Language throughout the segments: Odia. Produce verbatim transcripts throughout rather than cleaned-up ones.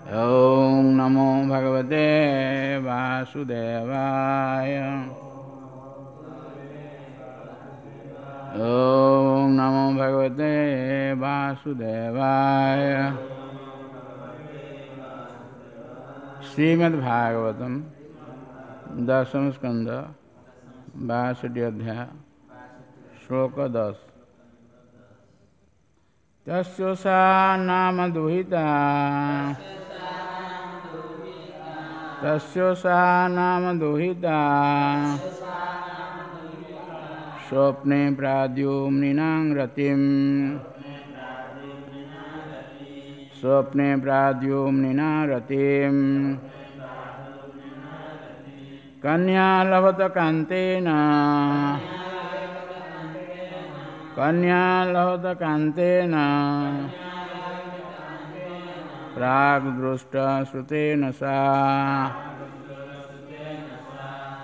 ॐ नमो भगवते वासुदेवाय। ॐ नमो भगवते वासुदेवाय। श्रीमद्भागवतम दशम स्कंद बासठी अध्याय श्लोक दस। तस्य सा नाम दुहिता, तस्य सा नाम दुहिता, स्वप्ने प्राद्युम्निनां रतिं, स्वप्ने प्राद्युम्निनां रतिं, कन्या लभत कान्तेन, कन्या लभत कान्तेन, प्राग्दृष्टा श्रुतेन सा,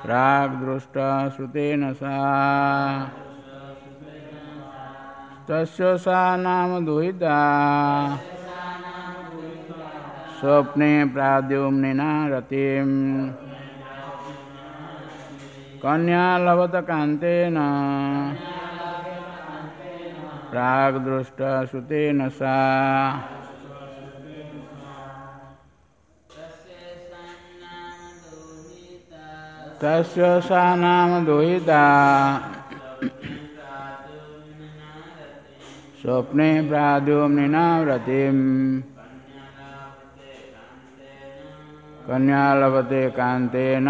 प्राग्दृष्टा श्रुतेन सा, तस्य सा नाम दुहिता, स्वप्ने प्राद्युम्निना रतिं, कन्या लभत कान्तेन, प्राग्दृष्टा श्रुतेन सा। तस्य सा नाम दुहिता, स्वप्ने प्राद्युम्निना रतिं, कन्या लभते कान्तेन,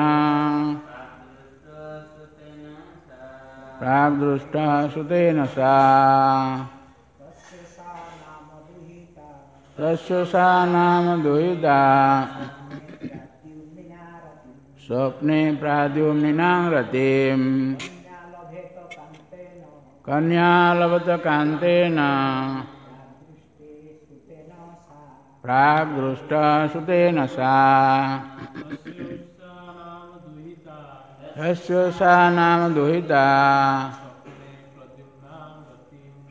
प्राग्दृष्टा श्रुतेन सा। तस्य सा नाम दुहिता, स्वप्ने प्राद्युम्निनां रतिं, कन्या लभत कान्तेन, प्राग्दृष्टा श्रुतेन सा। तस्य सा नाम दुहिता,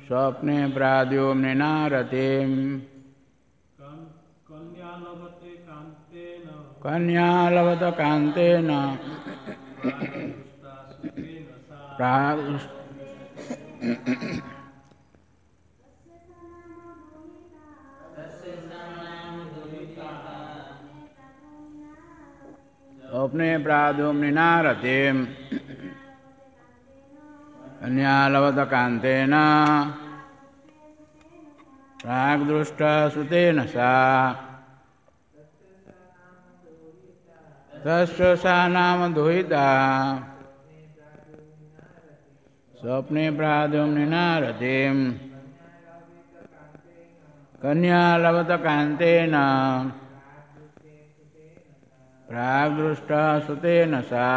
स्वप्ने प्राद्युम्निनां रतिं, कन्या लभत कान्तेन, प्राग्दृष्टा स्वप्ने प्राद्युम्निना रतिं, कन्या लभत कान्तेन, प्राग्दृष्टा श्रुतेन सा। तस्य सा नाम दुहिता, स्वप्ने प्राद्युम्निना रतिं, कन्या लभत कान्तेन, प्राग्दृष्टा श्रुतेन सा।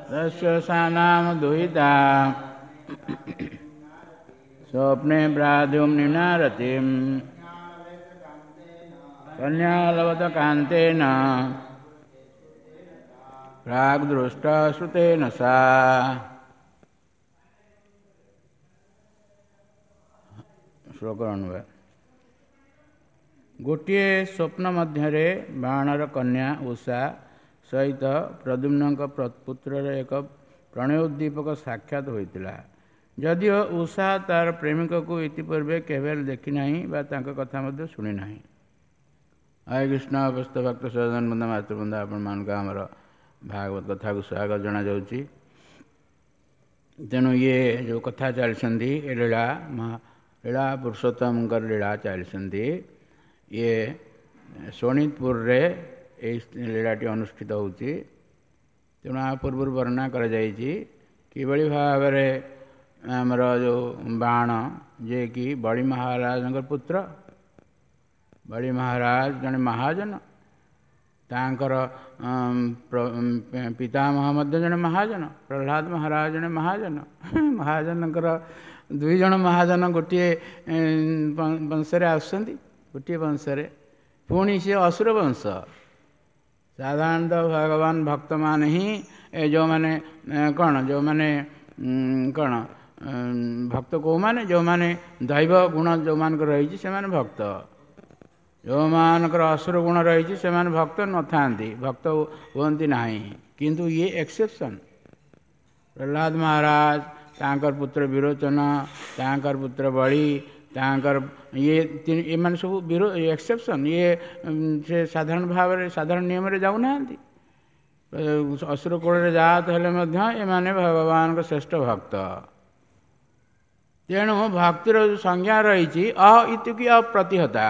तस्य सा नाम दुहिता, स्वप्ने प्राद्युम्निना रतिं, कन्या लभत कान्तेन, प्राग्दृष्टा श्रुतेन सा। ଶ୍ଲୋକ ଅନୁବାଦ। ଗୋଟିଏ ସ୍ୱପ୍ନ ମଧ୍ୟରେ ବାଣର କନ୍ୟା ଉଷା ସହିତ ପ୍ରଦ୍ୟୁମ୍ନଙ୍କ ପୁତ୍ରର ଏକ ପ୍ରଣୟୋଦ୍ଦୀପକ ସାକ୍ଷାତ ହୋଇଥିଲା। ଯଦିଓ ଉଷା ତାର ପ୍ରେମିକକୁ ଇତିପୂର୍ବେ କେବେ ହେଲେ ଦେଖିନାହିଁ ବା ତାଙ୍କ କଥା ମଧ୍ୟ ଶୁଣିନାହିଁ। ହରେ କୃଷ୍ଣ। ଅବସ୍ଥ ଭକ୍ତ ସଦନ ବୃନ୍ଦ ମାତୃବୃନ୍ଦ, ଆପଣମାନଙ୍କୁ ଆମର ଭାଗବତ କଥାକୁ ସ୍ୱାଗତ ଜଣାଯାଉଛି। ତେଣୁ ଇଏ ଯେଉଁ କଥା ଚାଲିଛନ୍ତି, ଏ ଲୀଳା ମହା ଲୀଳା ପୁରୁଷୋତ୍ତମଙ୍କର ଲୀଳା ଚାଲିଛନ୍ତି। ଇଏ ଶୋଣିତପୁରରେ ଏଇ ଲୀଳାଟି ଅନୁଷ୍ଠିତ ହେଉଛି। ତେଣୁ ଆ ପୂର୍ବରୁ ବର୍ଣ୍ଣନା କରାଯାଇଛି କିଭଳି ଭାବରେ ଆମର ଯେଉଁ ବାଣ, ଯିଏକି ବଳି ମହାରାଜଙ୍କର ପୁତ୍ର, ବଳି ମହାରାଜ ଜଣେ ମହାଜନ, ତାଙ୍କର ପିତାମହ ମଧ୍ୟ ଜଣେ ମହାଜନ, ପ୍ରହ୍ଲାଦ ମହାରାଜ ଜଣେ ମହାଜନ। ମହାଜନଙ୍କର ଦୁଇ ଜଣ ମହାଜନ ଗୋଟିଏ ବଂଶରେ ଆସୁଛନ୍ତି, ଗୋଟିଏ ବଂଶରେ, ପୁଣି ସିଏ ଅସୁର ବଂଶ। ସାଧାରଣତଃ ଭଗବାନ ଭକ୍ତମାନେ ହିଁ ଏ ଯେଉଁମାନେ କ'ଣ ଯେଉଁମାନେ କ'ଣ ଭକ୍ତ କେଉଁମାନେ? ଯେଉଁମାନେ ଦୈବ ଗୁଣ ଯେଉଁମାନଙ୍କର ରହିଛି ସେମାନେ ଭକ୍ତ। ଯେଉଁମାନଙ୍କର ଅସୁର ଗୁଣ ରହିଛି ସେମାନେ ଭକ୍ତ ନଥାନ୍ତି, ଭକ୍ତ ହୁଅନ୍ତି ନାହିଁ। କିନ୍ତୁ ଇଏ ଏକ୍ସେପସନ୍। ପ୍ରହ୍ଲାଦ ମହାରାଜ, ତାଙ୍କର ପୁତ୍ର ବିରୋଚନ, ତାଙ୍କର ପୁତ୍ର ବଳି, ତାଙ୍କର ଇଏ ଏମାନେ ସବୁ ବିରୋ ଏକ୍ସେପସନ୍। ଇଏ ସେ ସାଧାରଣ ଭାବରେ ସାଧାରଣ ନିୟମରେ ଯାଉନାହାନ୍ତି। ଅସୁର କୂଳରେ ଜାତ ହେଲେ ମଧ୍ୟ ଏମାନେ ଭଗବାନଙ୍କ ଶ୍ରେଷ୍ଠ ଭକ୍ତ। ତେଣୁ ଭକ୍ତିର ଯେଉଁ ସଂଜ୍ଞା ରହିଛି ଅ ଇତିକି ଅପ୍ରତିହତା।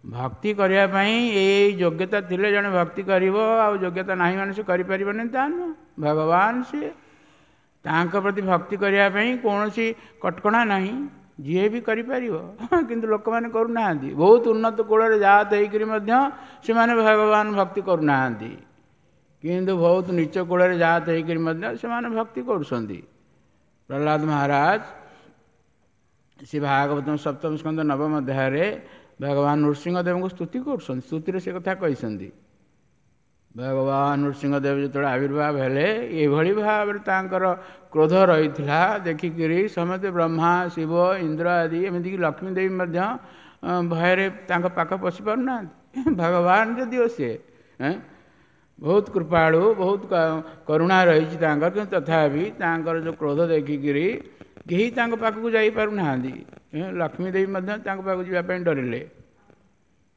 ଭକ୍ତି କରିବା ପାଇଁ ଏଇ ଯୋଗ୍ୟତା ଥିଲେ ଜଣେ ଭକ୍ତି କରିବ, ଆଉ ଯୋଗ୍ୟତା ନାହିଁ ମାନେ ସେ କରିପାରିବନି ତା ନୁହଁ। ଭଗବାନ ସିଏ, ତାଙ୍କ ପ୍ରତି ଭକ୍ତି କରିବା ପାଇଁ କୌଣସି କଟକଣା ନାହିଁ, ଯିଏ ବି କରିପାରିବ। କିନ୍ତୁ ଲୋକମାନେ କରୁନାହାନ୍ତି। ବହୁତ ଉନ୍ନତ କୂଳରେ ଜାତ ହେଇକରି ମଧ୍ୟ ସେମାନେ ଭଗବାନ ଭକ୍ତି କରୁନାହାନ୍ତି, କିନ୍ତୁ ବହୁତ ନୀଚ କୂଳରେ ଜାତ ହେଇକରି ମଧ୍ୟ ସେମାନେ ଭକ୍ତି କରୁଛନ୍ତି। ପ୍ରହ୍ଲାଦ ମହାରାଜ ସେ ଭାଗବତ ସପ୍ତମ ସ୍କନ୍ଧ ନବମ ଅଧ୍ୟାୟରେ ଭଗବାନ ନୃସିଂହଦେବଙ୍କୁ ସ୍ତୁତି କରୁଛନ୍ତି। ସ୍ତୁତିରେ ସେ କଥା କହିଛନ୍ତି। ଭଗବାନ ନୃସିଂହଦେବ ଯେତେବେଳେ ଆବିର୍ଭାବ ହେଲେ ଏଭଳି ଭାବରେ ତାଙ୍କର କ୍ରୋଧ ରହିଥିଲା, ଦେଖିକିରି ସମସ୍ତେ ବ୍ରହ୍ମା, ଶିବ, ଇନ୍ଦ୍ର ଆଦି, ଏମିତିକି ଲକ୍ଷ୍ମୀ ଦେବୀ ମଧ୍ୟ ଭୟରେ ତାଙ୍କ ପାଖ ପଶି ପାରୁନାହାନ୍ତି। ଭଗବାନ ଯଦିଓ ସିଏ ବହୁତ କୃପାଳୁ, ବହୁତ କରୁଣା ରହିଛି ତାଙ୍କର, କିନ୍ତୁ ତଥାପି ତାଙ୍କର ଯେଉଁ କ୍ରୋଧ ଦେଖିକିରି କେହି ତାଙ୍କ ପାଖକୁ ଯାଇପାରୁନାହାନ୍ତି। ଲକ୍ଷ୍ମୀ ଦେବୀ ମଧ୍ୟ ତାଙ୍କ ପାଖକୁ ଯିବା ପାଇଁ ଡରିଲେ।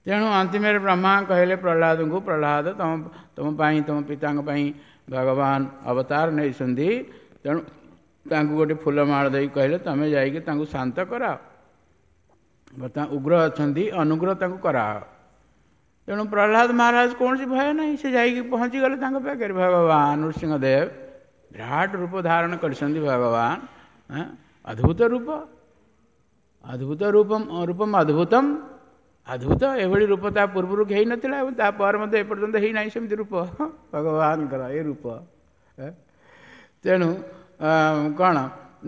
ତେଣୁ ଅନ୍ତିମରେ ବ୍ରହ୍ମା କହିଲେ ପ୍ରହ୍ଲାଦଙ୍କୁ, ପ୍ରହ୍ଲାଦ ତମ ତୁମ ପାଇଁ, ତୁମ ପିତାଙ୍କ ପାଇଁ ଭଗବାନ ଅବତାର ନେଇଛନ୍ତି, ତେଣୁ ତାଙ୍କୁ ଗୋଟେ ଫୁଲମାଳ ଦେଇ କହିଲେ ତୁମେ ଯାଇକି ତାଙ୍କୁ ଶାନ୍ତ କରାଅ, ବର୍ତ୍ତମାନ ଉଗ୍ର ଅଛନ୍ତି, ଅନୁଗ୍ରହ ତାଙ୍କୁ କରାଅ। ତେଣୁ ପ୍ରହ୍ଲାଦ ମହାରାଜ କୌଣସି ଭୟ ନାହିଁ, ସେ ଯାଇକି ପହଞ୍ଚିଗଲେ ତାଙ୍କ ପାଖରେ। ଭଗବାନ ନୃସିଂହଦେବ ବିରାଟ ରୂପ ଧାରଣ କରିଛନ୍ତି ଭଗବାନ, ଅଦ୍ଭୁତ ରୂପ, ଅଦ୍ଭୁତ ରୂପ, ରୂପମ ଅଦ୍ଭୁତମ, ଅଦ୍ଭୁତ। ଏଭଳି ରୂପ ତା ପୂର୍ବରୁ ହେଇନଥିଲା ଏବଂ ତାପରେ ମଧ୍ୟ ଏପର୍ଯ୍ୟନ୍ତ ହେଇନାହିଁ ସେମିତି ରୂପ ଭଗବାନଙ୍କର ଏ ରୂପ। ତେଣୁ କ'ଣ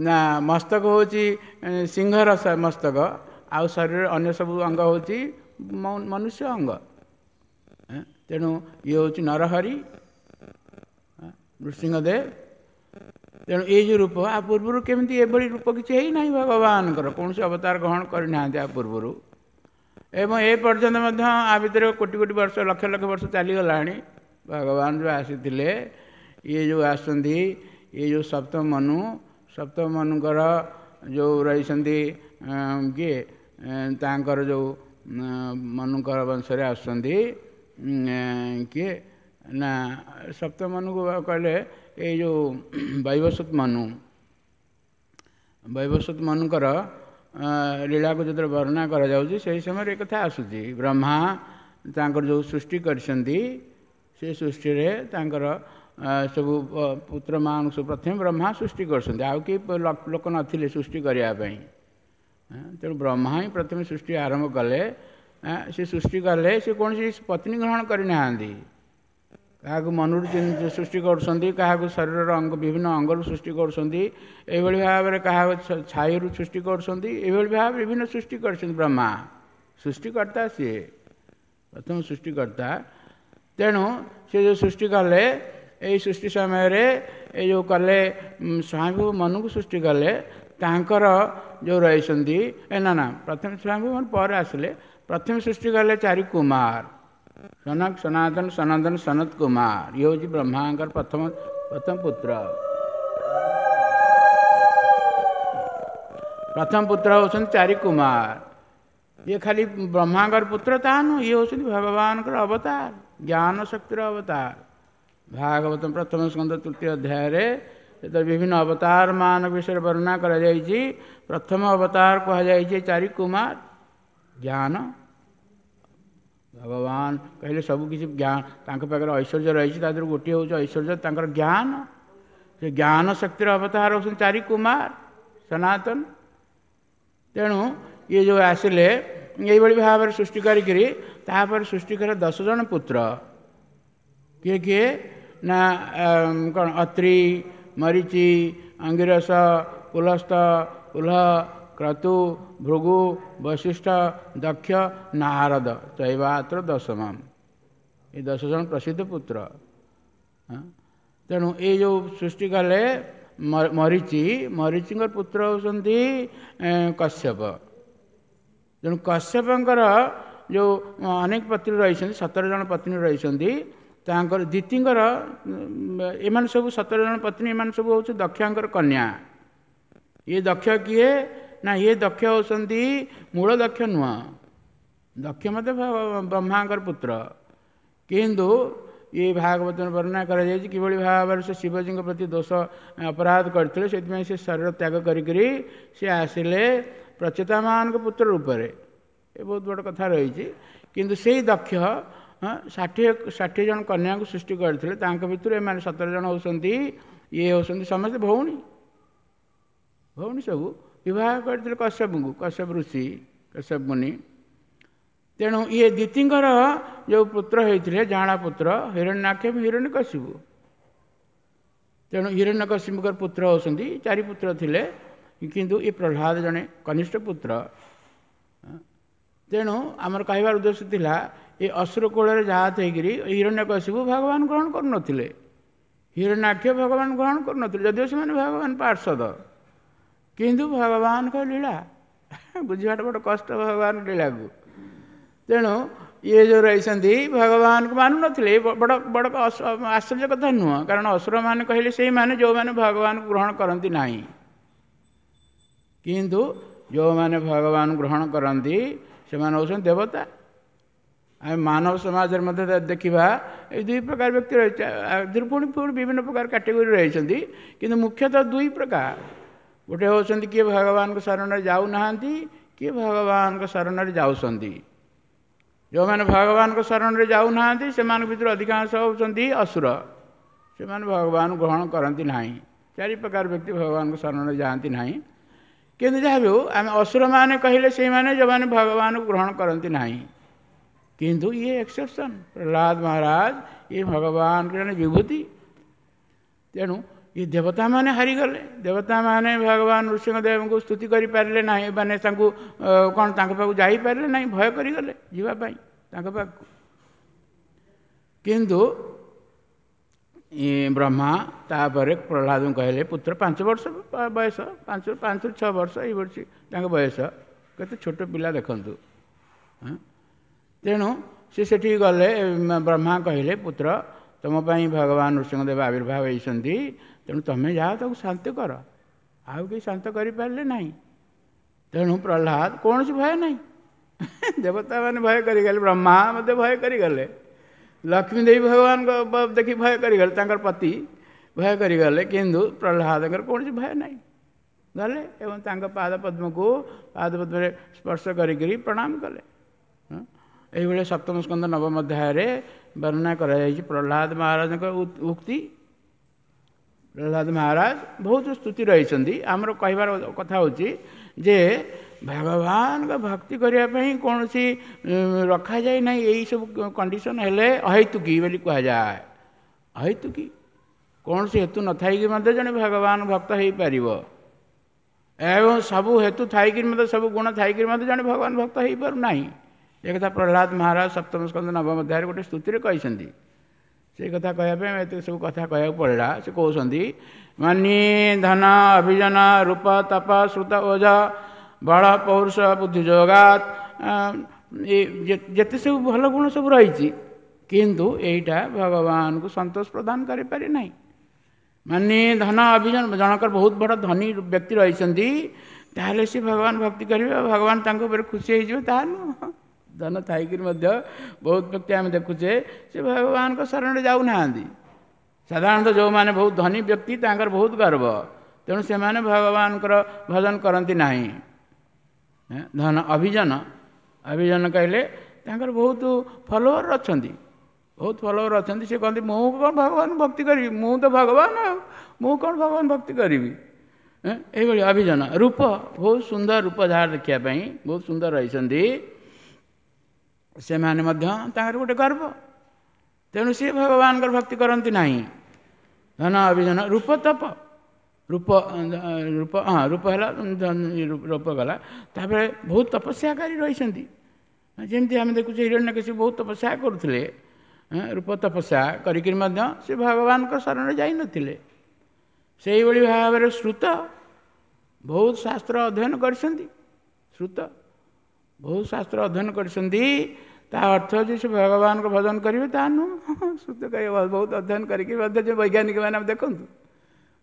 ନା ମସ୍ତକ ହେଉଛି ସିଂହର ମସ୍ତକ, ଆଉ ଶରୀରର ଅନ୍ୟ ସବୁ ଅଙ୍ଗ ହେଉଛି ମନୁଷ୍ୟ ଅଙ୍ଗ। ତେଣୁ ଇଏ ହେଉଛି ନରହରି ନୃସିଂହଦେବ। ତେଣୁ ଏଇ ଯେଉଁ ରୂପ, ଆ ପୂର୍ବରୁ କେମିତି ଏଭଳି ରୂପ କିଛି ହେଇନାହିଁ ଭଗବାନଙ୍କର, କୌଣସି ଅବତାର ଗ୍ରହଣ କରିନାହାନ୍ତି ଆ ପୂର୍ବରୁ, ଏବଂ ଏ ପର୍ଯ୍ୟନ୍ତ ମଧ୍ୟ ଆ ଭିତରେ କୋଟି କୋଟି ବର୍ଷ, ଲକ୍ଷ ଲକ୍ଷ ବର୍ଷ ଚାଲିଗଲାଣି। ଭଗବାନ ଯେଉଁ ଆସିଥିଲେ, ଇଏ ଯେଉଁ ଆସନ୍ତି, ଇଏ ଯେଉଁ ସପ୍ତମ ମନୁ, ସପ୍ତମ ମନୁଙ୍କର ଯେଉଁ ରହିଛନ୍ତି କିଏ, ତାଙ୍କର ଯେଉଁ ମନୁଙ୍କର ବଂଶରେ ଆସୁଛନ୍ତି କିଏ ନା ସପ୍ତମ ମନୁକୁ କହିଲେ ଏଇ ଯେଉଁ ବୈବସ୍ୱତ ମନୁ। ବୈବସ୍ୱତ ମନୁଙ୍କର ଲୀଳାକୁ ଯେତେବେଳେ ବର୍ଣ୍ଣନା କରାଯାଉଛି ସେହି ସମୟରେ ଏ କଥା ଆସୁଛି। ବ୍ରହ୍ମା ତାଙ୍କର ଯେଉଁ ସୃଷ୍ଟି କରିଛନ୍ତି, ସେ ସୃଷ୍ଟିରେ ତାଙ୍କର ସବୁ ପୁତ୍ରମାନଙ୍କୁ ସବୁ ପ୍ରଥମେ ବ୍ରହ୍ମା ସୃଷ୍ଟି କରୁଛନ୍ତି, ଆଉ କେହି ଲୋକ ନଥିଲେ ସୃଷ୍ଟି କରିବା ପାଇଁ। ତେଣୁ ବ୍ରହ୍ମା ହିଁ ପ୍ରଥମେ ସୃଷ୍ଟି ଆରମ୍ଭ କଲେ। ସେ ସୃଷ୍ଟି କଲେ, ସେ କୌଣସି ପତ୍ନୀ ଗ୍ରହଣ କରିନାହାନ୍ତି। କାହାକୁ ମନରୁ ସୃଷ୍ଟି କରୁଛନ୍ତି, କାହାକୁ ଶରୀରର ଅଙ୍ଗ ବିଭିନ୍ନ ଅଙ୍ଗରୁ ସୃଷ୍ଟି କରୁଛନ୍ତି, ଏଇଭଳି ଭାବରେ କାହାକୁ ଛାଇରୁ ସୃଷ୍ଟି କରୁଛନ୍ତି, ଏଇଭଳି ଭାବେ ବିଭିନ୍ନ ସୃଷ୍ଟି କରିଛନ୍ତି ବ୍ରହ୍ମା। ସୃଷ୍ଟିକର୍ତ୍ତା ସିଏ, ପ୍ରଥମ ସୃଷ୍ଟିକର୍ତ୍ତା। ତେଣୁ ସେ ଯେଉଁ ସୃଷ୍ଟି କଲେ, ଏଇ ସୃଷ୍ଟି ସମୟରେ ଏଇ ଯେଉଁ କଲେ ସ୍ୱୟଂଭୂ ମନୁକୁ ସୃଷ୍ଟି କଲେ, ତାଙ୍କର ଯେଉଁ ରହିଛନ୍ତି ଏ ନା ନା ପ୍ରଥମେ ସ୍ୱୟଂଭୂ ମନୁ ପରେ ଆସିଲେ। ପ୍ରଥମେ ସୃଷ୍ଟି କଲେ ଚାରି କୁମାର, ସନକ, ସନାତନ, ସନନ୍ଦନ, ସନତ କୁମାର। ଇଏ ହେଉଛି ବ୍ରହ୍ମାଙ୍କର ପ୍ରଥମ ପ୍ରଥମ ପୁତ୍ର। ପ୍ରଥମ ପୁତ୍ର ହେଉଛନ୍ତି ଚାରି କୁମାର। ଇଏ ଖାଲି ବ୍ରହ୍ମାଙ୍କର ପୁତ୍ର ତାହା ନୁହଁ, ଇଏ ହେଉଛନ୍ତି ଭଗବାନଙ୍କର ଅବତାର, ଜ୍ଞାନ ଶକ୍ତିର ଅବତାର। ଭାଗବତ ପ୍ରଥମ ସ୍କନ୍ଧ ତୃତୀୟ ଅଧ୍ୟାୟରେ ଯେତେବେଳେ ବିଭିନ୍ନ ଅବତାର ମାନଙ୍କ ବିଷୟରେ ବର୍ଣ୍ଣନା କରାଯାଇଛି, ପ୍ରଥମ ଅବତାର କୁହାଯାଇଛି ଚାରି କୁମାର ଜ୍ଞାନ। ଭଗବାନ କହିଲେ ସବୁ କିଛି ଜ୍ଞାନ ତାଙ୍କ ପାଖରେ ଐଶ୍ୱର୍ଯ୍ୟ ରହିଛି, ତା ଦେହରୁ ଗୋଟିଏ ହେଉଛି ଐଶ୍ୱର୍ଯ୍ୟ ତାଙ୍କର ଜ୍ଞାନ। ସେ ଜ୍ଞାନ ଶକ୍ତିର ଅବତାର ହେଉଛନ୍ତି ଚାରି କୁମାର ସନାତନ। ତେଣୁ ଇଏ ଯେଉଁ ଆସିଲେ ଏଇଭଳି ଭାବରେ ସୃଷ୍ଟି କରିକିରି, ତାପରେ ସୃଷ୍ଟି କଲେ ଦଶ ଜଣ ପୁତ୍ର। କିଏ କିଏ ନା କ'ଣ ଅତ୍ରି, ମରିଚି, ଅଙ୍ଗିରସ, ପୁଲସ୍ତ, ପୁଲହ, କ୍ରତୁ, ଭୃଗୁ, ବଶିଷ୍ଠ, ଦକ୍ଷ, ନାରଦ, ଚୈବାତ୍ର ଦଶମମ୍। ଏ ଦଶ ଜଣ ପ୍ରସିଦ୍ଧ ପୁତ୍ର। ତେଣୁ ଏଇ ଯେଉଁ ସୃଷ୍ଟି କଲେ ମରିଚି, ମରିଚିଙ୍କର ପୁତ୍ର ହେଉଛନ୍ତି କଶ୍ୟପ। ତେଣୁ କଶ୍ୟପଙ୍କର ଯେଉଁ ଅନେକ ପତ୍ନୀ ରହିଛନ୍ତି, ସତର ଜଣ ପତ୍ନୀ ରହିଛନ୍ତି, ତାଙ୍କର ଦିତିଙ୍କର ଏମାନେ ସବୁ ସତର ଜଣ ପତ୍ନୀ, ଏମାନେ ସବୁ ହେଉଛି ଦକ୍ଷଙ୍କର କନ୍ୟା। ଇଏ ଦକ୍ଷ କିଏ ନା ଇଏ ଦକ୍ଷ ହେଉଛନ୍ତି ମୂଳ ଦକ୍ଷ ନୁହଁ, ଦକ୍ଷ ମଧ୍ୟ ବ୍ରହ୍ମାଙ୍କର ପୁତ୍ର, କିନ୍ତୁ ଇଏ ଭାଗବତରେ ବର୍ଣ୍ଣନା କରାଯାଇଛି କିଭଳି ଭାବରେ ସେ ଶିବଜୀଙ୍କ ପ୍ରତି ଦୋଷ ଅପରାଧ କରିଥିଲେ, ସେଥିପାଇଁ ସେ ଶରୀର ତ୍ୟାଗ କରିକରି ସେ ଆସିଲେ ପ୍ରଚେତାମାନଙ୍କ ପୁତ୍ର ରୂପରେ। ଏ ବହୁତ ବଡ଼ କଥା ରହିଛି। କିନ୍ତୁ ସେଇ ଦକ୍ଷ ଷାଠିଏ ଷାଠିଏ ଜଣ କନ୍ୟାଙ୍କୁ ସୃଷ୍ଟି କରିଥିଲେ, ତାଙ୍କ ଭିତରୁ ଏମାନେ ସତର ଜଣ ହେଉଛନ୍ତି, ଇଏ ହେଉଛନ୍ତି ସମସ୍ତେ ଭଉଣୀ, ଭଉଣୀ ସବୁ ବିବାହ କରିଥିଲେ କଶ୍ୟପଙ୍କୁ, କଶ୍ୟପ ଋଷି, କଶ୍ୟପ ମୁନି। ତେଣୁ ଇଏ ଦିତିଙ୍କର ଯେଉଁ ପୁତ୍ର ହେଇଥିଲେ ଜାଣା ପୁତ୍ର ହିରଣ୍ୟାକ୍ଷ ହିରଣ୍ୟକଶିପୁ। ତେଣୁ ହିରଣ୍ୟକଶିପୁଙ୍କର ପୁତ୍ର ହେଉଛନ୍ତି ଚାରି ପୁତ୍ର ଥିଲେ, କିନ୍ତୁ ଏ ପ୍ରହ୍ଲାଦ ଜଣେ କନିଷ୍ଠ ପୁତ୍ର। ତେଣୁ ଆମର କହିବାର ଉଦ୍ଦେଶ୍ୟ ଥିଲା ଏ ଅସୁର କୂଳରେ ଜାତ ହେଇକିରି ହିରଣ୍ୟକଶିପୁ ଭଗବାନ ଗ୍ରହଣ କରୁନଥିଲେ, ହିରଣ୍ୟାକ୍ଷ ଭଗବାନ ଗ୍ରହଣ କରୁନଥିଲେ, ଯଦିଓ ସେମାନେ ଭଗବାନ ପାର୍ଷଦ, କିନ୍ତୁ ଭଗବାନଙ୍କ ଲୀଳା ବୁଝିବାଟା ବଡ଼ କଷ୍ଟ ଭଗବାନଙ୍କ ଲୀଳାକୁ। ତେଣୁ ଇଏ ଯେଉଁ ରହିଛନ୍ତି ଭଗବାନଙ୍କୁ ମାନୁନଥିଲେ, ବଡ଼ ବଡ଼ ଆଶ୍ଚର୍ଯ୍ୟ କଥା ନୁହଁ, କାରଣ ଅସୁରମାନେ କହିଲେ ସେଇମାନେ ଯେଉଁମାନେ ଭଗବାନଙ୍କୁ ଗ୍ରହଣ କରନ୍ତି ନାହିଁ, କିନ୍ତୁ ଯେଉଁମାନେ ଭଗବାନ ଗ୍ରହଣ କରନ୍ତି ସେମାନେ ହେଉଛନ୍ତି ଦେବତା। ଆମେ ମାନବ ସମାଜରେ ମଧ୍ୟ ଦେଖିବା ଏଇ ଦୁଇ ପ୍ରକାର ବ୍ୟକ୍ତି ରହିଛି, ପୁଣି ପୁଣି ବିଭିନ୍ନ ପ୍ରକାର କାଟେଗୋରୀ ରହିଛନ୍ତି, କିନ୍ତୁ ମୁଖ୍ୟତଃ ଦୁଇ ପ୍ରକାର। ଗୋଟେ ହେଉଛନ୍ତି କିଏ ଭଗବାନଙ୍କ ଶରଣରେ ଯାଉନାହାନ୍ତି, କିଏ ଭଗବାନଙ୍କ ଶରଣରେ ଯାଉଛନ୍ତି। ଯେଉଁମାନେ ଭଗବାନଙ୍କ ଶରଣରେ ଯାଉନାହାନ୍ତି ସେମାନଙ୍କ ଭିତରୁ ଅଧିକାଂଶ ହେଉଛନ୍ତି ଅସୁର, ସେମାନେ ଭଗବାନ ଗ୍ରହଣ କରନ୍ତି ନାହିଁ। ଚାରି ପ୍ରକାର ବ୍ୟକ୍ତି ଭଗବାନଙ୍କ ଶରଣରେ ଯାଆନ୍ତି ନାହିଁ, କିନ୍ତୁ ଯାହା ବି ହେଉ ଆମେ ଅସୁରମାନେ କହିଲେ ସେଇମାନେ ଯେଉଁମାନେ ଭଗବାନଙ୍କୁ ଗ୍ରହଣ କରନ୍ତି ନାହିଁ। କିନ୍ତୁ ଇଏ ଏକ୍ସେପସନ୍, ପ୍ରହ୍ଲାଦ ମହାରାଜ ଇଏ ଭଗବାନଙ୍କ ଜଣେ ବିଭୂତି। ତେଣୁ ଏ ଦେବତାମାନେ ହାରିଗଲେ, ଦେବତାମାନେ ଭଗବାନ ନୃସିଂହଦେବଙ୍କୁ ସ୍ତୁତି କରିପାରିଲେ ନାହିଁ, ମାନେ ତାଙ୍କୁ କ'ଣ ତାଙ୍କ ପାଖକୁ ଯାଇପାରିଲେ ନାହିଁ, ଭୟ କରିଗଲେ ଯିବା ପାଇଁ ତାଙ୍କ ପାଖକୁ। କିନ୍ତୁ ବ୍ରହ୍ମା ତାପରେ ପ୍ରହ୍ଲାଦଙ୍କୁ କହିଲେ, ପୁତ୍ର ପାଞ୍ଚ ବର୍ଷ ବୟସ, ପାଞ୍ଚ ପାଞ୍ଚରୁ ଛଅ ବର୍ଷ ଏଇ ବର୍ଷ ତାଙ୍କ ବୟସ, କେତେ ଛୋଟ ପିଲା ଦେଖନ୍ତୁ। ତେଣୁ ସେ ସେଠିକି ଗଲେ, ବ୍ରହ୍ମା କହିଲେ, ପୁତ୍ର ତୁମ ପାଇଁ ଭଗବାନ ନୃସିଂହଦେବ ଆବିର୍ଭାବ ହେଇଛନ୍ତି, ତେଣୁ ତୁମେ ଯାଅ ତାକୁ ଶାନ୍ତ କର। ଆଉ କେହି ଶାନ୍ତ କରିପାରିଲେ ନାହିଁ। ତେଣୁ ପ୍ରହ୍ଲାଦ କୌଣସି ଭୟ ନାହିଁ, ଦେବତାମାନେ ଭୟ କରିଗଲେ, ବ୍ରହ୍ମା ମଧ୍ୟ ଭୟ କରିଗଲେ, ଲକ୍ଷ୍ମୀ ଦେବୀ ଭଗବାନଙ୍କ ଦେଖି ଭୟ କରିଗଲେ, ତାଙ୍କର ପତି ଭୟ କରିଗଲେ, କିନ୍ତୁ ପ୍ରହ୍ଲାଦଙ୍କର କୌଣସି ଭୟ ନାହିଁ। ଗଲେ ଏବଂ ତାଙ୍କ ପାଦ ପଦ୍ମକୁ ପାଦ ପଦ୍ମରେ ସ୍ପର୍ଶ କରିକରି ପ୍ରଣାମ କଲେ। ଏଇଭଳି ସପ୍ତମ ସ୍କନ୍ଧ ନବମ ଅଧ୍ୟାୟରେ ବର୍ଣ୍ଣନା କରାଯାଇଛି ପ୍ରହ୍ଲାଦ ମହାରାଜଙ୍କ ଉକ୍ତି। ପ୍ରହ୍ଲାଦ ମହାରାଜ ବହୁତ ସ୍ତୁତି ରହିଛନ୍ତି। ଆମର କହିବାର କଥା ହେଉଛି ଯେ ଭଗବାନଙ୍କ ଭକ୍ତି କରିବା ପାଇଁ କୌଣସି ରଖାଯାଏ ନାହିଁ, ଏଇସବୁ କଣ୍ଡିସନ୍ ହେଲେ ଅହେତୁକୀ ବୋଲି କୁହାଯାଏ। ଅହେତୁକୀ କୌଣସି ହେତୁ ନଥାଇକି ମଧ୍ୟ ଜଣେ ଭଗବାନ ଭକ୍ତ ହେଇପାରିବ, ଏବଂ ସବୁ ହେତୁ ଥାଇକିରି ମଧ୍ୟ ସବୁ ଗୁଣ ଥାଇକିରି ମଧ୍ୟ ଜଣେ ଭଗବାନ ଭକ୍ତ ହେଇପାରୁନାହିଁ। ଏ କଥା ପ୍ରହ୍ଲାଦ ମହାରାଜ ସପ୍ତମ ସ୍କନ୍ଧ ନବମ ଅଧ୍ୟାୟରେ ଗୋଟେ ସ୍ତୁତିରେ କହିଛନ୍ତି। ସେଇ କଥା କହିବା ପାଇଁ ଏତେ ସବୁ କଥା କହିବାକୁ ପଡ଼ିଲା। ସେ କହୁଛନ୍ତି, ମାନି ଧନ ଅଭିଜନ ରୂପ ତପ ଶ୍ରୁତ ଓଜ ବଳ ପୌରୁଷ ବୁଦ୍ଧି ଯୋଗାତ, ଯେତେ ସବୁ ଭଲ ଗୁଣ ସବୁ ରହିଛି, କିନ୍ତୁ ଏଇଟା ଭଗବାନଙ୍କୁ ସନ୍ତୋଷ ପ୍ରଦାନ କରିପାରେ ନାହିଁ। ମାନେ ଧନ ଅଭିଜନ, ଜଣଙ୍କର ବହୁତ ବଡ଼ ଧନୀ ବ୍ୟକ୍ତି ରହିଛନ୍ତି, ତାହେଲେ ସେ ଭଗବାନ ଭକ୍ତି କରିବେ, ଭଗବାନ ତାଙ୍କ ଉପରେ ଖୁସି ହେଇଯିବେ, ତାହା ନୁହଁ। ଧନ ଥାଇକିରି ମଧ୍ୟ ବହୁତ ବ୍ୟକ୍ତି ଆମେ ଦେଖୁଛେ ସେ ଭଗବାନଙ୍କ ଶରଣରେ ଯାଉନାହାନ୍ତି। ସାଧାରଣତଃ ଯେଉଁମାନେ ବହୁତ ଧନୀ ବ୍ୟକ୍ତି ତାଙ୍କର ବହୁତ ଗର୍ବ, ତେଣୁ ସେମାନେ ଭଗବାନଙ୍କର ଭଜନ କରନ୍ତି ନାହିଁ। ଧନ ଅଭିଜନ, ଅଭିଜନ କହିଲେ ତାଙ୍କର ବହୁତ ଫଲୋଅର ଅଛନ୍ତି, ବହୁତ ଫଲୋଅର ଅଛନ୍ତି। ସେ କହନ୍ତି ମୁଁ କ'ଣ ଭଗବାନ ଭକ୍ତି କରିବି, ମୁଁ ତ ଭଗବାନ, ଆଉ ମୁଁ କ'ଣ ଭଗବାନ ଭକ୍ତି କରିବି। ଏଇଭଳି ଅଭିଜନ। ରୂପ, ବହୁତ ସୁନ୍ଦର ରୂପ ଯାହାର ଦେଖିବା ପାଇଁ ବହୁତ ସୁନ୍ଦର ରହିଛନ୍ତି, ସେମାନେ ମଧ୍ୟ ତାଙ୍କର ଗୋଟେ ଗର୍ବ, ତେଣୁ ସିଏ ଭଗବାନଙ୍କର ଭକ୍ତି କରନ୍ତି ନାହିଁ। ଧନ ଅଭିଜନ ରୂପ ତପ, ରୂପ ରୂପ ହଁ ରୂପ ହେଲା ରୂପ ଗଲା। ତାପରେ ବହୁତ ତପସ୍ୟାକାରୀ ରହିଛନ୍ତି, ଯେମିତି ଆମେ ଦେଖୁଛେ ହିରଣ୍ୟକଶିପୁ ବହୁତ ତପସ୍ୟା କରୁଥିଲେ, ରୂପ ତପସ୍ୟା କରିକିରି ମଧ୍ୟ ସେ ଭଗବାନଙ୍କ ଶରଣରେ ଯାଇନଥିଲେ। ସେଇଭଳି ଭାବରେ ଶ୍ରୁତ ବହୁତ ଶାସ୍ତ୍ର ଅଧ୍ୟୟନ କରିଛନ୍ତି, ଶ୍ରୁତ ବହୁତ ଶାସ୍ତ୍ର ଅଧ୍ୟୟନ କରିଛନ୍ତି, ତା ଅର୍ଥ ଯେ ସେ ଭଗବାନଙ୍କ ଭଜନ କରିବେ ତା ନୁହଁ। ଶ୍ରୁତ ବହୁତ ଅଧ୍ୟୟନ କରିକି ମଧ୍ୟ ଯେଉଁ ବୈଜ୍ଞାନିକ ମାନେ ଆମେ ଦେଖନ୍ତୁ,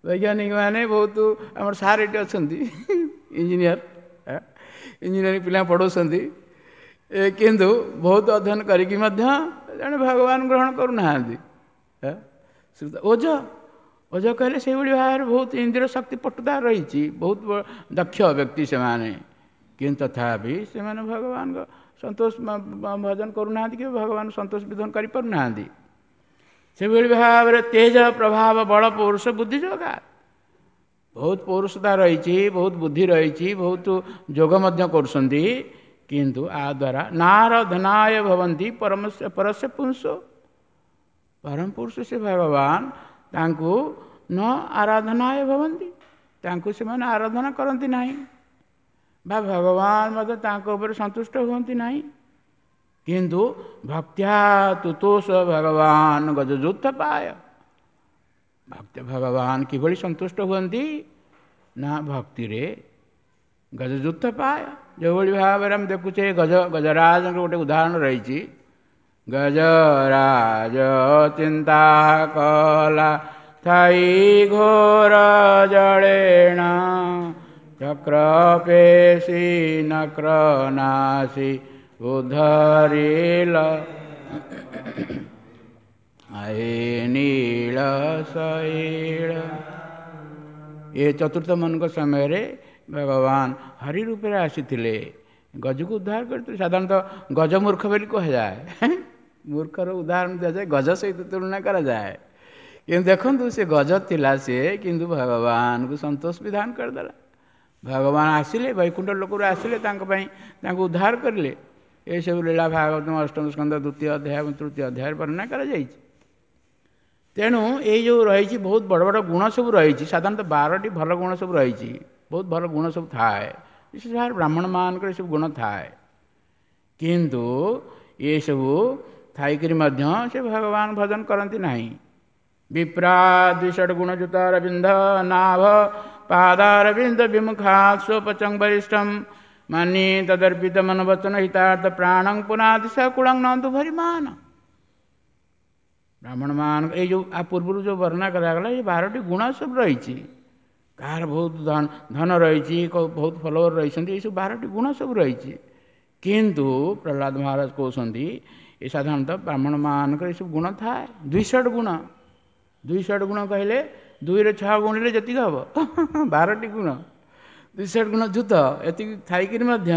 ବୈଜ୍ଞାନିକ ମାନେ ବହୁତ ଆମର ସାର୍ ଏଠି ଅଛନ୍ତି ଇଞ୍ଜିନିୟର, ଇଞ୍ଜିନିୟରିଂ ପିଲା ପଢ଼ଉଛନ୍ତି, କିନ୍ତୁ ବହୁତ ଅଧ୍ୟୟନ କରିକି ମଧ୍ୟ ଜଣେ ଭଗବାନ ଗ୍ରହଣ କରୁନାହାନ୍ତି। ଓଜ ଓଜ କହିଲେ ସେଇଭଳି ଭାବରେ ବହୁତ ଇନ୍ଦ୍ରିୟ ଶକ୍ତି ପଟୁତା ରହିଛି, ବହୁତ ଦକ୍ଷ ବ୍ୟକ୍ତି ସେମାନେ, କିନ୍ତୁ ତଥାପି ସେମାନେ ଭଗବାନଙ୍କ ସନ୍ତୋଷ ଭଜନ କରୁନାହାନ୍ତି କି ଭଗବାନ ସନ୍ତୋଷ ବିଧାନ କରିପାରୁନାହାନ୍ତି। ସେଭଳି ଭାବରେ ତେଜ ପ୍ରଭାବ ବଳ ପୌରୁଷ ବୁଦ୍ଧି ଯୋଗା, ବହୁତ ପୌରୁଷତା ରହିଛି, ବହୁତ ବୁଦ୍ଧି ରହିଛି, ବହୁତ ଯୋଗ ମଧ୍ୟ କରୁଛନ୍ତି, କିନ୍ତୁ ଆ ଦ୍ୱାରା ନାରଧନାୟ ଭବନ୍ତି ପରମ ପରସ୍ୟ ପୁଂସ, ପରମ ପୁରୁଷ ସେ ଭଗବାନ ତାଙ୍କୁ ନ ଆରାଧନାୟ ଭବନ୍ତି, ତାଙ୍କୁ ସେମାନେ ଆରାଧନା କରନ୍ତି ନାହିଁ ବା ଭଗବାନ ମଧ୍ୟ ତାଙ୍କ ଉପରେ ସନ୍ତୁଷ୍ଟ ହୁଅନ୍ତି ନାହିଁ। କିନ୍ତୁ ଭକ୍ତ୍ୟା ତୁତୋଷ ଭଗବାନ ଗଜଯୁଦ୍ଧ ପାୟ, ଭକ୍ତ ଭଗବାନ କିଭଳି ସନ୍ତୁଷ୍ଟ ହୁଅନ୍ତି ନା ଭକ୍ତିରେ ଗଜଯୁଦ୍ଧ ପାୟ। ଯେଉଁଭଳି ଭାବରେ ଆମେ ଦେଖୁଛେ ଗଜ ଗଜରାଜଙ୍କ ଗୋଟେ ଉଦାହରଣ ରହିଛି। ଗଜରାଜ ଚିନ୍ତା କଲା ଥାଇ ଘୋର ଜଳେଣ, ଚକ୍ର ପେଶି ନକ୍ର ନାସି ଉଧରିଲ ଆଏ ନୀଳ ଶୈଳ। ଏ ଚତୁର୍ଥ ମନୁଙ୍କ ସମୟରେ ଭଗବାନ ହରି ରୂପରେ ଆସିଥିଲେ, ଗଜକୁ ଉଦ୍ଧାର କରିଥିଲେ। ସାଧାରଣତଃ ଗଜ ମୂର୍ଖ ବୋଲି କୁହାଯାଏ, ମୂର୍ଖର ଉଦାହରଣ ଦିଆଯାଏ, ଗଜ ସହିତ ତୁଳନା କରାଯାଏ। କିନ୍ତୁ ଦେଖନ୍ତୁ ସେ ଗଜ ଥିଲା ସିଏ, କିନ୍ତୁ ଭଗବାନଙ୍କୁ ସନ୍ତୋଷ ବିଧାନ କରିଦେଲା। ଭଗବାନ ଆସିଲେ, ବୈକୁଣ୍ଠ ଲୋକରୁ ଆସିଲେ, ତାଙ୍କ ପାଇଁ ତାଙ୍କୁ ଉଦ୍ଧାର କରିଲେ। ଏସବୁ ଲୀଳା ଭାଗବତ ଅଷ୍ଟମ ସ୍କନ୍ଧ ଦ୍ୱିତୀୟ ଅଧ୍ୟାୟ ଏବଂ ତୃତୀୟ ଅଧ୍ୟାୟରେ ବର୍ଣ୍ଣନା କରାଯାଇଛି। ତେଣୁ ଏଇ ଯେଉଁ ରହିଛି ବହୁତ ବଡ଼ ବଡ଼ ଗୁଣ ସବୁ ରହିଛି, ସାଧାରଣତଃ ବାରଟି ଭଲ ଗୁଣ ସବୁ ରହିଛି, ବହୁତ ଭଲ ଗୁଣ ସବୁ ଥାଏ, ବିଶେଷ ଭାବରେ ବ୍ରାହ୍ମଣମାନଙ୍କର ଏସବୁ ଗୁଣ ଥାଏ। କିନ୍ତୁ ଏସବୁ ଥାଇକରି ମଧ୍ୟ ସେ ଭଗବାନ ଭଜନ କରନ୍ତି ନାହିଁ। ବିପ୍ରାଦ୍ୱିଷଡ଼ ଗୁଣଯୁତ ଅରବିନ୍ଦ ନାଭ ପାଦାରବିନ୍ଦ ବିମୁଖା ସ୍ୱପଚଂ ବରିଷ୍ଠಂ ମାନି ତଦର୍ପିତ ମନବଚନ ହିତାର୍ଥ ପ୍ରାଣଂ ପୁନାଦିଶ କୁଳଂ ନନ୍ତୁ ଭରିମାନ। ବ୍ରାହ୍ମଣମାନଙ୍କ ଏଇ ଯେଉଁ ଆ ପୂର୍ବରୁ ଯେଉଁ ବର୍ଣ୍ଣନା କରାଗଲା, ଏଇ ବାରଟି ଗୁଣ ସବୁ ରହିଛି। କାହାର ବହୁତ ଧନ ଧନ ରହିଛି, ବହୁତ ଫଲୋଅର ରହିଛନ୍ତି, ଏଇସବୁ ବାରଟି ଗୁଣ ସବୁ ରହିଛି। କିନ୍ତୁ ପ୍ରହ୍ଲାଦ ମହାରାଜ କହୁଛନ୍ତି ଏ ସାଧାରଣତଃ ବ୍ରାହ୍ମଣମାନଙ୍କର ଏସବୁ ଗୁଣ ଥାଏ ଦୁଇଶହ ଗୁଣ। ଦୁଇଶହ ଗୁଣ କହିଲେ ଦୁଇରେ ଛଅ ଗୁଣିଲେ ଯେତିକି ହେବ ବାରଟି ଗୁଣ, ଦୁଇଶହ ଗୁଣ ଯୁତ ଏତିକି ଥାଇକିରି ମଧ୍ୟ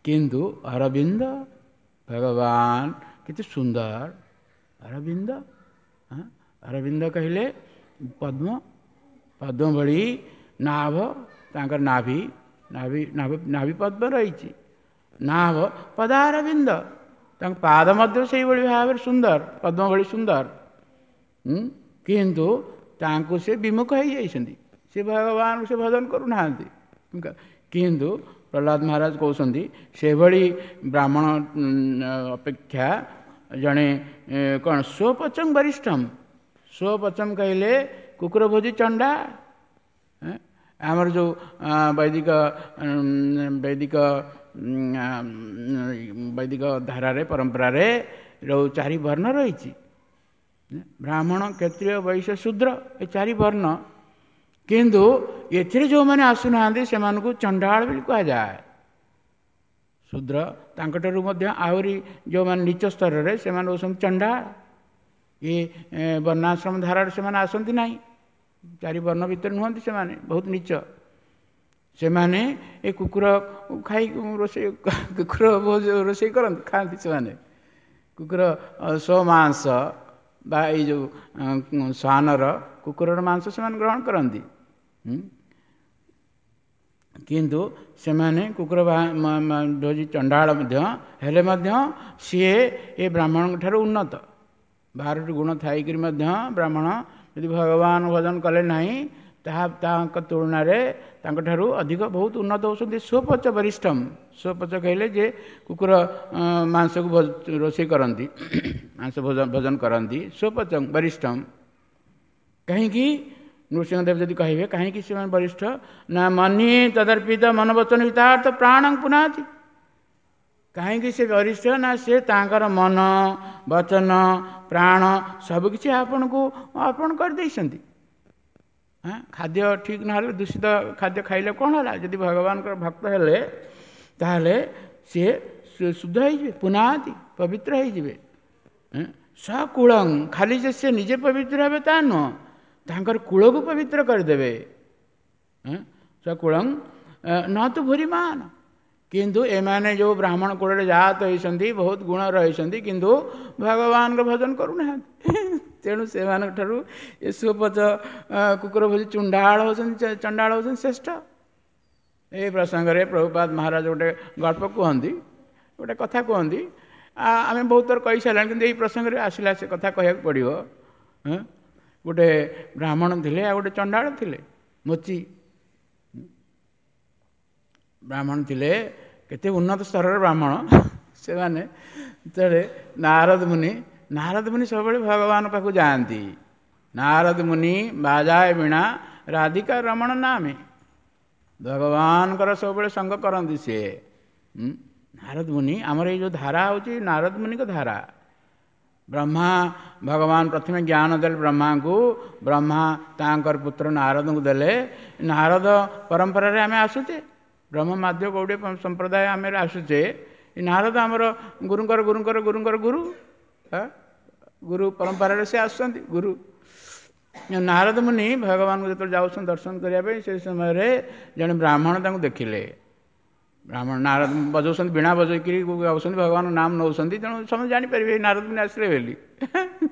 କିନ୍ତୁ ଅରବିନ୍ଦ ଭଗବାନ କେତେ ସୁନ୍ଦର। ଅରବିନ୍ଦ ଅରବିନ୍ଦ କହିଲେ ପଦ୍ମ, ପଦ୍ମ ଭଳି ନାଭ, ତାଙ୍କର ନାଭି ନାଭି ନାଭି ପଦ୍ମ ରହିଛି, ନାଭ ପଦାରବିନ୍ଦ, ତାଙ୍କ ପାଦ ମଧ୍ୟ ସେଇଭଳି ଭାବରେ ସୁନ୍ଦର, ପଦ୍ମ ଭଳି ସୁନ୍ଦର। କିନ୍ତୁ ତାଙ୍କୁ ସେ ବିମୁଖ ହେଇଯାଇଛନ୍ତି, ସେ ଭଗବାନଙ୍କୁ ସେ ଭଜନ କରୁନାହାନ୍ତି। କିନ୍ତୁ ପ୍ରହ୍ଲାଦ ମହାରାଜ କହୁଛନ୍ତି ସେଭଳି ବ୍ରାହ୍ମଣ ଅପେକ୍ଷା ଜଣେ କ'ଣ ସ୍ୱପଚଂ ବରିଷ୍ଠମ। ସ୍ୱପଚଂ କହିଲେ କୁକୁର ଭୋଜି ଚଣ୍ଡା। ଆମର ଯେଉଁ ବୈଦିକ ବୈଦିକ ବୈଦିକ ଧାରାରେ ପରମ୍ପରାରେ ଯେଉଁ ଚାରି ବର୍ଣ୍ଣ ରହିଛି, ବ୍ରାହ୍ମଣ, କ୍ଷତ୍ରିୟ, ବୈଶ୍ୟ, ଶୂଦ୍ର, ଏ ଚାରି ବର୍ଣ୍ଣ। କିନ୍ତୁ ଏଥିରେ ଯେଉଁମାନେ ଆସୁନାହାନ୍ତି ସେମାନଙ୍କୁ ଚଣ୍ଡାଳ ବୋଲି କୁହାଯାଏ। ଶୂଦ୍ର ତାଙ୍କଠାରୁ ମଧ୍ୟ ଆହୁରି ଯେଉଁମାନେ ନୀଚ ସ୍ତରରେ ସେମାନେ ହେଉଛନ୍ତି ଚଣ୍ଡାଳ। ଏ ବର୍ଣ୍ଣାଶ୍ରମ ଧାରାରେ ସେମାନେ ଆସନ୍ତି ନାହିଁ, ଚାରି ବର୍ଣ୍ଣ ଭିତରେ ନୁହନ୍ତି, ସେମାନେ ବହୁତ ନୀଚ। ସେମାନେ ଏ କୁକୁର ଖାଇ ରୋଷେଇ, କୁକୁର ରୋଷେଇ କରନ୍ତି, ଖାଆନ୍ତି ସେମାନେ କୁକୁର ସ୍ୱମାଂସ ବା ଏଇ ଯେଉଁ ଶ୍ୱାନର କୁକୁରର ମାଂସ ସେମାନେ ଗ୍ରହଣ କରନ୍ତି। କିନ୍ତୁ ସେମାନେ କୁକୁର ଭୋଜି ଚଣ୍ଡାଳ ମଧ୍ୟ ହେଲେ ମଧ୍ୟ ସିଏ ଏ ବ୍ରାହ୍ମଣଙ୍କ ଠାରୁ ଉନ୍ନତ। ବାରଟି ଗୁଣ ଥାଇକରି ମଧ୍ୟ ବ୍ରାହ୍ମଣ ଯଦି ଭଗବାନ ଭଜନ କଲେ ନାହିଁ, ତାହା ତାଙ୍କ ତୁଳନାରେ ତାଙ୍କଠାରୁ ଅଧିକ ବହୁତ ଉନ୍ନତ ହେଉଛନ୍ତି। ସ୍ୱପଚ ବରିଷ୍ଠମ, ସ୍ୱପଚ କହିଲେ ଯେ କୁକୁର ମାଂସକୁ ରୋଷେଇ କରନ୍ତି, ମାଂସ ଭୋଜନ କରନ୍ତି, ସ୍ୱପଚ ବରିଷ୍ଠମ। କାହିଁକି ନୃସିଂହଦେବ ଯଦି କହିବେ କାହିଁକି ସେମାନେ ବରିଷ୍ଠ ନା, ମନି ତଦର୍ପିତ ମନବଚନ ହିତାର୍ଥ ପ୍ରାଣ ପୁନାତି। କାହିଁକି ସେ ବରିଷ୍ଠ ନା, ସେ ତାଙ୍କର ମନ ବଚନ ପ୍ରାଣ ସବୁକିଛି ଆପଣଙ୍କୁ ଅର୍ପଣ କରିଦେଇଛନ୍ତି। ହଁ, ଖାଦ୍ୟ ଠିକ୍ ନହେଲେ, ଦୂଷିତ ଖାଦ୍ୟ ଖାଇଲେ କ'ଣ ହେଲା? ଯଦି ଭଗବାନଙ୍କର ଭକ୍ତ ହେଲେ ତାହେଲେ ସିଏ ଶୁଦ୍ଧ ହେଇଯିବେ, ପୁନାତି ପବିତ୍ର ହେଇଯିବେ। ସକୁଳଂ, ଖାଲି ଯେ ସେ ନିଜେ ପବିତ୍ର ହେବେ ତା ନୁହଁ, ତାଙ୍କର କୂଳକୁ ପବିତ୍ର କରିଦେବେ। ସକୁଳଂ ନ ତୁ ଭୁରିମାନ। କିନ୍ତୁ ଏମାନେ ଯେଉଁ ବ୍ରାହ୍ମଣ କୂଳରେ ଜାତ ହେଇଛନ୍ତି, ବହୁତ ଗୁଣ ରହିଛନ୍ତି, କିନ୍ତୁ ଭଗବାନଙ୍କ ଭଜନ କରୁନାହାନ୍ତି। ତେଣୁ ସେମାନଙ୍କ ଠାରୁ ଏ ସୁପଚ କୁକୁର ଭୋଜି ଚୁଣ୍ଡାଳ ହେଉଛନ୍ତି, ଚଣ୍ଡାଳ ହେଉଛନ୍ତି ଶ୍ରେଷ୍ଠ। ଏହି ପ୍ରସଙ୍ଗରେ ପ୍ରଭୁପାଦ ମହାରାଜ ଗୋଟେ ଗଳ୍ପ କୁହନ୍ତି, ଗୋଟେ କଥା କୁହନ୍ତି। ଆମେ ବହୁତ ଥର କହିସାରିଲାଣି, କିନ୍ତୁ ଏଇ ପ୍ରସଙ୍ଗରେ ଆସିଲା ସେ କଥା କହିବାକୁ ପଡ଼ିବ। ଗୋଟେ ବ୍ରାହ୍ମଣ ଥିଲେ ଆଉ ଗୋଟେ ଚଣ୍ଡାଳ ଥିଲେ, ମୋଚି ବ୍ରାହ୍ମଣ ଥିଲେ, କେତେ ଉନ୍ନତ ସ୍ତରର ବ୍ରାହ୍ମଣ ସେମାନେ। ଯେତେବେଳେ ନାରଦ ମୁନି, ନାରଦ ମୁନି ସବୁବେଳେ ଭଗବାନ ପାଖକୁ ଯାଆନ୍ତି। ନାରଦ ମୁନି ବାଜାଏ ବୀଣା ରାଧିକା ରମଣ ନାମେ, ଭଗବାନଙ୍କର ସବୁବେଳେ ସଙ୍ଗ କରନ୍ତି ସିଏ। ନାରଦ ମୁନି, ଆମର ଏଇ ଯେଉଁ ଧାରା ହେଉଛି ନାରଦ ମୁନିଙ୍କ ଧାରା। ବ୍ରହ୍ମା ଭଗବାନ ପ୍ରଥମେ ଜ୍ଞାନ ଦେଲେ ବ୍ରହ୍ମାଙ୍କୁ, ବ୍ରହ୍ମା ତାଙ୍କର ପୁତ୍ର ନାରଦଙ୍କୁ ଦେଲେ। ନାରଦ ପରମ୍ପରାରେ ଆମେ ଆସୁଛେ, ବ୍ରହ୍ମ ମାଧ୍ୟ ଗୌଡ଼ୀୟ ସମ୍ପ୍ରଦାୟ ଆମେ ଆସୁଛେ। ନାରଦ ଆମର ଗୁରୁଙ୍କର ଗୁରୁଙ୍କର ଗୁରୁଙ୍କର ଗୁରୁ, ଗୁରୁ ପରମ୍ପରାରେ ସେ ଆସୁଛନ୍ତି ଗୁରୁ। ନାରଦ ମୁନି ଭଗବାନଙ୍କୁ ଯେତେବେଳେ ଯାଉଛନ୍ତି ଦର୍ଶନ କରିବା ପାଇଁ, ସେ ସମୟରେ ଜଣେ ବ୍ରାହ୍ମଣ ତାଙ୍କୁ ଦେଖିଲେ। ବ୍ରାହ୍ମଣ ନାରଦ ବଜାଉଛନ୍ତି, ବୀଣା ବଜାଇକିରି ଗାଉଛନ୍ତି, ଭଗବାନଙ୍କ ନାମ ନେଉଛନ୍ତି। ତେଣୁ ସମସ୍ତେ ଜାଣିପାରିବେ ନାରଦ ମୁନି ଆସିଲେ ବୋଲି,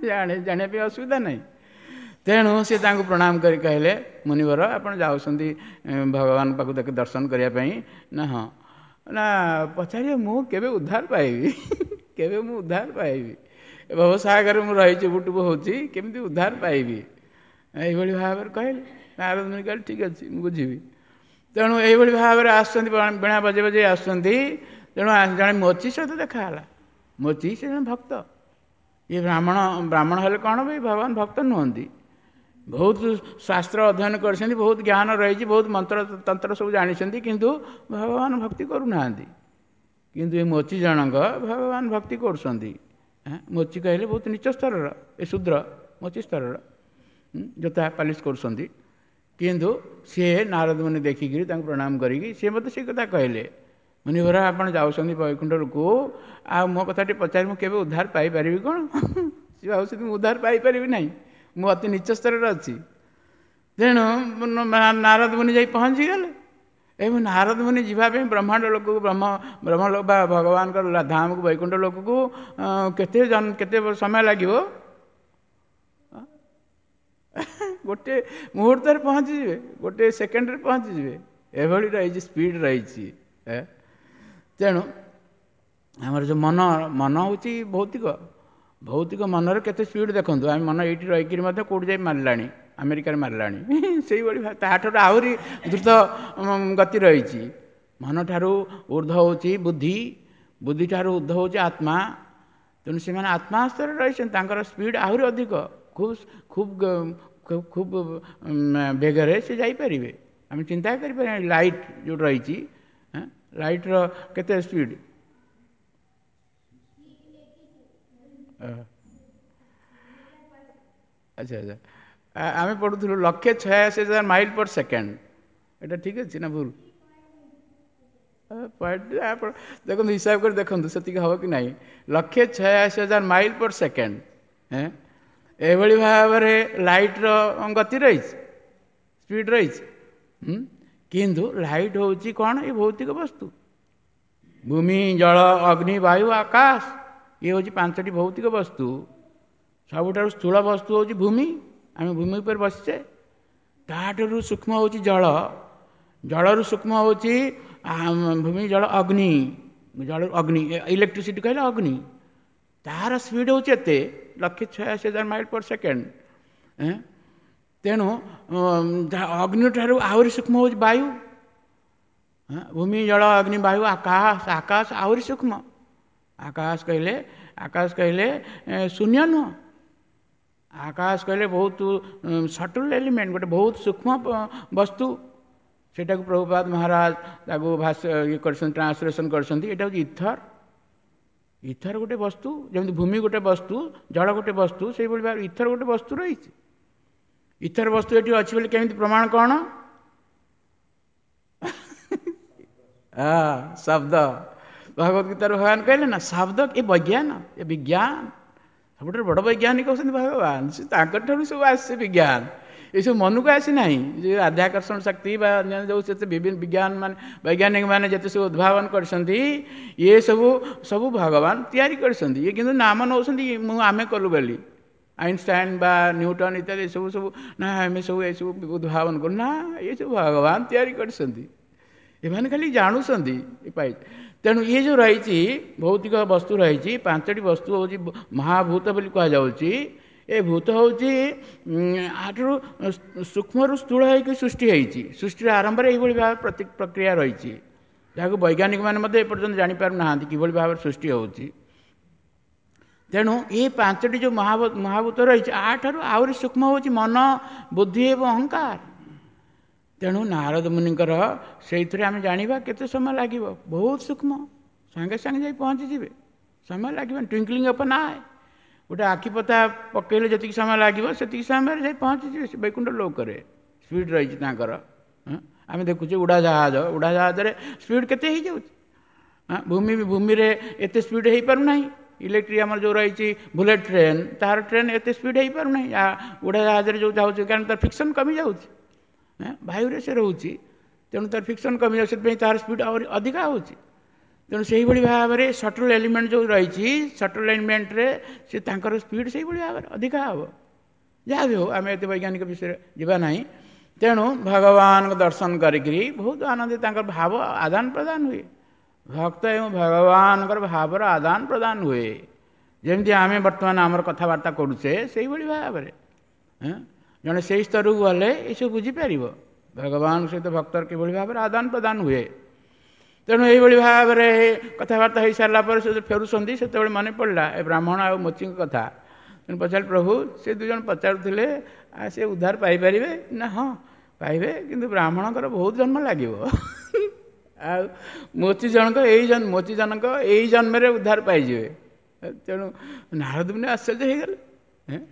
ଜାଣି ଜାଣିବା ପାଇଁ ଅସୁବିଧା ନାହିଁ। ତେଣୁ ସେ ତାଙ୍କୁ ପ୍ରଣାମ କରି କହିଲେ, ମୁନିବର ଆପଣ ଯାଉଛନ୍ତି ଭଗବାନଙ୍କ ପାଖକୁ ଦେଖି ଦର୍ଶନ କରିବା ପାଇଁ ନା? ହଁ। ନା ପଚାରିବେ ମୁଁ କେବେ ଉଦ୍ଧାର ପାଇବି, କେବେ ମୁଁ ଉଦ୍ଧାର ପାଇବି? ଭବସାଗରରେ ମୁଁ ରହିଛି, ବୁଟୁବୁ ହେଉଛି, କେମିତି ଉଦ୍ଧାର ପାଇବି? ଏଇଭଳି ଭାବରେ କହିଲେ। ନାରଦ ମୁନି କହିଲେ ଠିକ୍ ଅଛି, ମୁଁ ବୁଝିବି। ତେଣୁ ଏଇଭଳି ଭାବରେ ଆସୁଛନ୍ତି, ବୀଣା ବଜେଇ ବଜେଇ ଆସୁଛନ୍ତି। ତେଣୁ ଜଣେ ମୋଚି ସହିତ ଦେଖା ହେଲା। ମୋଚି ସେ ଜଣେ ଭକ୍ତ। ଇଏ ବ୍ରାହ୍ମଣ, ବ୍ରାହ୍ମଣ ହେଲେ କ'ଣ ବି ଭଗବାନ ଭକ୍ତ ନୁହନ୍ତି। ବହୁତ ଶାସ୍ତ୍ର ଅଧ୍ୟୟନ କରିଛନ୍ତି, ବହୁତ ଜ୍ଞାନ ରହିଛି, ବହୁତ ମନ୍ତ୍ର ତନ୍ତ୍ର ସବୁ ଜାଣିଛନ୍ତି, କିନ୍ତୁ ଭଗବାନ ଭକ୍ତି କରୁନାହାନ୍ତି। କିନ୍ତୁ ଏ ମୋଚି ଜଣଙ୍କ ଭଗବାନ ଭକ୍ତି କରୁଛନ୍ତି। ମୋଚି କହିଲେ ବହୁତ ନୀଚ ସ୍ତରର, ଏ ଶୂଦ୍ର ମୋଚି ସ୍ତରର, ଜୋତା ପାଲିଶ କରୁଛନ୍ତି। କିନ୍ତୁ ସିଏ ନାରଦ ମୁନି ଦେଖିକିରି ତାଙ୍କୁ ପ୍ରଣାମ କରିକି ସିଏ ମୋତେ ସେ କଥା କହିଲେ, ମୁନିବର ଆପଣ ଯାଉଛନ୍ତି ବୈକୁଣ୍ଠକୁ, ଆଉ ମୋ କଥା ଟିକେ ପଚାରି ମୁଁ କେବେ ଉଦ୍ଧାର ପାଇପାରିବି କ'ଣ? ସିଏ ଭାବୁଛନ୍ତି ମୁଁ ଉଦ୍ଧାର ପାଇପାରିବି ନାହିଁ, ମୁଁ ଅତି ନୀଚ ସ୍ତରରେ ଅଛି। ତେଣୁ ନାରଦ ମୁନି ଯାଇ ପହଞ୍ଚିଗଲେ। ଏବଂ ନାରଦ ମୁନି ଯିବା ପାଇଁ ବ୍ରହ୍ମାଣ୍ଡ ଲୋକକୁ, ବ୍ରହ୍ମ ବ୍ରହ୍ମ ବା ଭଗବାନଙ୍କର ଧାମକୁ, ବୈକୁଣ୍ଠ ଲୋକକୁ କେତେ କେତେ ସମୟ ଲାଗିବ? ଗୋଟେ ମୁହୂର୍ତ୍ତରେ ପହଞ୍ଚିଯିବେ, ଗୋଟେ ସେକେଣ୍ଡରେ ପହଞ୍ଚିଯିବେ। ଏଭଳି ରହିଛି, ସ୍ପିଡ଼ ରହିଛି। ତେଣୁ ଆମର ଯେଉଁ ମନ, ମନ ହେଉଛି ଭୌତିକ। ଭୌତିକ ମନରେ କେତେ ସ୍ପିଡ଼ ଦେଖନ୍ତୁ। ଆମେ ମନ ଏଇଠି ରହିକିରି ମଧ୍ୟ କେଉଁଠି ଯାଇ ମାରିଲାଣି, ଆମେରିକାରେ ମାରିଲାଣି। ସେଇଭଳି ତାଠାରୁ ଆହୁରି ଦ୍ରୁତ ଗତି ରହିଛି। ମନଠାରୁ ଉର୍ଦ୍ଧ୍ୱ ହେଉଛି ବୁଦ୍ଧି, ବୁଦ୍ଧିଠାରୁ ଉର୍ଦ୍ଧ୍ୱ ହେଉଛି ଆତ୍ମା। ତେଣୁ ସେମାନେ ଆତ୍ମା ସ୍ତରରେ ରହିଛନ୍ତି, ତାଙ୍କର ସ୍ପିଡ଼ ଆହୁରି ଅଧିକ, ଖୁବ୍ ଖୁବ୍ ଖୁବ୍ ବେଗରେ ସେ ଯାଇପାରିବେ। ଆମେ ଚିନ୍ତା କରିପାରିବା ଲାଇଟ୍ ଯେଉଁ ରହିଛି, ଲାଇଟ୍ର କେତେ ସ୍ପିଡ଼? ଆଚ୍ଛା ଆଚ୍ଛା, ଆମେ ପଢ଼ୁଥିଲୁ ଲକ୍ଷେ ଛୟାଅଶୀ ହଜାର ମାଇଲ ପର ସେକେଣ୍ଡ। ଏଇଟା ଠିକ୍ ଅଛି ନା ଭୁଲ? ପଏଣ୍ଟ ଆପଣ ଦେଖନ୍ତୁ, ହିସାବ କରି ଦେଖନ୍ତୁ ସେତିକି ହେବ କି ନାହିଁ। ଲକ୍ଷେ ଛୟାଅଶୀ ହଜାର ମାଇଲ ପର ସେକେଣ୍ଡ। ଏଭଳି ଭାବରେ ଲାଇଟ୍ର ଗତି ରହିଛି, ସ୍ପିଡ଼ ରହିଛି। କିନ୍ତୁ ଲାଇଟ୍ ହେଉଛି କ'ଣ? ଏ ଭୌତିକ ବସ୍ତୁ। ଭୂମି, ଜଳ, ଅଗ୍ନି, ବାୟୁ, ଆକାଶ, ଇଏ ହେଉଛି ପାଞ୍ଚଟି ଭୌତିକ ବସ୍ତୁ। ସବୁଠାରୁ ସ୍ଥୂଳ ବସ୍ତୁ ହେଉଛି ଭୂମି, ଆମେ ଭୂମି ଉପରେ ବସିଛେ। ତାଠାରୁ ସୂକ୍ଷ୍ମ ହେଉଛି ଜଳ, ଜଳରୁ ସୂକ୍ଷ୍ମ ହେଉଛି ଭୂମି, ଜଳ, ଅଗ୍ନି, ଜଳ, ଅଗ୍ନି, ଇଲେକ୍ଟ୍ରିସିଟି କହିଲେ ଅଗ୍ନି। ତାହାର ସ୍ପିଡ଼ ହେଉଛି ଏତେ, ଲକ୍ଷେ ଛୟାଅଶୀ ହଜାର ମାଇଲ ପର ସେକେଣ୍ଡ। ତେଣୁ ଅଗ୍ନି ଠାରୁ ଆହୁରି ସୂକ୍ଷ୍ମ ହେଉଛି ବାୟୁ। ଭୂମି, ଜଳ, ଅଗ୍ନି, ବାୟୁ, ଆକାଶ। ଆକାଶ ଆହୁରି ସୂକ୍ଷ୍ମ। ଆକାଶ କହିଲେ, ଆକାଶ କହିଲେ ଶୂନ୍ୟ ନୁହଁ, ଆକାଶ କହିଲେ ବହୁତ ସଟଲ୍ ଏଲିମେଣ୍ଟ, ଗୋଟେ ବହୁତ ସୂକ୍ଷ୍ମ ବସ୍ତୁ। ସେଇଟାକୁ ପ୍ରଭୁପାଦ ମହାରାଜ ତାକୁ ଭାଷ୍ୟ ଇଏ କରିଛନ୍ତି, ଟ୍ରାନ୍ସଲେସନ୍ କରିଛନ୍ତି। ଏଇଟା ହେଉଛି ଇଥର। ଇଥର ଗୋଟେ ବସ୍ତୁ, ଯେମିତି ଭୂମି ଗୋଟେ ବସ୍ତୁ, ଜଳ ଗୋଟେ ବସ୍ତୁ, ସେଇଭଳି ଭାବରେ ଇଥର ଗୋଟେ ବସ୍ତୁ ରହିଛି। ଇଥର ବସ୍ତୁ ଏଠି ଅଛି ବୋଲି କେମିତି ପ୍ରମାଣ କ'ଣ? ହଁ, ଶବ୍ଦ। ଭଗବତ ଗୀତାରେ ଭଗବାନ କହିଲେ ନା, ଶବ୍ଦ ଏ ବୈଜ୍ଞାନ, ଏ ବିଜ୍ଞାନ। ସବୁଠାରୁ ବଡ଼ ବୈଜ୍ଞାନିକ ହେଉଛନ୍ତି ଭଗବାନ। ସେ ତାଙ୍କଠାରୁ ସବୁ ଆସିছে ବିଜ୍ଞାନ। ଏସବୁ ମନକୁ ଆସିନାହିଁ। ଯେ ଆଧ୍ୟାକର୍ଷଣ ଶକ୍ତି ବା ଅନ୍ୟାନ୍ୟ ଯେଉଁ ସେତେ ବିଭିନ୍ନ ବିଜ୍ଞାନ ମାନେ, ବୈଜ୍ଞାନିକ ମାନେ ଯେତେ ସବୁ ଉଦ୍ଭାବନ କରିଛନ୍ତି, ଇଏ ସବୁ ସବୁ ଭଗବାନ ତିଆରି କରିଛନ୍ତି। ଇଏ କିନ୍ତୁ ନାମ ନେଉଛନ୍ତି ମୁଁ ଆମେ କଲୁ ବୋଲି। ଆଇନଷ୍ଟାଇନ୍ ବା ନ୍ୟୁଟନ୍ ଇତ୍ୟାଦି ଏସବୁ ସବୁ ନା ଆମେ ସବୁ ଏସବୁ ଉଦ୍ଭାବନ କରୁ ନା, ଏସବୁ ଭଗବାନ ତିଆରି କରିଛନ୍ତି, ଏମାନେ ଖାଲି ଜାଣୁଛନ୍ତି ପାଇ। ତେଣୁ ଇଏ ଯେଉଁ ରହିଛି ଭୌତିକ ବସ୍ତୁ ରହିଛି, ପାଞ୍ଚଟି ବସ୍ତୁ ହେଉଛି ମହାଭୂତ ବୋଲି କୁହାଯାଉଛି। ଏ ଭୂତ ହେଉଛି ଆଠାରୁ ସୂକ୍ଷ୍ମରୁ ସ୍ଥୂଳ ହେଇକି ସୃଷ୍ଟି ହେଇଛି। ସୃଷ୍ଟିର ଆରମ୍ଭରେ ଏଇଭଳି ଭାବେ ପ୍ରକ୍ରିୟା ରହିଛି, ଯାହାକୁ ବୈଜ୍ଞାନିକମାନେ ମଧ୍ୟ ଏପର୍ଯ୍ୟନ୍ତ ଜାଣିପାରୁନାହାନ୍ତି କିଭଳି ଭାବରେ ସୃଷ୍ଟି ହେଉଛି। ତେଣୁ ଏ ପାଞ୍ଚଟି ଯେଉଁ ମହାଭୂତ ରହିଛି, ଆଠାରୁ ଆହୁରି ସୂକ୍ଷ୍ମ ହେଉଛି ମନ, ବୁଦ୍ଧି ଏବଂ ଅହଙ୍କାର। ତେଣୁ ନାରଦ ମୁନିଙ୍କର ସେଇଥିରେ ଆମେ ଜାଣିବା କେତେ ସମୟ ଲାଗିବ, ବହୁତ ସୂକ୍ଷ୍ମ, ସାଙ୍ଗେ ସାଙ୍ଗେ ଯାଇ ପହଞ୍ଚିଯିବେ, ସମୟ ଲାଗିବନି। ଟ୍ୱିଙ୍କଲିଂ ଅଫ୍ ଆନ୍ ଆଏ, ଗୋଟେ ଆଖି ପତା ପକେଇଲେ ଯେତିକି ସମୟ ଲାଗିବ ସେତିକି ସମୟରେ ଯାଇ ପହଞ୍ଚିଯିବେ ସେ ବୈକୁଣ୍ଠ ଲୋକରେ। ସ୍ପିଡ଼ ରହିଛି ତାଙ୍କର। ଆମେ ଦେଖୁଛେ ଉଡ଼ାଜାହାଜ, ଉଡ଼ାଜାହାଜରେ ସ୍ପିଡ଼ କେତେ ହେଇଯାଉଛି। ଭୂମି ଭୂମିରେ ଏତେ ସ୍ପିଡ଼ ହେଇପାରୁନାହିଁ। ଇଲେକ୍ଟ୍ରିକ୍ ଆମର ଯେଉଁ ରହିଛି ବୁଲେଟ୍ ଟ୍ରେନ୍, ତାହାର ଟ୍ରେନ୍ ଏତେ ସ୍ପିଡ଼ ହେଇପାରୁନାହିଁ ଉଡ଼ାଜାହାଜରେ ଯେଉଁ ଯାଉଛି, କାରଣ ତାର ଫ୍ରିକ୍ସନ୍ କମିଯାଉଛି, ବାୟୁରେ ସେ ରହୁଛି, ତେଣୁ ତାର ଫ୍ରିକ୍ସନ୍ କମିଯାଉଛି, ସେଥିପାଇଁ ତାର ସ୍ପିଡ଼ ଆହୁରି ଅଧିକା ହେଉଛି। ତେଣୁ ସେଇଭଳି ଭାବରେ ସଟଲ୍ ଏଲିମେଣ୍ଟ ଯେଉଁ ରହିଛି, ସଟଲ୍ ଏଲିମେଣ୍ଟରେ ସେ ତାଙ୍କର ସ୍ପିଡ଼ ସେଇଭଳି ଭାବରେ ଅଧିକା ହେବ। ଯାହା ବି ହେଉ, ଆମେ ଏତେ ବୈଜ୍ଞାନିକ ବିଷୟରେ ଯିବା ନାହିଁ। ତେଣୁ ଭଗବାନଙ୍କ ଦର୍ଶନ କରିକିରି ବହୁତ ଆନନ୍ଦ, ତାଙ୍କର ଭାବ ଆଦାନ ପ୍ରଦାନ ହୁଏ। ଭକ୍ତ ଏବଂ ଭଗବାନଙ୍କର ଭାବର ଆଦାନ ପ୍ରଦାନ ହୁଏ, ଯେମିତି ଆମେ ବର୍ତ୍ତମାନ ଆମର କଥାବାର୍ତ୍ତା କରୁଛେ ସେଇଭଳି ଭାବରେ। ଜଣେ ସେଇ ସ୍ତରକୁ ଗଲେ ଏସବୁ ବୁଝିପାରିବ ଭଗବାନଙ୍କ ସହିତ ଭକ୍ତର କିଭଳି ଭାବରେ ଆଦାନ ପ୍ରଦାନ ହୁଏ। ତେଣୁ ଏଇଭଳି ଭାବରେ କଥାବାର୍ତ୍ତା ହେଇସାରିଲା ପରେ ସେ ଫେରୁଛନ୍ତି, ସେତେବେଳେ ମନେ ପଡ଼ିଲା ଏ ବ୍ରାହ୍ମଣ ଆଉ ମୋଚିଙ୍କ କଥା। ତେଣୁ ପଚାରିଲେ, ପ୍ରଭୁ ସେ ଦୁଇ ଜଣ ପଚାରୁଥିଲେ ଆଉ ସେ ଉଦ୍ଧାର ପାଇପାରିବେ ନା? ହଁ ପାଇବେ, କିନ୍ତୁ ବ୍ରାହ୍ମଣଙ୍କର ବହୁତ ଜନ୍ମ ଲାଗିବ, ଆଉ ମୋଚି ଜଣଙ୍କ ଏଇ ଜନ୍ମ ମୋଚି ଜଣଙ୍କ ଏଇ ଜନ୍ମରେ ଉଦ୍ଧାର ପାଇଯିବେ। ତେଣୁ ନାରଦ ମୁନି ଆଶ୍ଚର୍ଯ୍ୟ ହେଇଗଲେ,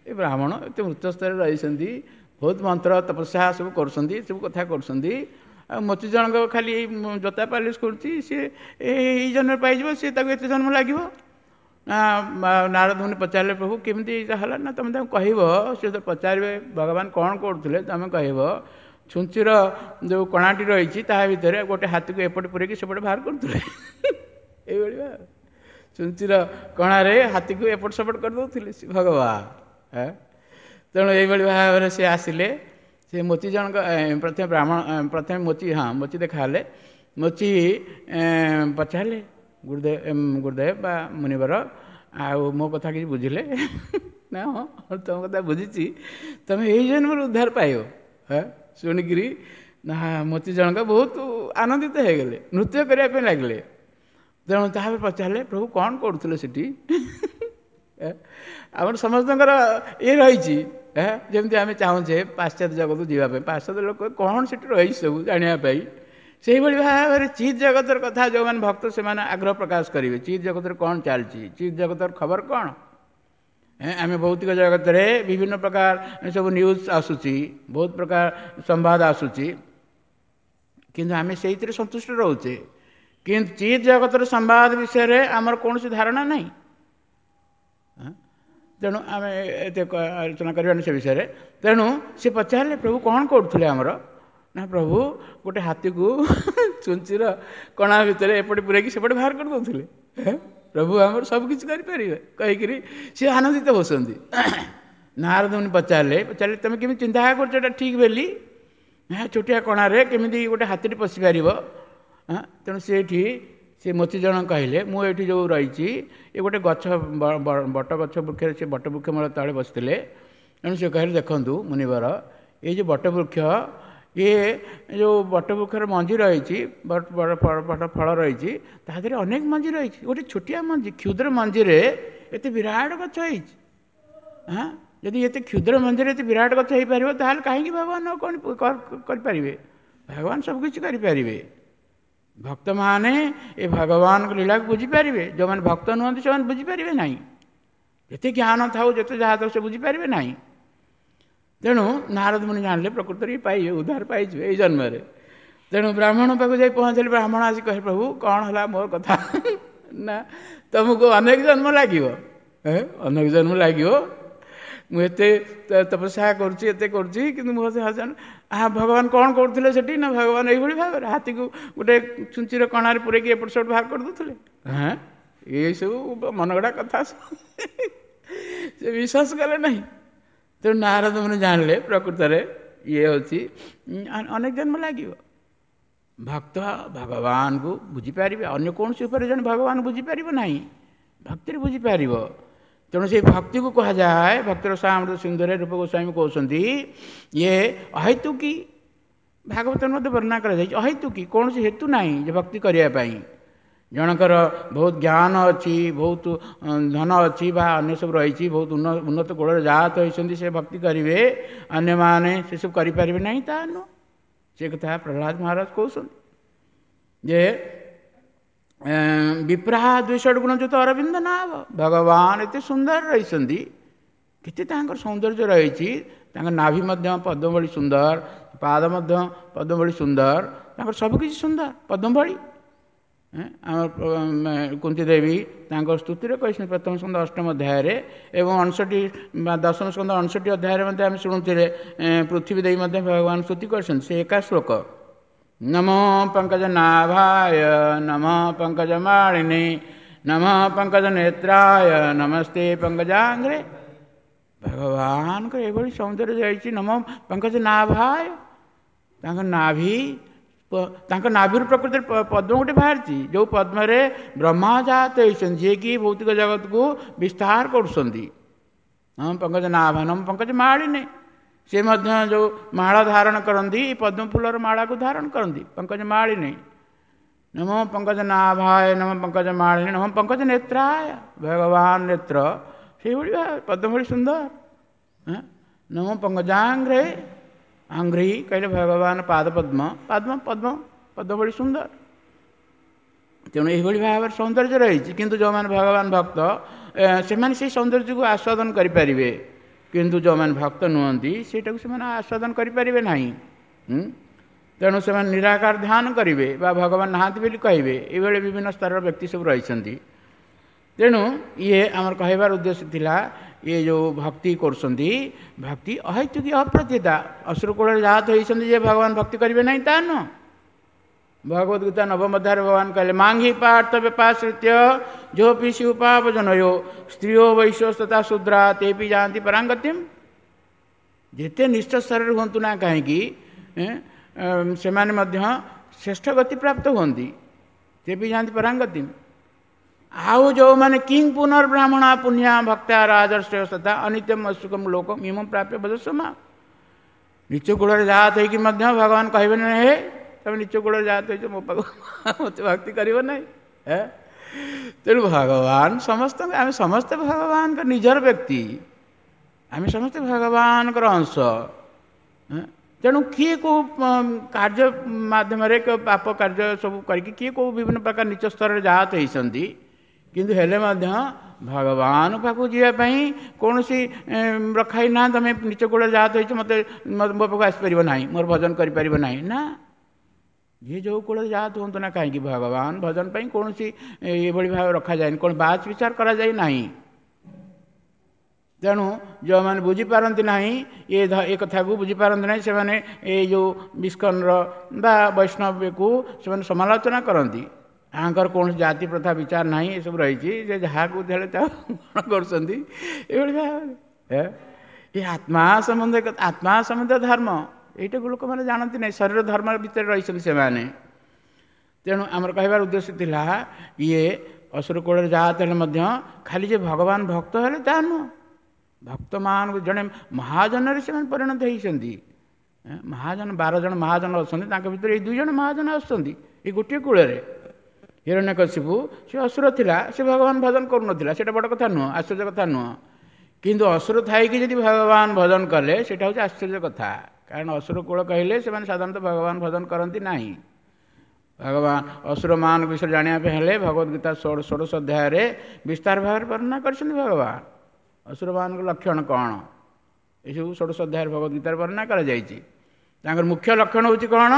ଏ ବ୍ରାହ୍ମଣ ଏତେ ଉଚ୍ଚ ସ୍ତରରେ ରହିଛନ୍ତି, ବହୁତ ମନ୍ତ୍ର ତପସ୍ୟା ସବୁ କରୁଛନ୍ତି, ସବୁ କଥା କରୁଛନ୍ତି, ଆଉ ମୋଚି ଜଣଙ୍କ ଖାଲି ଏଇ ଜୋତା ପାଲିସ୍ କରୁଛି, ସିଏ ଏଇ ଜନ୍ମରେ ପାଇଯିବ, ସିଏ ତାକୁ ଏତେ ଜନ୍ମ ଲାଗିବ ନା? ନାରଦ ମୁନି ପଚାରିଲେ, ପ୍ରଭୁ କେମିତି ଏଇଟା ହେଲା? ନା ତୁମେ ତାଙ୍କୁ କହିବ, ସେ ତ ପଚାରିବେ ଭଗବାନ କ'ଣ କରୁଥିଲେ, ତୁମେ କହିବ ଛୁଞ୍ଚିର ଯେଉଁ କଣାଟି ରହିଛି ତାହା ଭିତରେ ଗୋଟେ ହାତୀକୁ ଏପଟେ ପୁରେଇକି ସେପଟେ ବାହାର କରୁଥିଲେ। ଏଇଭଳି ଭାବେ ଛୁଞ୍ଚିର କଣାରେ ହାତୀକୁ ଏପଟ ସେପଟ କରିଦେଉଥିଲେ ସେ ଭଗବାନ। ତେଣୁ ଏଇଭଳି ଭାବରେ ସେ ଆସିଲେ। ସେ ମୋଚି ଜଣଙ୍କ ପ୍ରଥମେ ବ୍ରାହ୍ମଣ, ପ୍ରଥମେ ମୋଚି, ହଁ ମୋଚି ଦେଖାହେଲେ। ମୋଚି ପଚାରିଲେ, ଗୁରୁଦେବ ଗୁରୁଦେବ ବା ମୁନିବର, ଆଉ ମୋ କଥା କିଛି ବୁଝିଲେ ନା? ହଁ ତୁମ କଥା ବୁଝିଛି, ତୁମେ ଏଇ ଜନ୍ମରୁ ଉଦ୍ଧାର ପାଇବ। ହଁ ଶୁଣିକିରି ନା ମୋଚି ଜଣକ ବହୁତ ଆନନ୍ଦିତ ହେଇଗଲେ, ନୃତ୍ୟ କରିବା ପାଇଁ ଲାଗିଲେ। ତେଣୁ ତାପରେ ପଚାରିଲେ, ପ୍ରଭୁ କ'ଣ କରୁଥିଲେ ସେଠି? ଆମର ସମସ୍ତଙ୍କର ଇଏ ରହିଛି, ଯେମିତି ଆମେ ଚାହୁଁଛେ ପାଶ୍ଚାତ୍ୟ ଜଗତକୁ ଯିବା ପାଇଁ, ପାଶ୍ଚାତ୍ୟ ଲୋକ କ'ଣ ସେଠି ରହିଛି ସବୁ ଜାଣିବା ପାଇଁ। ସେଇଭଳି ଭାବରେ ଚିତ୍ ଜଗତର କଥା ଯେଉଁମାନେ ଭକ୍ତ ସେମାନେ ଆଗ୍ରହ ପ୍ରକାଶ କରିବେ, ଚିତ୍ ଜଗତରେ କ'ଣ ଚାଲିଛି, ଚିତ୍ ଜଗତର ଖବର କ'ଣ। ଆମେ ଭୌତିକ ଜଗତରେ ବିଭିନ୍ନ ପ୍ରକାର ସବୁ ନ୍ୟୁଜ୍ ଆସୁଛି, ବହୁତ ପ୍ରକାର ସମ୍ବାଦ ଆସୁଛି, କିନ୍ତୁ ଆମେ ସେଇଥିରେ ସନ୍ତୁଷ୍ଟ ରହୁଛେ। କିନ୍ତୁ ଚିତ୍ ଜଗତର ସମ୍ବାଦ ବିଷୟରେ ଆମର କୌଣସି ଧାରଣା ନାହିଁ। ତେଣୁ ଆମେ ଏତେ ଆଲୋଚନା କରିବାନି ସେ ବିଷୟରେ। ତେଣୁ ସେ ପଚାରିଲେ, ପ୍ରଭୁ କ'ଣ କରୁଥିଲେ ଆମର? ନା ପ୍ରଭୁ ଗୋଟେ ହାତୀକୁ ଛୁଞ୍ଚିର କଣା ଭିତରେ ଏପଟେ ପୁରେଇକି ସେପଟେ ବାହାର କରିଦେଉଥିଲେ। ପ୍ରଭୁ ଆମର ସବୁ କିଛି କରିପାରିବେ କହିକିରି ସେ ଆନନ୍ଦିତ ହେଉଛନ୍ତି। ନାରଦ ମୁନି ପଚାରିଲେ, ପଚାରିଲେ ତୁମେ କେମିତି ଚିନ୍ତା କରୁଛ ଏଇଟା ଠିକ୍ ବୋଲି? ନା ଛୋଟିଆ କଣାରେ କେମିତି ଗୋଟେ ହାତୀଟି ପଶିପାରିବ? ତେଣୁ ସେଇଠି ସେ ମୋଚି ଜଣ କହିଲେ, ମୁଁ ଏଇଠି ଯେଉଁ ରହିଛି ଏ ଗୋଟେ ଗଛ, ବଟ ଗଛ ବୃକ୍ଷରେ, ସେ ବଟ ବୃକ୍ଷ ମୂଳ ତଳେ ବସିଥିଲେ। ତେଣୁ ସେ କହିଲେ, ଦେଖନ୍ତୁ ମୁନିବର, ଏଇ ଯେଉଁ ବଟ ବୃକ୍ଷ, ଇଏ ଯେଉଁ ବଟ ବୃକ୍ଷର ମଞ୍ଜି ରହିଛି, ବଡ଼ ବଡ଼ ଫଳ ରହିଛି, ତା ଦେହରେ ଅନେକ ମଞ୍ଜି ରହିଛି। ଗୋଟେ ଛୋଟିଆ ମଞ୍ଜି, କ୍ଷୁଦ୍ର ମଞ୍ଜିରେ ଏତେ ବିରାଟ ଗଛ ହେଇଛି। ହଁ ଯଦି ଏତେ କ୍ଷୁଦ୍ର ମନ୍ଦିର ଏତେ ବିରାଟ ଗଛ ହେଇପାରିବ, ତାହେଲେ କାହିଁକି ଭଗବାନ କ'ଣ କରିପାରିବେ? ଭଗବାନ ସବୁକିଛି କରିପାରିବେ। ଭକ୍ତମାନେ ଏ ଭଗବାନଙ୍କ ଲୀଳାକୁ ବୁଝିପାରିବେ। ଯେଉଁମାନେ ଭକ୍ତ ନୁହନ୍ତି ସେମାନେ ବୁଝିପାରିବେ ନାହିଁ। ଯେତେ ଜ୍ଞାନ ଥାଉ, ଯେତେ ଯାହା ଥାଉ, ସେ ବୁଝିପାରିବେ ନାହିଁ। ତେଣୁ ନାରଦ ମୁନି ଜାଣିଲେ ପ୍ରକୃତରେ ପାଇବେ, ଉଦ୍ଧାର ପାଇଯିବେ ଏଇ ଜନ୍ମରେ। ତେଣୁ ବ୍ରାହ୍ମଣ ପାଖକୁ ଯାଇ ପହଞ୍ଚିଲେ। ବ୍ରାହ୍ମଣ ଆସି କହେ, ପ୍ରଭୁ କ'ଣ ହେଲା ମୋର କଥା? ନା, ତୁମକୁ ଅନେକ ଜନ୍ମ ଲାଗିବ, ଅନେକ ଜନ୍ମ ଲାଗିବ। ମୁଁ ଏତେ ତପସ୍ୟା କରୁଛି, ଏତେ କରୁଛି, କିନ୍ତୁ ମୋ ଆ ଭଗବାନ କ'ଣ କରୁଥିଲେ ସେଠି? ନା, ଭଗବାନ ଏଇଭଳି ଭାବରେ ହାତୀକୁ ଗୋଟେ ଛୁଞ୍ଚିର କଣାରେ ପୂରେଇକି ଏପଟ ସେପଟ ବାହାର କରିଦେଉଥିଲେ। ହଁ, ଏଇସବୁ ମନଗଢ଼ା କଥା, ସେ ବିଶ୍ୱାସ କଲେ ନାହିଁ। ତେଣୁ ନାରଦ ମୁନି ଜାଣିଲେ ପ୍ରକୃତରେ ଇଏ ହେଉଛି ଅନେକ ଜନ୍ମ ଲାଗିବ। ଭକ୍ତ ଭଗବାନଙ୍କୁ ବୁଝିପାରିବେ, ଅନ୍ୟ କୌଣସି ଉପରେ ଜଣେ ଭଗବାନ ବୁଝିପାରିବ ନାହିଁ, ଭକ୍ତିରେ ବୁଝିପାରିବ। ତେଣୁ ସେଇ ଭକ୍ତିକୁ କୁହାଯାଏ, ଭକ୍ତିର ସାମୃତ ସିନ୍ଧୁରେ ରୂପ ଗୋସ୍ୱାମୀ କହୁଛନ୍ତି ଇଏ ଅହେତୁକି, ଭାଗବତରେ ମଧ୍ୟ ବର୍ଣ୍ଣନା କରାଯାଇଛି, ଅହେତୁକି, କୌଣସି ହେତୁ ନାହିଁ ଯେ ଭକ୍ତି କରିବା ପାଇଁ। ଜଣଙ୍କର ବହୁତ ଜ୍ଞାନ ଅଛି, ବହୁତ ଧନ ଅଛି ବା ଅନ୍ୟ ସବୁ ରହିଛି, ବହୁତ ଉନ୍ନତ କୂଳରେ ଜାତ ହୋଇଛନ୍ତି, ସେ ଭକ୍ତି କରିବେ, ଅନ୍ୟମାନେ ସେସବୁ କରିପାରିବେ ନାହିଁ ତା ନୁହଁ। ସେ କଥା ପ୍ରହ୍ଲାଦ ମହାରାଜ କହୁଛନ୍ତି ଯେ ବିପ୍ରାହ ଦୁଇଶହ ଗୁଣ ଯୁତ ଅରବିନ୍ଦ ନାଭ। ଭଗବାନ ଏତେ ସୁନ୍ଦର ରହିଛନ୍ତି, କେତେ ତାଙ୍କର ସୌନ୍ଦର୍ଯ୍ୟ ରହିଛି। ତାଙ୍କ ନାଭି ମଧ୍ୟ ପଦ୍ମ ଭଳି ସୁନ୍ଦର, ପାଦ ମଧ୍ୟ ପଦ୍ମ ଭଳି ସୁନ୍ଦର, ତାଙ୍କର ସବୁକିଛି ସୁନ୍ଦର ପଦ୍ମ ଭଳି। ଆମର କୁନ୍ତି ଦେବୀ ତାଙ୍କ ସ୍ତୁତିରେ କହିଛନ୍ତି ପ୍ରଥମ ସ୍କନ୍ଧ ଅଷ୍ଟମ ଅଧ୍ୟାୟରେ, ଏବଂ ଅଣଷଠି ବା ଦଶମ ସ୍କନ୍ଧ ଅଣଷଠି ଅଧ୍ୟାୟରେ ମଧ୍ୟ ଆମେ ଶୁଣୁଥିଲେ ପୃଥିବୀ ଦେବୀ ମଧ୍ୟ ଭଗବାନ ସ୍ତୁତି କରିଛନ୍ତି। ସେ ଏକା ଶ୍ଲୋକ, ନମୋ ପଙ୍କଜ ନାଭାୟ ନମଃ ପଙ୍କଜ ମାଳିନୀ ନମଃ ପଙ୍କଜ ନେତ୍ରାୟ ନମସ୍ତେ ପଙ୍କଜାଙ୍ଗ୍ରେ। ଭଗବାନଙ୍କର ଏଭଳି ସୌନ୍ଦର୍ଯ୍ୟ ଯାଇଛି। ନମଃ ପଙ୍କଜ ନାଭାୟ, ତାଙ୍କ ନାଭି, ତାଙ୍କ ନାଭିରୁ ପ୍ରକୃତିରେ ପଦ୍ମ ଗୋଟେ ବାହାରିଛି, ଯେଉଁ ପଦ୍ମରେ ବ୍ରହ୍ମା ଜାତ ହେଇଛନ୍ତି, ଯିଏକି ଭୌତିକ ଜଗତକୁ ବିସ୍ତାର କରୁଛନ୍ତି। ହଁ, ପଙ୍କଜ ନାଭ ନମ ପଙ୍କଜ ମାଳିନୀ, ସେ ମଧ୍ୟ ଯେଉଁ ମାଳ ଧାରଣ କରନ୍ତି, ପଦ୍ମ ଫୁଲର ମାଳାକୁ ଧାରଣ କରନ୍ତି, ପଙ୍କଜ ମାଳିନୀ। ନମ ପଙ୍କଜ ନାଭାୟ ନମ ପଙ୍କଜ ମାଳିନୀ ନମ ପଙ୍କଜ ନେତ୍ରାୟ, ଭଗବାନ ନେତ୍ର ସେଇଭଳି ପଦ୍ମ ଭଳି ସୁନ୍ଦର। ନମ ପଙ୍କଜାଙ୍ଗ୍ରେ, ଆଙ୍ଗ୍ରି କହିଲେ ଭଗବାନ ପାଦ ପଦ୍ମ, ପଦ୍ମ ପଦ୍ମ ପଦ୍ମ ଭଳି ସୁନ୍ଦର। ତେଣୁ ଏଇଭଳି ଭାବରେ ସୌନ୍ଦର୍ଯ୍ୟ ରହିଛି। କିନ୍ତୁ ଯେଉଁମାନେ ଭଗବାନ ଭକ୍ତ ସେମାନେ ସେଇ ସୌନ୍ଦର୍ଯ୍ୟକୁ ଆସ୍ୱାଦନ କରିପାରିବେ, କିନ୍ତୁ ଯେଉଁମାନେ ଭକ୍ତ ନୁହନ୍ତି ସେଇଟାକୁ ସେମାନେ ଆସ୍ୱାଦନ କରିପାରିବେ ନାହିଁ। ତେଣୁ ସେମାନେ ନିରାକାର ଧ୍ୟାନ କରିବେ ବା ଭଗବାନ ନାହାନ୍ତି ବୋଲି କହିବେ। ଏଇଭଳି ବିଭିନ୍ନ ସ୍ତରର ବ୍ୟକ୍ତି ସବୁ ରହିଛନ୍ତି। ତେଣୁ ଇଏ ଆମର କହିବାର ଉଦ୍ଦେଶ୍ୟ ଥିଲା, ଇଏ ଯେଉଁ ଭକ୍ତି କରୁଛନ୍ତି, ଭକ୍ତି ଅହେତୁକି ଅପ୍ରତିତା। ଅସୁର କୂଳରେ ଜାତ ହେଇଛନ୍ତି ଯେ ଭଗବାନ ଭକ୍ତି କରିବେ ନାହିଁ ତା ନୁହଁ। ଭଗବତ ଗୀତା ନବମ ଅଧ୍ୟାୟରେ ଭଗବାନ କହିଲେ, ମାଙ୍ଗି ପାର୍ଥ ବ୍ୟପାଶ୍ରିତ୍ୟ ଯୋପି ଶିଉପାପ ଜନୟୋ ସ୍ତ୍ରୀଓ ବୈଶ୍ୟସ୍ତଥା ଶୂଦ୍ରା ତେପି ଯାଆନ୍ତି ପରାଙ୍ଗତିମ୍। ଯେତେ ନିଷ୍ଠ ସ୍ତରରେ ହୁଅନ୍ତୁ ନା କାହିଁକି, ସେମାନେ ମଧ୍ୟ ଶ୍ରେଷ୍ଠ ଗତି ପ୍ରାପ୍ତ ହୁଅନ୍ତି, ତେପି ଯାଆନ୍ତି ପରାଙ୍ଗତିମ୍। ଆଉ ଯେଉଁମାନେ କିଂ ପୁନର୍ବ୍ରାହ୍ମଣ ପୁଣ୍ୟା ଭକ୍ତା ରାଜର୍ଷୟ ତଥା ଅନିତ୍ୟମ ଅସୁଖମ ଲୋକ ଇମಂ ପ୍ରାପ୍ୟ ବଦସ୍ୱମା। ନିଚ କୂଳରେ ଜାତ ହେଇକି ମଧ୍ୟ ଭଗବାନ କହିବେ ନାହିଁ, ହେ ତମେ ନିଚ କୂଳରେ ଜାତ ହେଇଛ, ମୋ ପାଖକୁ ମୋତେ ଭକ୍ତି କରିବ ନାହିଁ। ତେଣୁ ଭଗବାନ ସମସ୍ତଙ୍କ, ଆମେ ସମସ୍ତେ ଭଗବାନଙ୍କ ନିଜର ବ୍ୟକ୍ତି, ଆମେ ସମସ୍ତେ ଭଗବାନଙ୍କର ଅଂଶ। ତେଣୁ କିଏ କେଉଁ କାର୍ଯ୍ୟ ମାଧ୍ୟମରେ ପାପ କାର୍ଯ୍ୟ ସବୁ କରିକି କିଏ କେଉଁ ବିଭିନ୍ନ ପ୍ରକାର ନିଚ ସ୍ତରରେ ଜାତ ହେଇଛନ୍ତି, କିନ୍ତୁ ହେଲେ ମଧ୍ୟ ଭଗବାନ ପାଖକୁ ଯିବା ପାଇଁ କୌଣସି ରଖା ହେଇନା, ତମେ ନିଚ କୂଳରେ ଜାତ ହେଇଛ, ମୋତେ ମୋ ପାଖକୁ ଆସିପାରିବ ନାହିଁ, ମୋର ଭଜନ କରିପାରିବ ନାହିଁ। ନା, ଯିଏ ଯେଉଁ କୂଳରେ ଜାତ ହୁଅନ୍ତୁ ନା କାହିଁକି, ଭଗବାନ ଭଜନ ପାଇଁ କୌଣସି ଏଭଳି ଭାବେ ରଖାଯାଏନି, କ'ଣ ବାଛ ବିଚାର କରାଯାଇ ନାହିଁ। ତେଣୁ ଯେଉଁମାନେ ବୁଝିପାରନ୍ତି ନାହିଁ ଏ ଏ କଥାକୁ ବୁଝିପାରନ୍ତି ନାହିଁ, ସେମାନେ ଏଇ ଯେଉଁ ଇସ୍କନର ବା ବୈଷ୍ଣବକୁ ସେମାନେ ସମାଲୋଚନା କରନ୍ତି। ଆଙ୍କର କୌଣସି ଜାତି ପ୍ରଥା ବିଚାର ନାହିଁ, ଏସବୁ ରହିଛି, ଯେ ଯାହାକୁ ଦେଲେ ତାକୁ କ'ଣ କରୁଛନ୍ତି ଏଇଭଳି ଭାବରେ। ଏ ଆତ୍ମା ସମ୍ବନ୍ଧ, ଆତ୍ମା ସମ୍ବନ୍ଧ ଧର୍ମ, ଏଇଟାକୁ ଲୋକମାନେ ଜାଣନ୍ତି ନାହିଁ, ଶରୀର ଧର୍ମ ଭିତରେ ରହିଛନ୍ତି ସେମାନେ। ତେଣୁ ଆମର କହିବାର ଉଦ୍ଦେଶ୍ୟ ଥିଲା, ଇଏ ଅସୁର କୂଳରେ ଜାତ ହେଲେ ମଧ୍ୟ ଖାଲି ଯେ ଭଗବାନ ଭକ୍ତ ହେଲେ ତାହା ନୁହଁ, ଭକ୍ତମାନଙ୍କୁ ଜଣେ ମହାଜନରେ ସେମାନେ ପରିଣତ ହେଇଛନ୍ତି। ମହାଜନ ବାର ଜଣ ମହାଜନ ଅଛନ୍ତି, ତାଙ୍କ ଭିତରେ ଏଇ ଦୁଇ ଜଣ ମହାଜନ ଆସୁଛନ୍ତି ଏଇ ଗୋଟିଏ କୂଳରେ। ହିରଣ୍ୟକଶିପୁ ସେ ଅସୁର ଥିଲା, ସେ ଭଗବାନ ଭଜନ କରୁନଥିଲା, ସେଇଟା ବଡ଼ କଥା ନୁହଁ, ଆଶ୍ଚର୍ଯ୍ୟ କଥା ନୁହଁ। କିନ୍ତୁ ଅସୁର ଥାଇକି ଯଦି ଭଗବାନ ଭଜନ କଲେ ସେଇଟା ହେଉଛି ଆଶ୍ଚର୍ଯ୍ୟ କଥା। କାରଣ ଅସୁର କୂଳ କହିଲେ ସେମାନେ ସାଧାରଣତଃ ଭଗବାନ ଭଜନ କରନ୍ତି ନାହିଁ। ଭଗବାନ ଅସୁରମାନଙ୍କ ବିଷୟରେ ଜାଣିବା ପାଇଁ ହେଲେ ଭଗବତ ଗୀତା ଷୋଡ଼ଶ ଅଧ୍ୟାୟରେ ବିସ୍ତାର ଭାବରେ ବର୍ଣ୍ଣନା କରିଛନ୍ତି ଭଗବାନ। ଅସୁରମାନଙ୍କ ଲକ୍ଷଣ କ'ଣ ଏସବୁ ଷୋଡ଼ଶ ଅଧ୍ୟାୟରେ ଭଗବତ ଗୀତାରେ ବର୍ଣ୍ଣନା କରାଯାଇଛି। ତାଙ୍କର ମୁଖ୍ୟ ଲକ୍ଷଣ ହେଉଛି କ'ଣ?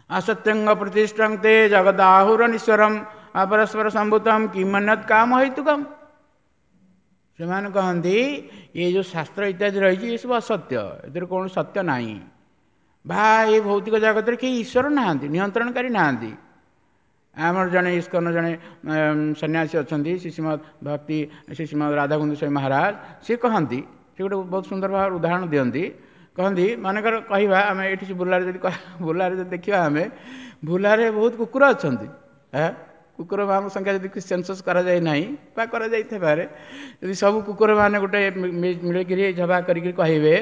ଅସତ୍ୟଙ୍ଗ ପ୍ରତିଷ୍ଠଂ ତେ ଜଗଦାହୁରନିଶ୍ୱରମ୍ ଅପରସ୍ପର ସମ୍ଭୂତମ୍ କିମନ୍ୟତ୍ କାମ ହେତୁକମ୍। ସେମାନେ କହନ୍ତି ଏ ଯେଉଁ ଶାସ୍ତ୍ର ଇତ୍ୟାଦି ରହିଛି ଏସବୁ ଅସତ୍ୟ, ଏଥିରେ କୌଣସି ସତ୍ୟ ନାହିଁ, ବା ଏ ଭୌତିକ ଜଗତରେ କେହି ଈଶ୍ୱର ନାହାନ୍ତି, ନିୟନ୍ତ୍ରଣକାରୀ ନାହାନ୍ତି। ଆମର ଜଣେ ଇସ୍କନ ଜଣେ ସନ୍ନ୍ୟାସୀ ଅଛନ୍ତି, ଶ୍ରୀ ଶ୍ରୀମଦ୍ ଭକ୍ତି ଶ୍ରୀ ଶ୍ରୀମଦ୍ ରାଧାକୁଣ୍ଡ ସ୍ୱାମୀ ମହାରାଜ, ସେ କହନ୍ତି, ସେ ଗୋଟେ ବହୁତ ସୁନ୍ଦର ଭାବରେ ଉଦାହରଣ ଦିଅନ୍ତି। କହନ୍ତି ମନେକର କହିବା ଆମେ ଏଇଠି ବୁଲାରେ ଯଦି ବୁଲାରେ ଯଦି ଦେଖିବା ଆମେ ବୁଲାରେ ବହୁତ କୁକୁର ଅଛନ୍ତି, କୁକୁରମାନଙ୍କ ସଂଖ୍ୟା ଯଦି ସେନ୍ସସ୍ କରାଯାଇ ନାହିଁ ବା କରାଯାଇଥାଇପାରେ, ଯଦି ସବୁ କୁକୁରମାନେ ଗୋଟେ ମିଳିକିରି ଝବା କରିକି କହିବେ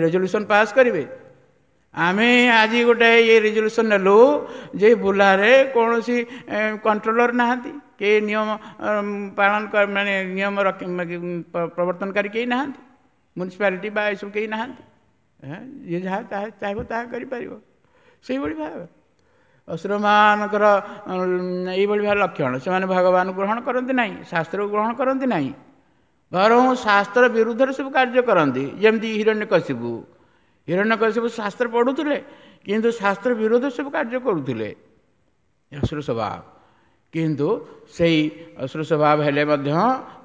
ରେଜଲ୍ୟୁସନ୍ ପାସ୍ କରିବେ, ଆମେ ଆଜି ଗୋଟେ ଇଏ ରେଜଲ୍ୟୁସନ୍ ନେଲୁ ଯେ ବୁଲାରେ କୌଣସି କଣ୍ଟ୍ରୋଲର ନାହାନ୍ତି, କେହି ନିୟମ ପାଳନ ମାନେ ନିୟମ ପ୍ରବର୍ତ୍ତନକାରୀ କେହି ନାହାନ୍ତି, ମ୍ୟୁନିସିପାଲିଟି ବା ଏସବୁ କେହି ନାହାନ୍ତି, ଯିଏ ଯାହା ତାହା ଚାହିଁବ ତାହା କରିପାରିବ। ସେଇଭଳି ଭାବେ ଅସୁରମାନଙ୍କର ଏଇଭଳି ଭାବେ ଲକ୍ଷଣ। ସେମାନେ ଭଗବାନଙ୍କୁ ଗ୍ରହଣ କରନ୍ତି ନାହିଁ, ଶାସ୍ତ୍ରକୁ ଗ୍ରହଣ କରନ୍ତି ନାହିଁ, ବରଂ ଶାସ୍ତ୍ର ବିରୁଦ୍ଧରେ ସବୁ କାର୍ଯ୍ୟ କରନ୍ତି। ଯେମିତି ହିରଣ୍ୟକଶିପୁ, ହିରଣ୍ୟକଶିପୁ ଶାସ୍ତ୍ର ପଢ଼ୁଥିଲେ କିନ୍ତୁ ଶାସ୍ତ୍ର ବିରୁଦ୍ଧରେ ସବୁ କାର୍ଯ୍ୟ କରୁଥିଲେ, ଅସୁର ସ୍ୱଭାବ। କିନ୍ତୁ ସେଇ ଅସୁର ସ୍ୱଭାବ ହେଲେ ମଧ୍ୟ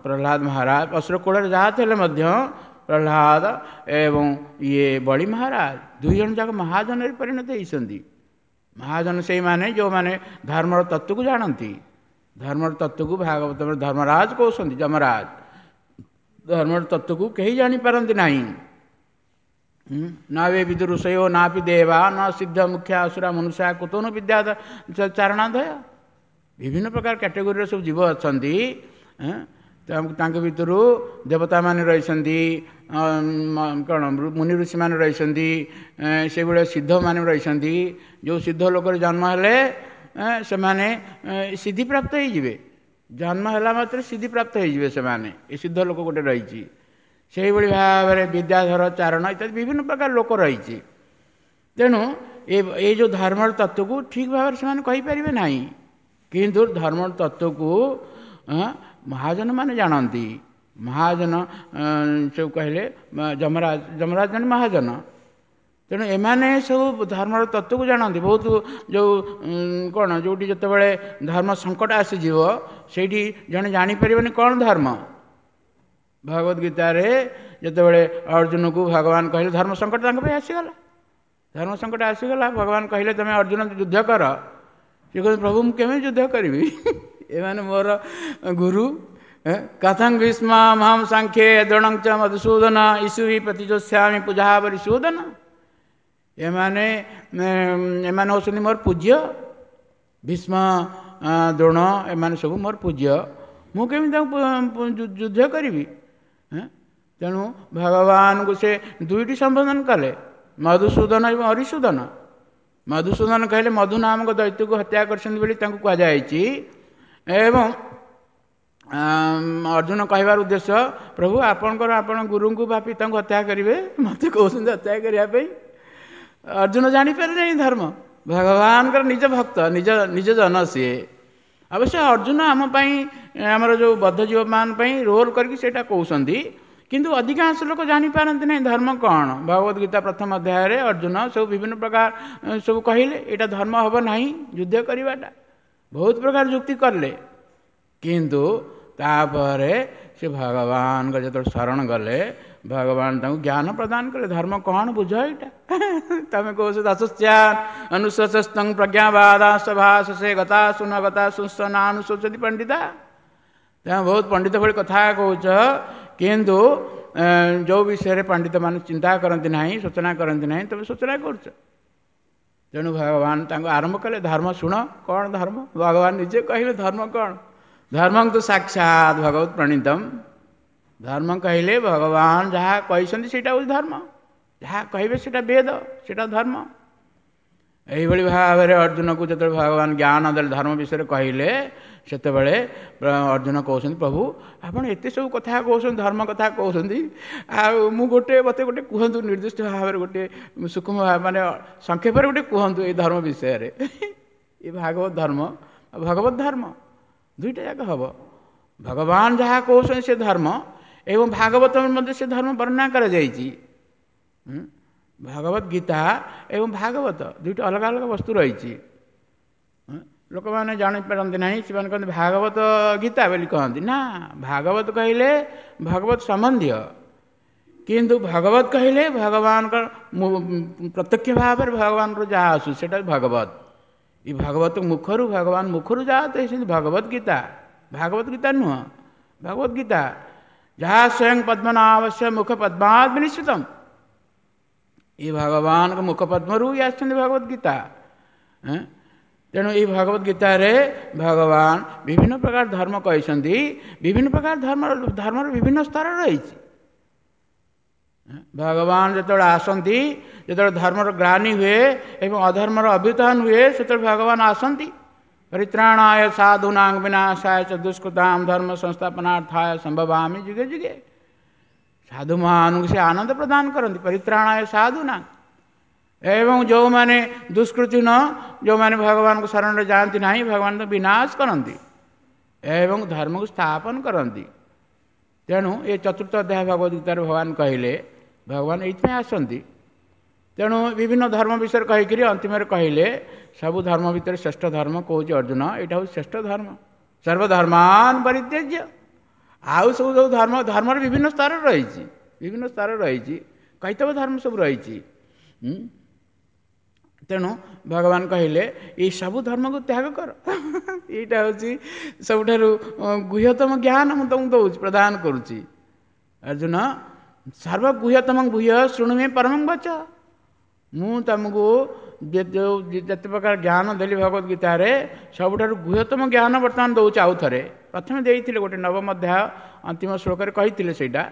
ପ୍ରହ୍ଲାଦ ମହାରାଜ ଅସୁର କୂଳରେ ଯାହା ଥିଲେ ମଧ୍ୟ ପ୍ରହ୍ଲାଦ ଏବଂ ଇଏ ବଳି ମହାରାଜ ଦୁଇ ଜଣ ଯାକ ମହାଜନରେ ପରିଣତ ହେଇଛନ୍ତି। ମହାଜନ ସେଇମାନେ ଯେଉଁମାନେ ଧର୍ମର ତତ୍ତ୍ୱକୁ ଜାଣନ୍ତି। ଧର୍ମର ତତ୍ତ୍ୱକୁ ଭାଗବତ ଧର୍ମରାଜ କହୁଛନ୍ତି, ଯମରାଜ। ଧର୍ମର ତତ୍ତ୍ୱକୁ କେହି ଜାଣିପାରନ୍ତି ନାହିଁ। ନ ବେ ବିଦୁ ଋଷୟୋ ନାପି ଦେବା ନ ସିଦ୍ଧ ମୁଖ୍ୟ ଅସୁରା ମନୁଷ୍ୟା କୁତୋନ ବିଦ୍ୟା ଚାରଣାଧୟ। ବିଭିନ୍ନ ପ୍ରକାର କ୍ୟାଟେଗୋରୀର ସବୁ ଜୀବ ଅଛନ୍ତି, ତାଙ୍କ ଭିତରୁ ଦେବତାମାନେ ରହିଛନ୍ତି, କ'ଣ ମୁନି ଋଷିମାନେ ରହିଛନ୍ତି, ସେଇଭଳିଆ ସିଦ୍ଧମାନେ ରହିଛନ୍ତି। ଯେଉଁ ସିଦ୍ଧ ଲୋକରେ ଜନ୍ମ ହେଲେ ସେମାନେ ସିଦ୍ଧିପ୍ରାପ୍ତ ହେଇଯିବେ, ଜନ୍ମ ହେଲା ମାତ୍ରେ ସିଦ୍ଧିପ୍ରାପ୍ତ ହେଇଯିବେ ସେମାନେ, ଏ ସିଦ୍ଧ ଲୋକ ଗୋଟେ ରହିଛି। ସେଇଭଳି ଭାବରେ ବିଦ୍ୟାଧର ଚାରଣ ଇତ୍ୟାଦି ବିଭିନ୍ନ ପ୍ରକାର ଲୋକ ରହିଛି। ତେଣୁ ଏ ଏଇ ଯେଉଁ ଧର୍ମର ତତ୍ତ୍ୱକୁ ଠିକ୍ ଭାବରେ ସେମାନେ କହିପାରିବେ ନାହିଁ, କିନ୍ତୁ ଧର୍ମର ତତ୍ତ୍ୱକୁ ମହାଜନମାନେ ଜାଣନ୍ତି। ମହାଜନ ସବୁ କହିଲେ ଯମରାଜ, ଯମରାଜ ଜଣେ ମହାଜନ। ତେଣୁ ଏମାନେ ସବୁ ଧର୍ମର ତତ୍ତ୍ୱକୁ ଜାଣନ୍ତି। ବହୁତ ଯେଉଁ କ'ଣ ଯେଉଁଠି ଯେତେବେଳେ ଧର୍ମ ସଙ୍କଟ ଆସିଯିବ ସେଇଠି ଜଣେ ଜାଣିପାରିବନି କ'ଣ ଧର୍ମ। ଭଗବତ ଗୀତାରେ ଯେତେବେଳେ ଅର୍ଜୁନକୁ ଭଗବାନ କହିଲେ ଧର୍ମ ସଙ୍କଟ ତାଙ୍କ ପାଇଁ ଆସିଗଲା, ଧର୍ମ ସଙ୍କଟ ଆସିଗଲା, ଭଗବାନ କହିଲେ ତୁମେ ଅର୍ଜୁନ ଯୁଦ୍ଧ କର। ସେ କହିଲେ ପ୍ରଭୁ ମୁଁ କେମିତି ଯୁଦ୍ଧ କରିବି, ଏମାନେ ମୋର ଗୁରୁ। କଥଂ ଭୀଷ୍ମହଂ ସାଂଖ୍ୟେ ଦ୍ରୋଣଂ ଚ ମଧୁସୂଦନ ଇଷୁଭି ପ୍ରତିଯୋଷ୍ୟାମି ପୂଜାପରିସୂଦନ। ଏମାନେ ଏମାନେ ହେଉଛନ୍ତି ମୋର ପୂଜ୍ୟ, ଭୀଷ୍ମ ଦ୍ରୋଣ ଏମାନେ ସବୁ ମୋର ପୂଜ୍ୟ, ମୁଁ କେମିତି ତାଙ୍କୁ ଯୁଦ୍ଧ କରିବି? ତେଣୁ ଭଗବାନଙ୍କୁ ସେ ଦୁଇଟି ସମ୍ବୋଧନ କଲେ, ମଧୁସୂଦନ ଏବଂ ହରିସୂଦନ। ମଧୁସୂଦନ କହିଲେ ମଧୁ ନାମକ ଦୈତ୍ୟକୁ ହତ୍ୟା କରିଛନ୍ତି ବୋଲି ତାଙ୍କୁ କୁହାଯାଇଛି, ଏବଂ ଅର୍ଜୁନ କହିବାର ଉଦ୍ଦେଶ୍ୟ ପ୍ରଭୁ ଆପଣଙ୍କର ଆପଣ ଗୁରୁଙ୍କୁ ବା ପିତାଙ୍କୁ ହତ୍ୟା କରିବେ, ମୋତେ କହୁଛନ୍ତି ହତ୍ୟା କରିବା ପାଇଁ। ଅର୍ଜୁନ ଜାଣିପାରିଲେ ନାହିଁ ଧର୍ମ, ଭଗବାନଙ୍କର ନିଜ ଭକ୍ତ, ନିଜ ନିଜ ଜନ ସିଏ। ଅବଶ୍ୟ ଅର୍ଜୁନ ଆମ ପାଇଁ, ଆମର ଯେଉଁ ବଦ୍ଧ ଜୀବମାନଙ୍କ ପାଇଁ ରୋଲ୍ କରିକି ସେଇଟା କହୁଛନ୍ତି, କିନ୍ତୁ ଅଧିକାଂଶ ଲୋକ ଜାଣିପାରନ୍ତି ନାହିଁ ଧର୍ମ କ'ଣ। ଭଗବତ ଗୀତା ପ୍ରଥମ ଅଧ୍ୟାୟରେ ଅର୍ଜୁନ ସବୁ ବିଭିନ୍ନ ପ୍ରକାର ସବୁ କହିଲେ ଏଇଟା ଧର୍ମ ହେବ ନାହିଁ ଯୁଦ୍ଧ କରିବାଟା, ବହୁତ ପ୍ରକାର ଯୁକ୍ତି କଲେ। କିନ୍ତୁ ତାପରେ ସେ ଭଗବାନଙ୍କ ଯେତେବେଳେ ଶରଣ ଗଲେ ଭଗବାନ ତାଙ୍କୁ ଜ୍ଞାନ ପ୍ରଦାନ କଲେ, ଧର୍ମ କ'ଣ ବୁଝ ଏଇଟା। ତମେ କହୁଛ ଦାସସ୍ୟାନ୍ ଅନୁଶୋଚସ୍ତଂ ପ୍ରଜ୍ଞାବାଦାସଭାସେ ଗତା ସୁନ ଗତା ସୁସ୍ତ ପଣ୍ଡିତା। ତେଣୁ ବହୁତ ପଣ୍ଡିତ ଭଳି କଥା କହୁଛ, କିନ୍ତୁ ଯେଉଁ ବିଷୟରେ ପଣ୍ଡିତମାନେ ଚିନ୍ତା କରନ୍ତି ନାହିଁ, ସୂଚନା କରନ୍ତି ନାହିଁ, ତୁମେ ସୂଚନା କରୁଛ। ତେଣୁ ଭଗବାନ ତାଙ୍କୁ ଆରମ୍ଭ କଲେ ଧର୍ମ ଶୁଣ, କ'ଣ ଧର୍ମ? ଭଗବାନ ନିଜେ କହିଲେ ଧର୍ମ କ'ଣ? ଧର୍ମଂ ତ ସାକ୍ଷାତ ଭଗବତ ପ୍ରଣୀତମ। ଧର୍ମ କହିଲେ ଭଗବାନ ଯାହା କହିଛନ୍ତି ସେଇଟା ହେଉଛି ଧର୍ମ, ଯାହା କହିବେ ସେଇଟା ବେଦ, ସେଇଟା ଧର୍ମ। ଏଇଭଳି ଭାବରେ ଅର୍ଜୁନକୁ ଯେତେବେଳେ ଭଗବାନ ଜ୍ଞାନ ଦେଲେ, ଧର୍ମ ବିଷୟରେ କହିଲେ, ସେତେବେଳେ ଅର୍ଜୁନ କହୁଛନ୍ତି, ପ୍ରଭୁ ଆପଣ ଏତେ ସବୁ କଥା କହୁଛନ୍ତି, ଧର୍ମ କଥା କହୁଛନ୍ତି, ଆଉ ମୁଁ ଗୋଟେ ମୋତେ ଗୋଟେ କୁହନ୍ତୁ ନିର୍ଦ୍ଦିଷ୍ଟ ଭାବରେ, ଗୋଟେ ସୂକ୍ଷ୍ମ ମାନେ ସଂକ୍ଷେପରେ ଗୋଟେ କୁହନ୍ତୁ ଏଇ ଧର୍ମ ବିଷୟରେ। ଏ ଭାଗବତ ଧର୍ମ, ଭଗବତ ଧର୍ମ ଦୁଇଟା ଯାକ ହେବ। ଭଗବାନ ଯାହା କହୁଛନ୍ତି ସେ ଧର୍ମ, ଏବଂ ଭାଗବତ ମଧ୍ୟ ସେ ଧର୍ମ ବର୍ଣ୍ଣନା କରାଯାଇଛି। ଭଗବତ ଗୀତା ଏବଂ ଭାଗବତ ଦୁଇଟା ଅଲଗା ଅଲଗା ବସ୍ତୁ ରହିଛି। ଲୋକମାନେ ଜାଣିପାରନ୍ତି ନାହିଁ, ସେମାନେ କହନ୍ତି ଭାଗବତ ଗୀତା ବୋଲି କହନ୍ତି। ନା, ଭାଗବତ କହିଲେ ଭଗବତ ସମ୍ବନ୍ଧୀୟ, କିନ୍ତୁ ଭଗବତ କହିଲେ ଭଗବାନଙ୍କର ପ୍ରତ୍ୟକ୍ଷ ଭାବରେ ଭଗବାନଙ୍କର ଯାହା ଆସୁଛି ସେଇଟା ଭଗବତ। ଏ ଭାଗବତ ମୁଖରୁ, ଭଗବାନ ମୁଖରୁ ଯାହା ତ ହେଇଛନ୍ତି ଭଗବତ ଗୀତା, ଭାଗବତ ଗୀତା ନୁହଁ, ଭଗବତ ଗୀତା ଯାହା ସ୍ୱୟଂ ପଦ୍ମନାଭସ୍ୟ ମୁଖ ପଦ୍ମାଦ୍ ବିନିଶ୍ଚିତମ୍। ଏ ଭଗବାନଙ୍କ ମୁଖ ପଦ୍ମରୁ ହିଁ ଆସିଛନ୍ତି ଭଗବତ ଗୀତା। ତେଣୁ ଏଇ ଭଗବତ ଗୀତାରେ ଭଗବାନ ବିଭିନ୍ନ ପ୍ରକାର ଧର୍ମ କହିଛନ୍ତି। ବିଭିନ୍ନ ପ୍ରକାର ଧର୍ମର ଧର୍ମର ବିଭିନ୍ନ ସ୍ତର ରହିଛି। ଭଗବାନ ଯେତେବେଳେ ଆସନ୍ତି, ଯେତେବେଳେ ଧର୍ମର ଗ୍ଲାନି ହୁଏ ଏବଂ ଅଧର୍ମର ଅଭ୍ୟୁତ୍ଥାନ ହୁଏ, ସେତେବେଳେ ଭଗବାନ ଆସନ୍ତି। ପରିତ୍ରାଣାୟ ସାଧୁନାଂ ବିନାଶାୟ ଚ ଦୁଷ୍କୃତାಂ ଧର୍ମ ସଂସ୍ଥାପନାର୍ଥାୟ ସମ୍ଭବାମି ଯୁଗେ ଯୁଗେ। ସାଧୁମାନଙ୍କୁ ସେ ଆନନ୍ଦ ପ୍ରଦାନ କରନ୍ତି, ପରିତ୍ରାଣାୟ ସାଧୁନାଂ। ଏବଂ ଯେଉଁମାନେ ଦୁଷ୍କୃତି ନ, ଯେଉଁମାନେ ଭଗବାନଙ୍କ ଶରଣରେ ଯାଆନ୍ତି ନାହିଁ, ଭଗବାନ ତ ବିନାଶ କରନ୍ତି ଏବଂ ଧର୍ମକୁ ସ୍ଥାପନ କରନ୍ତି। ତେଣୁ ଏ ଚତୁର୍ଥ ଅଧ୍ୟାୟ ଭଗବତ ଗୀତାରେ ଭଗବାନ କହିଲେ, ଭଗବାନ ଏଇଥିପାଇଁ ଆସନ୍ତି। ତେଣୁ ବିଭିନ୍ନ ଧର୍ମ ବିଷୟରେ କହିକିରି ଅନ୍ତିମରେ କହିଲେ, ସବୁ ଧର୍ମ ଭିତରେ ଶ୍ରେଷ୍ଠ ଧର୍ମ କହୁଛି ଅର୍ଜୁନ, ଏଇଟା ହେଉଛି ଶ୍ରେଷ୍ଠ ଧର୍ମ। ସର୍ବଧର୍ମାନ ପରିତ୍ୟଜ୍ୟ। ଆଉ ସବୁ ଯେଉଁ ଧର୍ମ, ଧର୍ମର ବିଭିନ୍ନ ସ୍ତର ରହିଛି, ବିଭିନ୍ନ ସ୍ତର ରହିଛି, କୈତବ ଧର୍ମ ସବୁ ରହିଛି। ତେଣୁ ଭଗବାନ କହିଲେ ଏଇ ସବୁ ଧର୍ମକୁ ତ୍ୟାଗ କର। ଏଇଟା ହେଉଛି ସବୁଠାରୁ ଗୁହ୍ୟତମ ଜ୍ଞାନ ମୁଁ ତୁମକୁ ଦେଉଛି, ପ୍ରଦାନ କରୁଛି। ଅର୍ଜୁନ, ସର୍ବଗୁହ୍ୟତମ ଗୁହ୍ୟ ଶୃଣୁ ମେ ପରମଂ ବଚ। ମୁଁ ତୁମକୁ ଯେଉଁ ଯେତେ ପ୍ରକାର ଜ୍ଞାନ ଦେଲି ଭଗବତ ଗୀତାରେ, ସବୁଠାରୁ ଗୁହ୍ୟତମ ଜ୍ଞାନ ବର୍ତ୍ତମାନ ଦେଉଛି। ଆଉ ଥରେ ପ୍ରଥମେ ଦେଇଥିଲେ ଗୋଟେ ନବମ ଅଧ୍ୟାୟ ଅନ୍ତିମ ଶ୍ଲୋକରେ କହିଥିଲେ ସେଇଟା,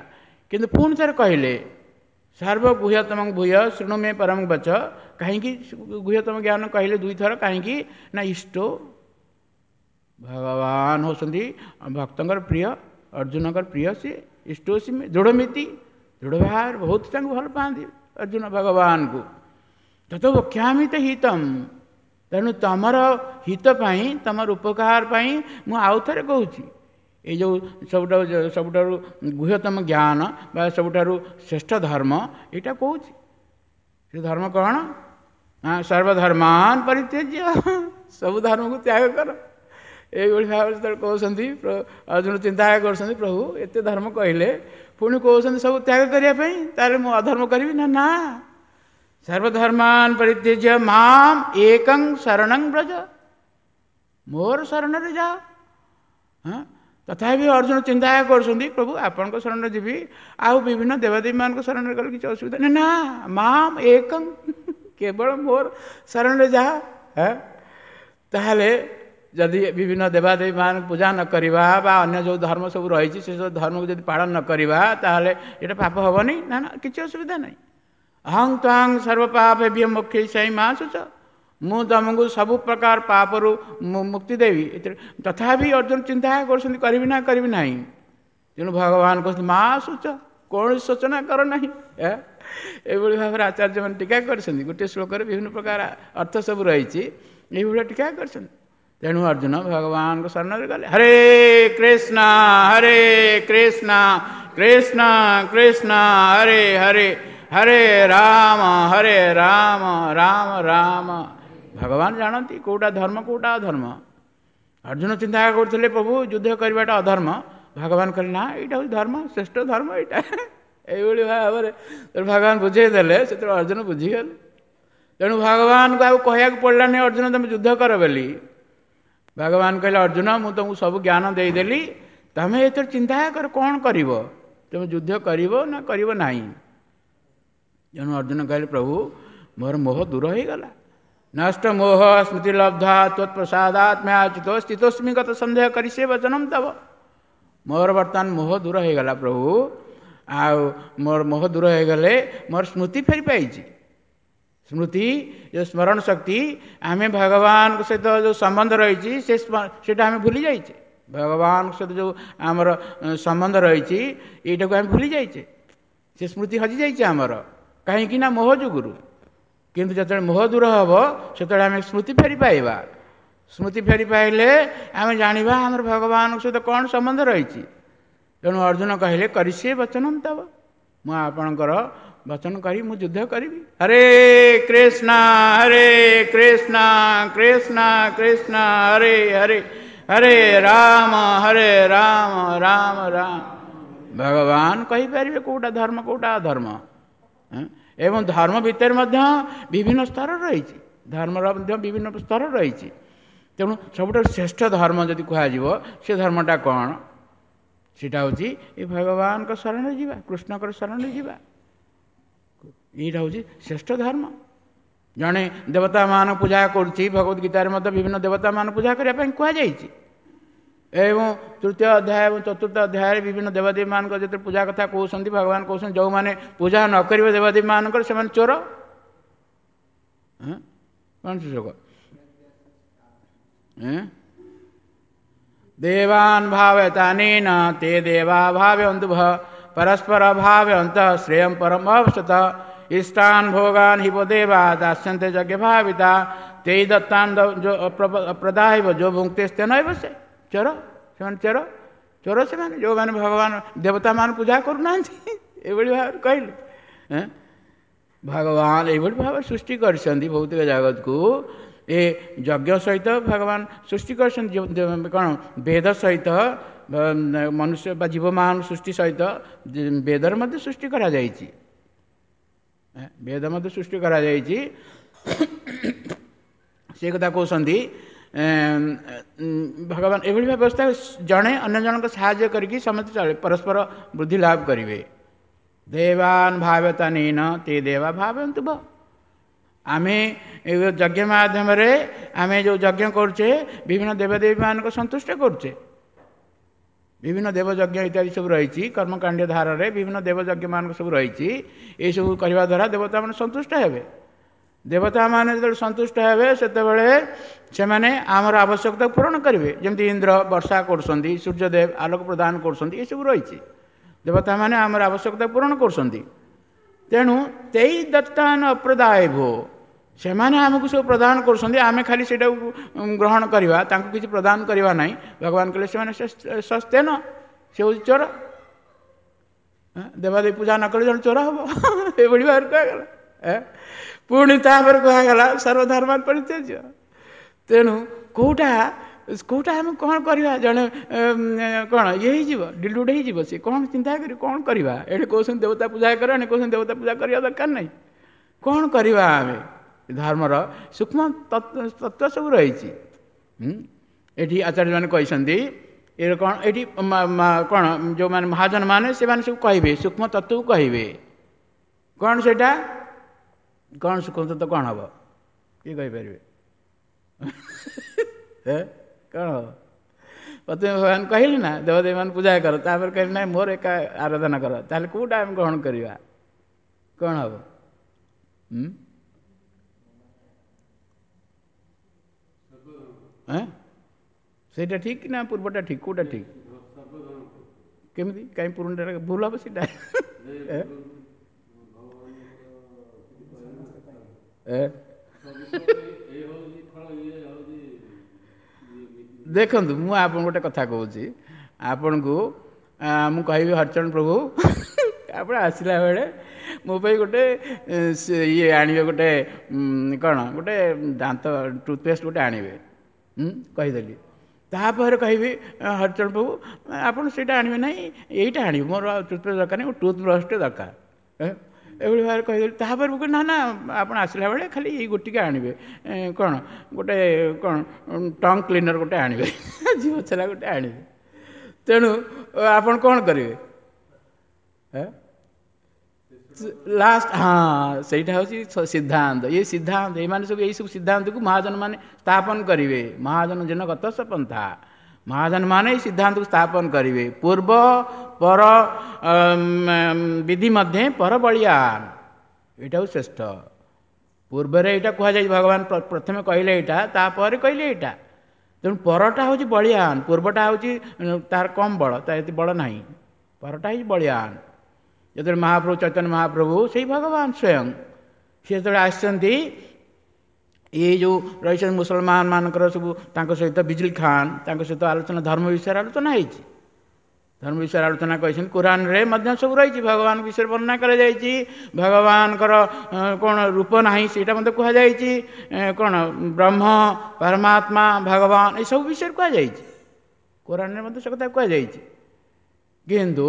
କିନ୍ତୁ ପୁଣି ଥରେ କହିଲେ ସର୍ବଗୁହ୍ୟତମ ଭୂୟ ଶୃଣୁ ମେ ପରମଂ ବଚ। କାହିଁକି ଗୁହ୍ୟତମ ଜ୍ଞାନ କହିଲେ ଦୁଇଥର? କାହିଁକି ନା ଇଷ୍ଟ ଭଗବାନ ହେଉଛନ୍ତି ଭକ୍ତଙ୍କର ପ୍ରିୟ, ଅର୍ଜୁନଙ୍କର ପ୍ରିୟ ସିଏ। ଇଷ୍ଟୋସି ଦୃଢ଼ମିତି, ଦୃଢ଼ ଭାବରେ ବହୁତ ତାଙ୍କୁ ଭଲ ପାଆନ୍ତି ଅର୍ଜୁନ ଭଗବାନଙ୍କୁ। ତତ ବକ୍ଷ୍ୟାମି ତ ହିତମ୍। ତେଣୁ ତମର ହିତ ପାଇଁ, ତମର ଉପକାର ପାଇଁ ମୁଁ ଆଉ ଥରେ କହୁଛି, ଏଇ ଯେଉଁ ସବୁଠାରୁ ସବୁଠାରୁ ଗୁହ୍ୟତମ ଜ୍ଞାନ ବା ସବୁଠାରୁ ଶ୍ରେଷ୍ଠ ଧର୍ମ ଏଇଟା କହୁଛି। ସେ ଧର୍ମ କ'ଣ? ସର୍ବଧର୍ମାନ ପରିତ୍ୟଜ୍ୟ, ସବୁ ଧର୍ମକୁ ତ୍ୟାଗ କର। ଏଇଭଳି ଭାବରେ ଯେତେବେଳେ କହୁଛନ୍ତି, ଅର୍ଜୁନ ଚିନ୍ତା କରୁଛନ୍ତି, ପ୍ରଭୁ ଏତେ ଧର୍ମ କହିଲେ, ପୁଣି କହୁଛନ୍ତି ସବୁ ତ୍ୟାଗ କରିବା ପାଇଁ, ତାହେଲେ ମୁଁ ଅଧର୍ମ କରିବି ନା? ନା, ସର୍ବଧର୍ମାନ ପରିତ୍ୟଜ୍ୟ ମାମ୍ ଏକଂ ଶରଣଂ ବ୍ରଜ, ମୋର ଶରଣରେ ଯାଅ। ହଁ, ତଥାପି ଅର୍ଜୁନ ଚିନ୍ତା କରୁଛନ୍ତି, ପ୍ରଭୁ ଆପଣଙ୍କ ଶରଣରେ ଯିବି, ଆଉ ବିଭିନ୍ନ ଦେବାଦେବୀମାନଙ୍କ ଶରଣରେ ଗଲେ କିଛି ଅସୁବିଧା ନାହିଁ? ନା, ମାମ୍ ଏକଂ, କେବଳ ମୋର ଶରଣରେ ଯାଅ। ତାହେଲେ ଯଦି ବିଭିନ୍ନ ଦେବାଦେବୀମାନଙ୍କୁ ପୂଜା ନ କରିବା ବା ଅନ୍ୟ ଯେଉଁ ଧର୍ମ ସବୁ ରହିଛି ସେସବୁ ଧର୍ମକୁ ଯଦି ପାଳନ ନ କରିବା, ତାହେଲେ ଏଇଟା ପାପ ହେବନି? ନା ନା, କିଛି ଅସୁବିଧା ନାହିଁ। ଅହଂ ତ୍ୱାଂ ସର୍ବପାପେଭ୍ୟୋ ମୋକ୍ଷୟିଷ୍ୟାମି ମା ଶୁଚ, ମୁଁ ତୁମକୁ ସବୁ ପ୍ରକାର ପାପରୁ ମୁକ୍ତି ଦେବି। ଏଥିରେ ତଥାପି ଅର୍ଜୁନ ଚିନ୍ତା କରୁଛନ୍ତି କରିବି ନା କରିବି ନାହିଁ। ତେଣୁ ଭଗବାନ କହୁଛନ୍ତି ମା ଶୁଚ, କୌଣସି ଶୋଚନା କର ନାହିଁ। ଏଇଭଳି ଭାବରେ ଆଚାର୍ଯ୍ୟମାନେ ଟୀକା କରିଛନ୍ତି। ଗୋଟିଏ ଶ୍ଲୋକରେ ବିଭିନ୍ନ ପ୍ରକାର ଅର୍ଥ ସବୁ ରହିଛି, ଏଇଭଳିଆ ଟୀକା କରିଛନ୍ତି। ତେଣୁ ଅର୍ଜୁନ ଭଗବାନଙ୍କ ଶରଣରେ ଗଲେ। ହରେ କୃଷ୍ଣ ହରେ କୃଷ୍ଣ କୃଷ୍ଣ କୃଷ୍ଣ ହରେ ହରେ, ହରେ ରାମ ହରେ ରାମ ରାମ ରାମ। ଭଗବାନ ଜାଣନ୍ତି କେଉଁଟା ଧର୍ମ କେଉଁଟା ଅଧର୍ମ। ଅର୍ଜୁନ ଚିନ୍ତା କରୁଥିଲେ ପ୍ରଭୁ ଯୁଦ୍ଧ କରିବାଟା ଅଧର୍ମ, ଭଗବାନ କହିଲେ ନା ଏଇଟା ହେଉଛି ଧର୍ମ, ଶ୍ରେଷ୍ଠ ଧର୍ମ ଏଇଟା। ଏଇଭଳି ଭାବରେ ଭଗବାନ ବୁଝେଇ ଦେଲେ, ସେତେବେଳେ ଅର୍ଜୁନ ବୁଝିଗଲେ। ତେଣୁ ଭଗବାନଙ୍କୁ ଆଉ କହିବାକୁ ପଡ଼ିଲାନି ଅର୍ଜୁନ ତୁମେ ଯୁଦ୍ଧ କର ବୋଲି। ଭଗବାନ କହିଲେ ଅର୍ଜୁନ ମୁଁ ତୁମକୁ ସବୁ ଜ୍ଞାନ ଦେଇଦେଲି, ତମେ ଏଥିରେ ଚିନ୍ତା କର କ'ଣ କରିବ, ତୁମେ ଯୁଦ୍ଧ କରିବ ନା କରିବ ନାହିଁ। ତେଣୁ ଅର୍ଜୁନ କହିଲେ ପ୍ରଭୁ ମୋର ମୋହ ଦୂର ହୋଇଗଲା। ନଷ୍ଟ ମୋହ ସ୍ମୃତି ଲବ୍ଧା ତ୍ୱତ୍ପ୍ରସାଦାତ୍ମ୍ୟାଚ୍ୟୁତ ସ୍ଥିତୋସ୍ମି ଗତ ସନ୍ଦେହ କରି ସେ ବଚନମ ତବ। ମୋର ବର୍ତ୍ତମାନ ମୋହ ଦୂର ହୋଇଗଲା ପ୍ରଭୁ, ଆଉ ମୋର ମୋହ ଦୂର ହୋଇଗଲେ ମୋର ସ୍ମୃତି ଫେରି ପାଇଛି, ସ୍ମୃତି ଯେଉଁ ସ୍ମରଣ ଶକ୍ତି, ଆମେ ଭଗବାନଙ୍କ ସହିତ ଯେଉଁ ସମ୍ବନ୍ଧ ରହିଛି ସେ ସେଇଟା ଆମେ ଭୁଲି ଯାଇଛେ। ଭଗବାନଙ୍କ ସହିତ ଯେଉଁ ଆମର ସମ୍ବନ୍ଧ ରହିଛି ଏଇଟାକୁ ଆମେ ଭୁଲି ଯାଇଛେ, ସେ ସ୍ମୃତି ହଜିଯାଇଛି ଆମର। କାହିଁକି ନା ମୋହ ଯୋଗୁରୁ। କିନ୍ତୁ ଯେତେବେଳେ ମୋହ ଦୂର ହେବ ସେତେବେଳେ ଆମେ ସ୍ମୃତି ଫେରି ପାଇବା। ସ୍ମୃତି ଫେରି ପାଇଲେ ଆମେ ଜାଣିବା ଆମର ଭଗବାନଙ୍କ ସହିତ କ'ଣ ସମ୍ବନ୍ଧ ରହିଛି। ତେଣୁ ଅର୍ଜୁନ କହିଲେ କରିସିଏ ବଚନମ୍ ତବ, ମୁଁ ଆପଣଙ୍କର ବଚନ କରି ମୁଁ ଯୁଦ୍ଧ କରିବି। ହରେ କୃଷ୍ଣ ହରେ କୃଷ୍ଣ କୃଷ୍ଣ କୃଷ୍ଣ ହରେ ହରେ, ହରେ ରାମ ହରେ ରାମ ରାମ ରାମ। ଭଗବାନ କହିପାରିବେ କେଉଁଟା ଧର୍ମ କେଉଁଟା ଅଧର୍ମ। ଏବଂ ଧର୍ମ ଭିତରେ ମଧ୍ୟ ବିଭିନ୍ନ ସ୍ତର ରହିଛି, ଧର୍ମର ମଧ୍ୟ ବିଭିନ୍ନ ସ୍ତର ରହିଛି। ତେଣୁ ସବୁଠାରୁ ଶ୍ରେଷ୍ଠ ଧର୍ମ ଯଦି କୁହାଯିବ ସେ ଧର୍ମଟା କ'ଣ? ସେଇଟା ହେଉଛି ଏ ଭଗବାନଙ୍କ ଶରଣରେ ଯିବା, କୃଷ୍ଣଙ୍କର ଶରଣରେ ଯିବା। ଏଇଟା ହେଉଛି ଶ୍ରେଷ୍ଠ ଧର୍ମ। ଜଣେ ଦେବତାମାନଙ୍କୁ ପୂଜା କରୁଛି, ଭଗବତ ଗୀତାରେ ମଧ୍ୟ ବିଭିନ୍ନ ଦେବତାମାନଙ୍କୁ ପୂଜା କରିବା ପାଇଁ କୁହାଯାଇଛି। ଏବଂ ତୃତୀୟ ଅଧ୍ୟାୟ ଏବଂ ଚତୁର୍ଥ ଅଧ୍ୟାୟରେ ବିଭିନ୍ନ ଦେବାଦେବୀମାନଙ୍କ ଯେତେବେଳେ ପୂଜା କଥା କହୁଛନ୍ତି, ଭଗବାନ କହୁଛନ୍ତି ଯେଉଁମାନେ ପୂଜା ନ କରିବେ ଦେବାଦେବୀମାନଙ୍କର ସେମାନେ ଚୋର। କ'ଣ ଶ୍ଲୋକ? ଦେବାନ୍ ଭାବୟତାନେନ ତେ ଦେବା ଭାବୟନ୍ତୁ ଭ ପରସ୍ପର ଭାବୟନ୍ତ ଶ୍ରେୟಂ ପରମ ଅବସତ ଇଷ୍ଟାନ୍ ଭୋଗାନ୍ ହିବ ଦେବା ଦାସ୍ୟନ୍ତେ ଯଜ୍ଞ ଭାବିତା ତେଇ ଦତ୍ତାନ୍ ପ୍ରଦାହିବ ଯୋ ଭୁକ୍ତେ ନୈବ ସେ। ଚୋର ସେମାନେ, ଚୋର ଚୋର ସେମାନେ, ଯେଉଁମାନେ ଭଗବାନ ଦେବତାମାନେ ପୂଜା କରୁନାହାନ୍ତି। ଏଇଭଳି ଭାବରେ କହିଲେ ଭଗବାନ ଏଇଭଳି ଭାବରେ ସୃଷ୍ଟି କରିଛନ୍ତି ଭୌତିକ ଜଗତକୁ। ଏ ଯଜ୍ଞ ସହିତ ଭଗବାନ ସୃଷ୍ଟି କରିଛନ୍ତି କ'ଣ? ବେଦ ସହିତ ମନୁଷ୍ୟ ବା ଜୀବମାନ ସୃଷ୍ଟି ସହିତ ବେଦର ମଧ୍ୟ ସୃଷ୍ଟି କରାଯାଇଛି, ବେଦ ମଧ୍ୟ ସୃଷ୍ଟି କରାଯାଇଛି। ସେ କଥା କହୁଛନ୍ତି ଭଗବାନ। ଏଭଳି ବ୍ୟବସ୍ଥା ଜଣେ ଅନ୍ୟ ଜଣଙ୍କ ସାହାଯ୍ୟ କରିକି ସମସ୍ତେ ଚଳେ, ପରସ୍ପର ବୃଦ୍ଧି ଲାଭ କରିବେ। ଦେବାନ ଭାବତା ନୀନ ତେ ଦେବା ଭାବନ୍ତୁ ଭ। ଆମେ ଏ ଯଜ୍ଞ ମାଧ୍ୟମରେ ଆମେ ଯେଉଁ ଯଜ୍ଞ କରୁଛେ ବିଭିନ୍ନ ଦେବଦେବୀମାନଙ୍କୁ ସନ୍ତୁଷ୍ଟ କରୁଛେ। ବିଭିନ୍ନ ଦେବଯଜ୍ଞ ଇତ୍ୟାଦି ସବୁ ରହିଛି, କର୍ମକାଣ୍ଡ ଧାରରେ ବିଭିନ୍ନ ଦେବଯଜ୍ଞମାନଙ୍କ ସବୁ ରହିଛି। ଏସବୁ କରିବା ଦ୍ୱାରା ଦେବତାମାନେ ସନ୍ତୁଷ୍ଟ ହେବେ। ଦେବତାମାନେ ଯେତେବେଳେ ସନ୍ତୁଷ୍ଟ ହେବେ ସେତେବେଳେ ସେମାନେ ଆମର ଆବଶ୍ୟକତା ପୂରଣ କରିବେ। ଯେମିତି ଇନ୍ଦ୍ର ବର୍ଷା କରୁଛନ୍ତି, ସୂର୍ଯ୍ୟଦେବ ଆଲୋକ ପ୍ରଦାନ କରୁଛନ୍ତି, ଏସବୁ ରହିଛି। ଦେବତାମାନେ ଆମର ଆବଶ୍ୟକତା ପୂରଣ କରୁଛନ୍ତି। ତେଣୁ ତେଇ ଦତ୍ତାନ ଅପ୍ରଦାୟ ଭୋ, ସେମାନେ ଆମକୁ ସବୁ ପ୍ରଦାନ କରୁଛନ୍ତି, ଆମେ ଖାଲି ସେଇଟାକୁ ଗ୍ରହଣ କରିବା, ତାଙ୍କୁ କିଛି ପ୍ରଦାନ କରିବା ନାହିଁ। ଭଗବାନ କହିଲେ ସେମାନେ ସସ୍ତେନ, ସେ ହେଉଛି ଚୋର। ଦେବାଦେବୀ ପୂଜା ନ କଲେ ଜଣେ ଚୋର ହେବ, ଏଭଳି ଭାବରେ କୁହାଗଲା। ପୁଣି ତାପରେ କୁହାଗଲା ସର୍ବଧର୍ମାନ ପରିତ୍ୟଜ୍ୟ। ତେଣୁ କେଉଁଟା କେଉଁଟା ଆମେ କ'ଣ କରିବା? ଜଣେ କ'ଣ ଇଏ ହେଇଯିବ, ଡିଲୁଡ଼ ହେଇଯିବ, ସେ କ'ଣ ଚିନ୍ତା କରି କ'ଣ କରିବା? ଏଠି କହୁଛନ୍ତି ଦେବତା ପୂଜା କର, ଏଣେ କହୁଛନ୍ତି ଦେବତା ପୂଜା କରିବା ଦରକାର ନାହିଁ। କ'ଣ କରିବା ଆମେ? ଧର୍ମର ସୂକ୍ଷ୍ମ ତତ୍ତ୍ୱ ସବୁ ରହିଛି। ଏଠି ଆଚାର୍ଯ୍ୟମାନେ କହିଛନ୍ତି ଏ କ'ଣ ଏଠି କ'ଣ ଯେଉଁମାନେ ମହାଜନ ମାନେ ସେମାନେ ସବୁ କହିବେ, ସୂକ୍ଷ୍ମ ତତ୍ତ୍ୱକୁ କହିବେ। କ'ଣ ସେଇଟା? କ'ଣ ସୂକ୍ଷ୍ମ ତତ୍ତ୍ୱ କ'ଣ ହେବ? କିଏ କହିପାରିବେ? କ'ଣ ହେବ? ପ୍ରଥମେ ଭଗବାନ କହିଲେ ନା ଦେବଦେବୀମାନେ ପୂଜା କର, ତାପରେ କହିଲେ ନାଇଁ ମୋର ଏକା ଆରାଧନା କର। ତାହେଲେ କେଉଁଟା ଆମେ ଗ୍ରହଣ କରିବା? କ'ଣ ହେବ? ସେଇଟା ଠିକ୍ ନା ପୂର୍ବଟା ଠିକ୍? କେଉଁଟା ଠିକ୍? କେମିତି? କାହିଁ ପୁରୁଣାଟା ଭୁଲ ହେବ ସେଇଟା? ଦେଖନ୍ତୁ, ମୁଁ ଆପଣଙ୍କୁ ଗୋଟେ କଥା କହୁଛି। ଆପଣଙ୍କୁ ମୁଁ କହିବି ହରିଚରଣ ପ୍ରଭୁ, ଆପଣ ଆସିଲା ବେଳେ ମୋ ପାଇଁ ଗୋଟେ ଇଏ ଆଣିବେ, ଗୋଟେ କ'ଣ ଗୋଟେ ଦାନ୍ତ ଟୁଥପେଷ୍ଟ ଗୋଟେ ଆଣିବେ, କହିଦେଲି। ତାପରେ କହିବି ହରିଚରଣ ପ୍ରଭୁ ଆପଣ ସେଇଟା ଆଣିବେ ନାହିଁ, ଏଇଟା ଆଣିବେ, ମୋର ଆଉ ଟୁଥପେଷ୍ଟ ଦରକାର ନାହିଁ, ଟୁଥ୍ ବ୍ରସ୍ଟେ ଦରକାର, ଏଭଳି ଭାବରେ କହିଦେଲି। ତାପରେ ମୁଁ କହିଲି ନା ନା ଆପଣ ଆସିଲା ବେଳେ ଖାଲି ଏଇ ଗୋଟିଏ ଆଣିବେ, କ'ଣ ଗୋଟେ କ'ଣ ଟଙ୍ଗ କ୍ଲିନର୍ ଗୋଟେ ଆଣିବେ, ଜିଭ ଛେଲା ଗୋଟେ ଆଣିବେ। ତେଣୁ ଆପଣ କ'ଣ କରିବେ? ଲାଷ୍ଟ ହଁ, ସେଇଟା ହେଉଛି ସିଦ୍ଧାନ୍ତ। ଇଏ ସିଦ୍ଧାନ୍ତ, ଏମାନେ ସବୁ ଏଇସବୁ ସିଦ୍ଧାନ୍ତକୁ ମହାଜନ ମାନେ ସ୍ଥାପନ କରିବେ। ମହାଜନ ଯେନ ଗତ ପନ୍ଥା, ମହାଜନ ମାନେ ଏଇ ସିଦ୍ଧାନ୍ତକୁ ସ୍ଥାପନ କରିବେ। ପୂର୍ବ ପର ବିଧି ମଧ୍ୟେ ପର ବଳିଆନ, ଏଇଟା ହେଉଛି ଶ୍ରେଷ୍ଠ। ପୂର୍ବରେ ଏଇଟା କୁହାଯାଇଛି, ଭଗବାନ ପ୍ରଥମେ କହିଲେ ଏଇଟା, ତାପରେ କହିଲେ ଏଇଟା। ତେଣୁ ପରଟା ହେଉଛି ବଳିଆନ, ପୂର୍ବଟା ହେଉଛି ତାର କମ୍ ବଳ, ତା ଏତେ ବଳ ନାହିଁ, ପରଟା ହେଉଛି ବଳିଆନ। ଯେତେବେଳେ ମହାପ୍ରଭୁ ଚୈତନ୍ୟ ମହାପ୍ରଭୁ ସେଇ ଭଗବାନ ସ୍ୱୟଂ ସେ ଯେତେବେଳେ ଆସିଛନ୍ତି, ଏଇ ଯେଉଁ ରହିଛନ୍ତି ମୁସଲମାନ ମାନଙ୍କର ସବୁ ତାଙ୍କ ସହିତ ବିଜଲି ଖାନ ତାଙ୍କ ସହିତ ଆଲୋଚନା, ଧର୍ମ ବିଷୟରେ ଆଲୋଚନା ହେଇଛି। ଧର୍ମ ବିଷୟରେ ଆଲୋଚନା କହିଛନ୍ତି, କୋରାନରେ ମଧ୍ୟ ସବୁ ରହିଛି, ଭଗବାନ ବିଷୟରେ ବର୍ଣ୍ଣନା କରାଯାଇଛି, ଭଗବାନଙ୍କର କ'ଣ ରୂପ ନାହିଁ ସେଇଟା ମଧ୍ୟ କୁହାଯାଇଛି, କ'ଣ ବ୍ରହ୍ମ ପରମାତ୍ମା ଭଗବାନ ଏସବୁ ବିଷୟରେ କୁହାଯାଇଛି, କୋରାନରେ ମଧ୍ୟ ସେ କଥା କୁହାଯାଇଛି। କିନ୍ତୁ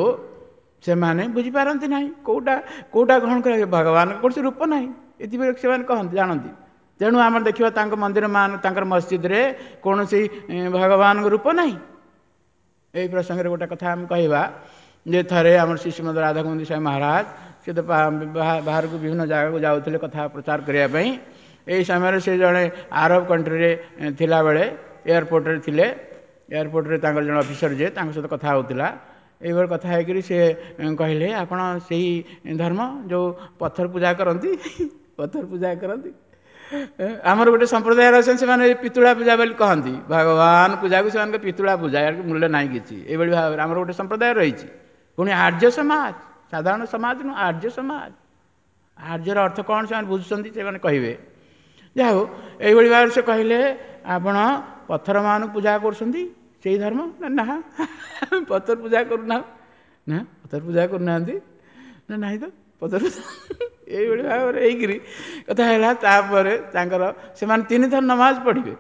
ସେମାନେ ବୁଝିପାରନ୍ତି ନାହିଁ କେଉଁଟା କେଉଁଟା ଗ୍ରହଣ କରାଯିବ, ଭଗବାନଙ୍କ କୌଣସି ରୂପ ନାହିଁ ଏଥିପାଇଁ ସେମାନେ କହନ୍ତି ଜାଣନ୍ତି। ତେଣୁ ଆମର ଦେଖିବା ତାଙ୍କ ମନ୍ଦିର ମାନ ତାଙ୍କର ମସଜିଦରେ କୌଣସି ଭଗବାନଙ୍କ ରୂପ ନାହିଁ। ଏଇ ପ୍ରସଙ୍ଗରେ ଗୋଟେ କଥା ଆମେ କହିବା ଯେ ଥରେ ଆମର ଶ୍ରୀ ଶ୍ରୀମଦ ରାଧାଗୋବିନ୍ଦ ସ୍ୱାମୀ ମହାରାଜ ସେ ତ ବାହାରକୁ ବିଭିନ୍ନ ଜାଗାକୁ ଯାଉଥିଲେ କଥା ପ୍ରଚାର କରିବା ପାଇଁ। ଏହି ସମୟରେ ସେ ଜଣେ ଆରବ କଣ୍ଟ୍ରିରେ ଥିଲାବେଳେ ଏୟାରପୋର୍ଟରେ ଥିଲେ, ଏୟାରପୋର୍ଟରେ ତାଙ୍କର ଜଣେ ଅଫିସର ଯିଏ ତାଙ୍କ ସହିତ କଥା ହେଉଥିଲା। ଏଇଭଳି କଥା ହେଇକରି ସେ କହିଲେ, ଆପଣ ସେଇ ଧର୍ମ ଯେଉଁ ପଥର ପୂଜା କରନ୍ତି, ପଥର ପୂଜା କରନ୍ତି, ଆମର ଗୋଟେ ସମ୍ପ୍ରଦାୟର ଅଛନ୍ତି ସେମାନେ ପିତୁଳା ପୂଜା ବୋଲି କହନ୍ତି, ଭଗବାନ ପୂଜାକୁ ସେମାନଙ୍କ ପିତୁଳା ପୂଜା, ଏହାର ମୂଲ୍ୟ ନାହିଁ କିଛି। ଏଇଭଳି ଭାବରେ ଆମର ଗୋଟେ ସମ୍ପ୍ରଦାୟ ରହିଛି। ପୁଣି ଆର୍ଯ୍ୟ ସମାଜ, ସାଧାରଣ ସମାଜ ନୁହଁ, ଆର୍ଯ୍ୟ ସମାଜ। ଆର୍ଯ୍ୟର ଅର୍ଥ କ'ଣ ସେମାନେ ବୁଝୁଛନ୍ତି, ସେମାନେ କହିବେ। ଯାହା ହଉ, ଏଇଭଳି ଭାବରେ ସେ କହିଲେ, ଆପଣ ପଥରମାନଙ୍କୁ ପୂଜା କରୁଛନ୍ତି ସେଇ ଧର୍ମ? ନା ନା, ପଥର ପୂଜା କରୁନାହୁଁ। ନା ପଥର ପୂଜା କରୁନାହାନ୍ତି? ନା ନାହିଁ ତ ପଥର। ଏଇଭଳି ଭାବରେ ହେଇକିରି କଥା ହେଲା। ତାପରେ ତାଙ୍କର ସେମାନେ ତିନି ଥର ନମାଜ ପଢ଼ିବେ,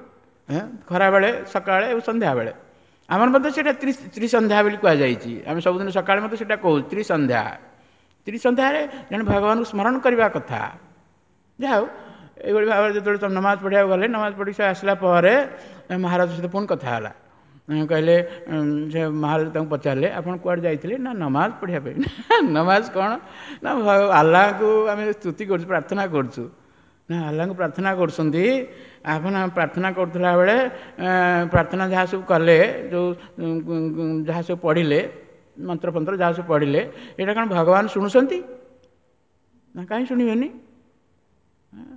ଖରାବେଳେ, ସକାଳେ ଏବଂ ସନ୍ଧ୍ୟାବେଳେ। ଆମର ମଧ୍ୟ ସେଇଟା ତ୍ରି ତ୍ରିସନ୍ଧ୍ୟା ବୋଲି କୁହାଯାଇଛି। ଆମେ ସବୁଦିନ ସକାଳେ ମଧ୍ୟ ସେଇଟା କହୁ ତ୍ରିସନ୍ଧ୍ୟା। ତ୍ରିସନ୍ଧ୍ୟାରେ ଜଣେ ଭଗବାନଙ୍କୁ ସ୍ମରଣ କରିବା କଥା। ଯାହା ହଉ, ଏଇଭଳି ଭାବରେ ଯେତେବେଳେ ତମେ ନମାଜ ପଢ଼ିବାକୁ ଗଲେ, ନମାଜ ପଢ଼ିକି ସେ ଆସିଲା ପରେ ମହାରାଜ ସହିତ ପୁଣି କଥା ହେଲା। କହିଲେ, ସେ ମହାରାଜ ତାଙ୍କୁ ପଚାରିଲେ, ଆପଣ କୁଆଡ଼େ ଯାଇଥିଲେ? ନା ନମାଜ ପଢ଼ିବା ପାଇଁ। ନମାଜ କ'ଣ? ନା ଆଲ୍ଲାହଙ୍କୁ ଆମେ ସ୍ତୁତି କରୁଛୁ, ପ୍ରାର୍ଥନା କରୁଛୁ। ନା ଆଲ୍ଲାହଙ୍କୁ ପ୍ରାର୍ଥନା କରୁଛନ୍ତି, ଆପଣ ପ୍ରାର୍ଥନା କରୁଥିଲା ବେଳେ ପ୍ରାର୍ଥନା ଯାହା ସବୁ କଲେ, ଯେଉଁ ଯାହା ସବୁ ପଢ଼ିଲେ, ମନ୍ତ୍ରଫନ୍ତ୍ର ଯାହା ସବୁ ପଢ଼ିଲେ, ଏଇଟା କ'ଣ ଭଗବାନ ଶୁଣୁଛନ୍ତି? ନା କାହିଁ ଶୁଣିବେନି,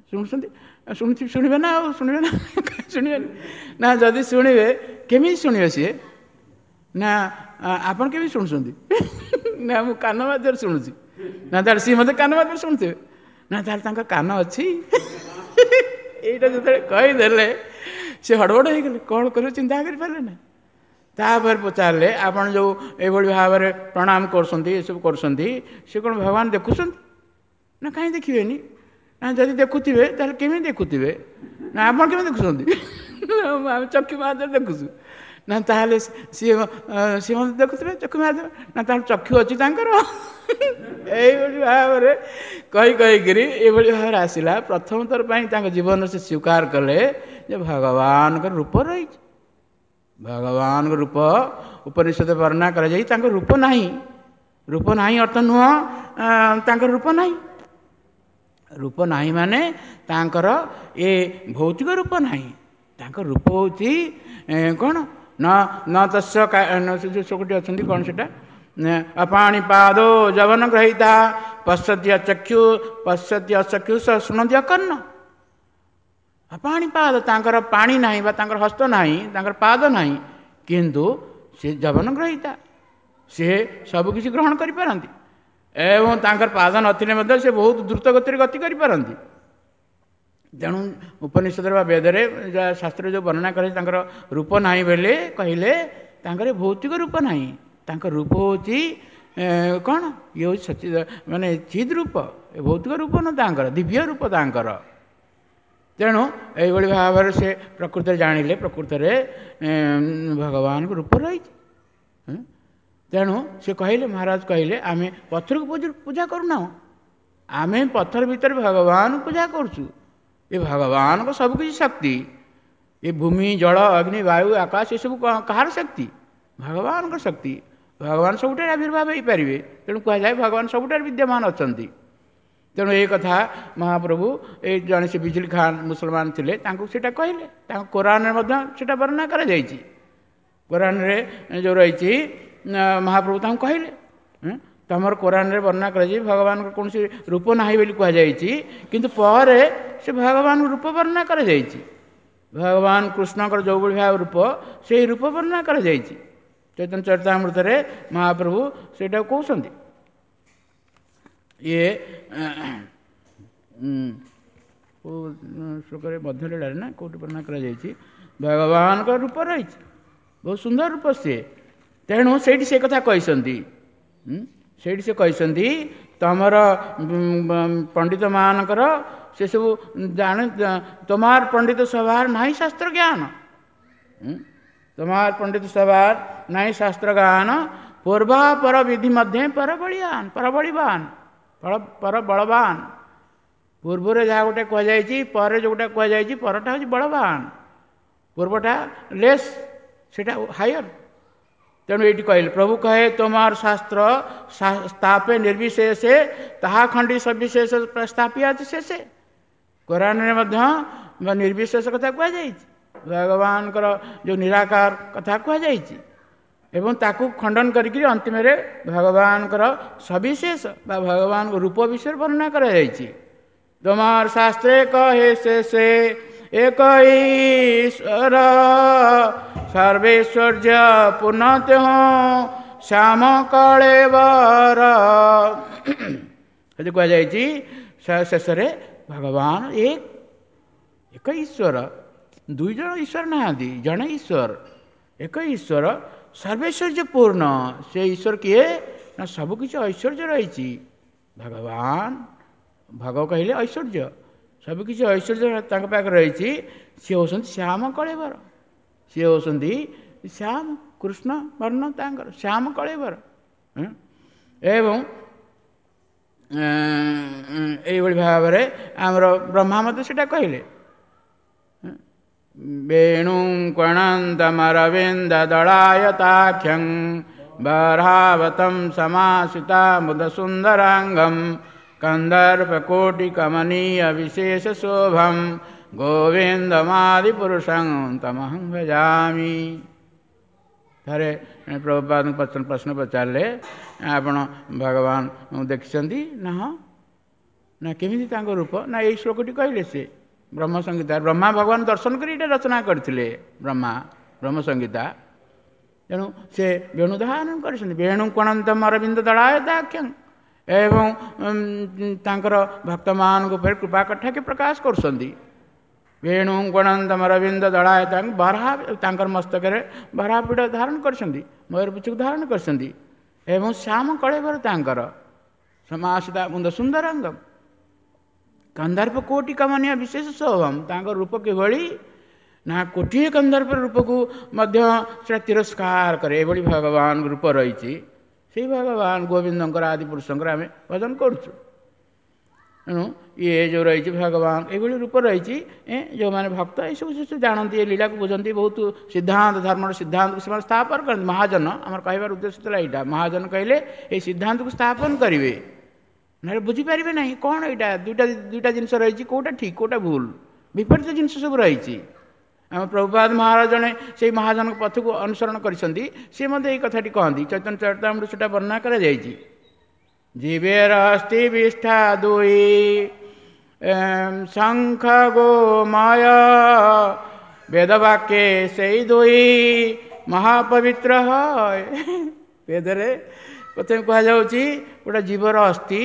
ଶୁଣୁଛନ୍ତି। ଶୁଣୁଛି, ଶୁଣିବେ ନା ଆଉ ଶୁଣିବେ ନା, କାହିଁ ଶୁଣିବେନି? ନା ଯଦି ଶୁଣିବେ କେମିତି ଶୁଣିବେ ସିଏ? ନା ଆପଣ କେମିତି ଶୁଣୁଛନ୍ତି? ନା ମୁଁ କାନ ମାଧ୍ୟମରେ ଶୁଣୁଛି। ନା ତାହେଲେ ସିଏ ମଧ୍ୟ କାନ ମାଧ୍ୟମରେ ଶୁଣୁଥିବେ। ନା ତାହେଲେ ତାଙ୍କ କାନ ଅଛି। ଏଇଟା ଯେତେବେଳେ କହିଦେଲେ ସେ ହଡ଼ବଡ଼ ହେଇଗଲେ, କ'ଣ କରିବେ ଚିନ୍ତା କରିପାରିଲେ ନା। ତାପରେ ପଚାରିଲେ, ଆପଣ ଯେଉଁ ଏଇଭଳି ଭାବରେ ପ୍ରଣାମ କରୁଛନ୍ତି, ଏସବୁ କରୁଛନ୍ତି, ସେ କ'ଣ ଭଗବାନ ଦେଖୁଛନ୍ତି? ନା କାହିଁ ଦେଖିବେନି। ନା ଯଦି ଦେଖୁଥିବେ ତାହେଲେ କେମିତି ଦେଖୁଥିବେ? ନା ଆପଣ କେମିତି ଦେଖୁଛନ୍ତି? ଆମେ ଚକ୍ଷୁ ମାଧ୍ୟମରେ ଦେଖୁଛୁ। ନା ତାହେଲେ ସିଏ ସିଏ ମଧ୍ୟ ଦେଖୁଥିବେ ଚକ୍ଷୁ ମାଧ୍ୟମରେ। ନା ତାହେଲେ ଚକ୍ଷୁ ଅଛି ତାଙ୍କର। ଏଇଭଳି ଭାବରେ କହି କହିକିରି ଏଇଭଳି ଭାବରେ ଆସିଲା। ପ୍ରଥମ ଥର ପାଇଁ ତାଙ୍କ ଜୀବନରେ ସେ ସ୍ୱୀକାର କଲେ ଯେ ଭଗବାନଙ୍କ ରୂପ ରହିଛି। ଭଗବାନଙ୍କ ରୂପ ଉପନିଷଦ ବର୍ଣ୍ଣନା କରାଯାଇ ତାଙ୍କ ରୂପ ନାହିଁ। ରୂପ ନାହିଁ ଅର୍ଥ ନୁହଁ ତାଙ୍କର ରୂପ ନାହିଁ। ରୂପ ନାହିଁ ମାନେ ତାଙ୍କର ଏ ଭୌତିକ ରୂପ ନାହିଁ। ତାଙ୍କ ରୂପ ହେଉଛି କ'ଣ? ନ ନ ତସ୍ୟ ଯେଉଁ ଶ୍ଲୋକଟି ଅଛନ୍ତି କ'ଣ ସେଇଟା? ଅପାଣି ପାଦୋ ଯବନ ଗ୍ରହୀତା ପଶ୍ୟତି ଅଚକ୍ଷୁ ପଶ୍ୟତି ଅଚକ୍ଷୁ ଶୁଣନ୍ତି ଅକର୍ଣ୍ଣ। ଅପାଣି ପାଦ, ତାଙ୍କର ପାଣି ନାହିଁ ବା ତାଙ୍କର ହସ୍ତ ନାହିଁ, ତାଙ୍କର ପାଦ ନାହିଁ, କିନ୍ତୁ ସେ ଯବନ ଗ୍ରହୀତା, ସେ ସବୁକିଛି ଗ୍ରହଣ କରିପାରନ୍ତି ଏବଂ ତାଙ୍କର ପାଦ ନଥିଲେ ମଧ୍ୟ ସେ ବହୁତ ଦ୍ରୁତ ଗତିରେ ଗତି କରିପାରନ୍ତି। ତେଣୁ ଉପନିଷଦରେ ବା ବେଦରେ ଯାହା ଶାସ୍ତ୍ରରେ ଯେଉଁ ବର୍ଣ୍ଣନା କରାଯାଇଛି ତାଙ୍କର ରୂପ ନାହିଁ ବୋଲି କହିଲେ, ତାଙ୍କର ଭୌତିକ ରୂପ ନାହିଁ। ତାଙ୍କ ରୂପ ହେଉଛି କ'ଣ? ଇଏ ହେଉଛି ସଚି ମାନେ ଚିଦ୍ ରୂପ, ଏ ଭୌତିକ ରୂପ ନୁହଁ ତାଙ୍କର, ଦିବ୍ୟ ରୂପ ତାଙ୍କର। ତେଣୁ ଏଇଭଳି ଭାବରେ ସେ ପ୍ରକୃତରେ ଜାଣିଲେ, ପ୍ରକୃତରେ ଭଗବାନଙ୍କ ରୂପ ରହିଛି। ତେଣୁ ସେ କହିଲେ, ମହାରାଜ କହିଲେ, ଆମେ ପଥରକୁ ପୂଜା କରୁନାହୁଁ, ଆମେ ପଥର ଭିତରେ ଭଗବାନଙ୍କୁ ପୂଜା କରୁଛୁ। ଏ ଭଗବାନଙ୍କ ସବୁକିଛି ଶକ୍ତି, ଏ ଭୂମି, ଜଳ, ଅଗ୍ନି, ବାୟୁ, ଆକାଶ, ଏସବୁ କାହାର ଶକ୍ତି? ଭଗବାନଙ୍କ ଶକ୍ତି। ଭଗବାନ ସବୁଠାରେ ଆବିର୍ଭାବ ହେଇପାରିବେ, ତେଣୁ କୁହାଯାଏ ଭଗବାନ ସବୁଠାରେ ବିଦ୍ୟମାନ ଅଛନ୍ତି। ତେଣୁ ଏଇ କଥା ମହାପ୍ରଭୁ ଏଇ ଜଣେ ସେ ବିଜଲି ଖାନ ମୁସଲମାନ ଥିଲେ, ତାଙ୍କୁ ସେଇଟା କହିଲେ। ତାଙ୍କ କୋରାନରେ ମଧ୍ୟ ସେଇଟା ବର୍ଣ୍ଣନା କରାଯାଇଛି। କୋରାନରେ ଯେଉଁ ରହିଛି ମହାପ୍ରଭୁ ତାଙ୍କୁ କହିଲେ, ତମର କୋରାନରେ ବର୍ଣ୍ଣନା କରାଯାଇଛି ଭଗବାନଙ୍କର କୌଣସି ରୂପ ନାହିଁ ବୋଲି କୁହାଯାଇଛି, କିନ୍ତୁ ପରେ ସେ ଭଗବାନଙ୍କ ରୂପ ବର୍ଣ୍ଣନା କରାଯାଇଛି। ଭଗବାନ କୃଷ୍ଣଙ୍କର ଯେଉଁଭଳି ଭାବେ ରୂପ, ସେଇ ରୂପ ବର୍ଣ୍ଣନା କରାଯାଇଛି ଚୈତନ୍ୟ ଚରିତାମୃତରେ। ମହାପ୍ରଭୁ ସେଇଟାକୁ କହୁଛନ୍ତି। ଇଏ କେଉଁ ଶ୍ଲୋକରେ, ମଧ୍ୟଲୀଳାରେ ନା କେଉଁଠି ବର୍ଣ୍ଣନା କରାଯାଇଛି ଭଗବାନଙ୍କ ରୂପ ରହିଛି, ବହୁତ ସୁନ୍ଦର ରୂପ ସିଏ। ତେଣୁ ସେଇଠି ସେ କଥା କହିଛନ୍ତି, ସେଇଠି ସେ କହିଛନ୍ତି ତମର ପଣ୍ଡିତମାନଙ୍କର ସେସବୁ ଜାଣେ, ତମାର ପଣ୍ଡିତ ସଭାର ନାହିଁ ଶାସ୍ତ୍ର ଜ୍ଞାନ, ତମାର ପଣ୍ଡିତ ସଭାର ନାହିଁ ଶାସ୍ତ୍ର ଜ୍ଞାନ, ପୂର୍ବାପର ବିଧି ମଧ୍ୟ ପରବଳିଆନ, ପରବଳିବାନ, ପର ବଳବାନ। ପୂର୍ବରେ ଯାହା ଗୋଟେ କୁହାଯାଇଛି, ପରେ ଯେଉଁଟା କୁହାଯାଇଛି, ପରଟା ହେଉଛି ବଳବାନ, ପୂର୍ବଟା ଲେସ୍, ସେଇଟା ହାୟର। ତେଣୁ ଏଇଠି କହିଲେ ପ୍ରଭୁ କହେ ତୋମାର ଶାସ୍ତ୍ର ସ୍ଥାପେ ନିର୍ବିଶେଷେ, ତାହା ଖଣ୍ଡି ସବିଶେଷ ସ୍ଥାପିଆଛି ଶେଷେ। କୋରାନରେ ମଧ୍ୟ ନିର୍ବିଶେଷ କଥା କୁହାଯାଇଛି, ଭଗବାନଙ୍କର ଯେଉଁ ନିରାକାର କଥା କୁହାଯାଇଛି, ଏବଂ ତାକୁ ଖଣ୍ଡନ କରିକିରି ଅନ୍ତିମରେ ଭଗବାନଙ୍କର ସବିଶେଷ ବା ଭଗବାନଙ୍କ ରୂପ ବିଷୟରେ ବର୍ଣ୍ଣନା କରାଯାଇଛି। ତୋମାର ଶାସ୍ତ୍ରେ କହେ ଶେଷେ ଏକ ଈଶ୍ୱର, ସର୍ବେଶ୍ୱର୍ଯ୍ୟ ପୂର୍ଣ୍ଣ ତେହଁ ଶ୍ୟାମ କଳେବର। ସେଠି କୁହାଯାଇଛି ଶେଷରେ ଭଗବାନ ଏକ, ଏକ ଈଶ୍ୱର, ଦୁଇ ଜଣ ଈଶ୍ୱର ନାହାନ୍ତି, ଜଣେ ଈଶ୍ୱର, ଏକ ଈଶ୍ୱର, ସର୍ବେଶ୍ୱର୍ଯ୍ୟ ପୂର୍ଣ୍ଣ। ସେ ଈଶ୍ୱର କିଏ ନା ସବୁକିଛି ଐଶ୍ୱର୍ଯ୍ୟ ରହିଛି ଭଗବାନ। ଭଗ କହିଲେ ଐଶ୍ୱର୍ଯ୍ୟ, ସବୁକିଛି ଐଶ୍ୱର୍ଯ୍ୟ ତାଙ୍କ ପାଖରେ ରହିଛି। ସିଏ ହେଉଛନ୍ତି ଶ୍ୟାମ କଳେବର, ସିଏ ହେଉଛନ୍ତି ଶ୍ୟାମ କୃଷ୍ଣ ବର୍ଣ୍ଣ ତାଙ୍କର ଶ୍ୟାମ କଳେବର। ଏବଂ ଏଇଭଳି ଭାବରେ ଆମର ବ୍ରହ୍ମା ମଧ୍ୟ ସେଇଟା କହିଲେ, ବେଣୁ କଣନ୍ତମରବିନ୍ଦ ଦଳାୟତାକ୍ଷଂ ବରାବତಂ ସମାସିତା ମୁଦ ସୁନ୍ଦରାଙ୍ଗಂ କନ୍ଦର୍ପକୋଟିକମନୀୟ ବିଶେଷ ଶୋଭಂ ଗୋବିନ୍ଦମାଦିପୁରୁଷଂ ତମହଂ ଭଜାମି। ଥରେ ପ୍ରଭୁପାଦଙ୍କୁ ପ୍ରଶ୍ନ ପଚାରିଲେ, ଆପଣ ଭଗବାନ ଦେଖିଛନ୍ତି ନା? ହଁ। ନା କେମିତି ତାଙ୍କ ରୂପ? ନା ଏଇ ଶ୍ଲୋକଟି କହିଲେ ସେ ବ୍ରହ୍ମ ସଂହିତା। ବ୍ରହ୍ମା ଭଗବାନ ଦର୍ଶନ କରି ଏଇଟା ରଚନା କରିଥିଲେ, ବ୍ରହ୍ମା ବ୍ରହ୍ମ ସଂହିତା। ତେଣୁ ସେ ବେଣୁଧାରଣ କରିଛନ୍ତି, ବେଣୁ କଣନ୍ତମ ଅରବିନ୍ଦ ଦଳାୟତାକ୍ଷଂ, ଏବଂ ତାଙ୍କର ଭକ୍ତମାନଙ୍କ ଉପରେ କୃପା କଟାକ୍ଷ ପ୍ରକାଶ କରୁଛନ୍ତି। ବେଣୁ ଗଣନ୍ତମ ଅରବିନ୍ଦ ଦଳାୟତାଙ୍କ ବରାହ, ତାଙ୍କର ମସ୍ତକରେ ବରାହପୀଠ ଧାରଣ କରିଛନ୍ତି, ମୟୂରପୁଚ୍ଛକୁ ଧାରଣ କରିଛନ୍ତି, ଏବଂ ଶ୍ୟାମ କଳେବର ତାଙ୍କର ସମାସିତା ମୁଣ୍ଡ ସୁନ୍ଦରାଙ୍ଗ କନ୍ଦର୍ପ କୋଟି କମନୀୟ ବିଶେଷ ଶୋଭମ। ତାଙ୍କ ରୂପ କିଭଳି ନା କୋଟିଏ କନ୍ଦର୍ପ ରୂପକୁ ମଧ୍ୟ ସେଟା ତିରସ୍କାର କରେ, ଏଭଳି ଭଗବାନ ରୂପ ରହିଛି। ସେଇ ଭଗବାନ ଗୋବିନ୍ଦଙ୍କର ଆଦି ପୁରୁଷଙ୍କର ଆମେ ଭଜନ କରୁଛୁ। ତେଣୁ ଇଏ ଯେଉଁ ରହିଛି ଭଗବାନ ଏଇଭଳି ରୂପ ରହିଛି, ଯେଉଁମାନେ ଭକ୍ତ ଏସବୁ ଜିନିଷ ଜାଣନ୍ତି, ଏ ଲୀଳାକୁ ବୁଝନ୍ତି, ବହୁତ ସିଦ୍ଧାନ୍ତ ଧର୍ମର ସିଦ୍ଧାନ୍ତକୁ ସେମାନେ ସ୍ଥାପନ କରନ୍ତି। ମହାଜନ, ଆମର କହିବାର ଉଦ୍ଦେଶ୍ୟ ଥିଲା ଏଇଟା, ମହାଜନ କହିଲେ ଏଇ ସିଦ୍ଧାନ୍ତକୁ ସ୍ଥାପନ କରିବେ, ନହେଲେ ବୁଝିପାରିବେ ନାହିଁ କ'ଣ ଏଇଟା। ଦୁଇଟା ଦୁଇଟା ଜିନିଷ ରହିଛି, କେଉଁଟା ଠିକ୍ କେଉଁଟା ଭୁଲ, ବିପରୀତ ଜିନିଷ ସବୁ ରହିଛି। ଆମ ପ୍ରଭୁପାଦ ମହାରାଜ ଜଣେ ସେଇ ମହାଜନଙ୍କ ପଥକୁ ଅନୁସରଣ କରିଛନ୍ତି, ସିଏ ମଧ୍ୟ ଏଇ କଥାଟି କହନ୍ତି। ଚୈତନ୍ୟ ଚରିତାମୃତ ସେଟା ବର୍ଣ୍ଣନା କରାଯାଇଛି। ଜୀବେର ଅସ୍ଥି ବିଷ୍ଠା ଦୁଇ ଶଙ୍ଖ ଗୋମୟ, ବେଦବାକ୍ୟେ ସେଇ ଦୁଇ ମହାପବିତ୍ର ହୟ। ବେଦରେ ପ୍ରଥମେ କୁହାଯାଉଛି ଗୋଟେ ଜୀବର ଅସ୍ଥି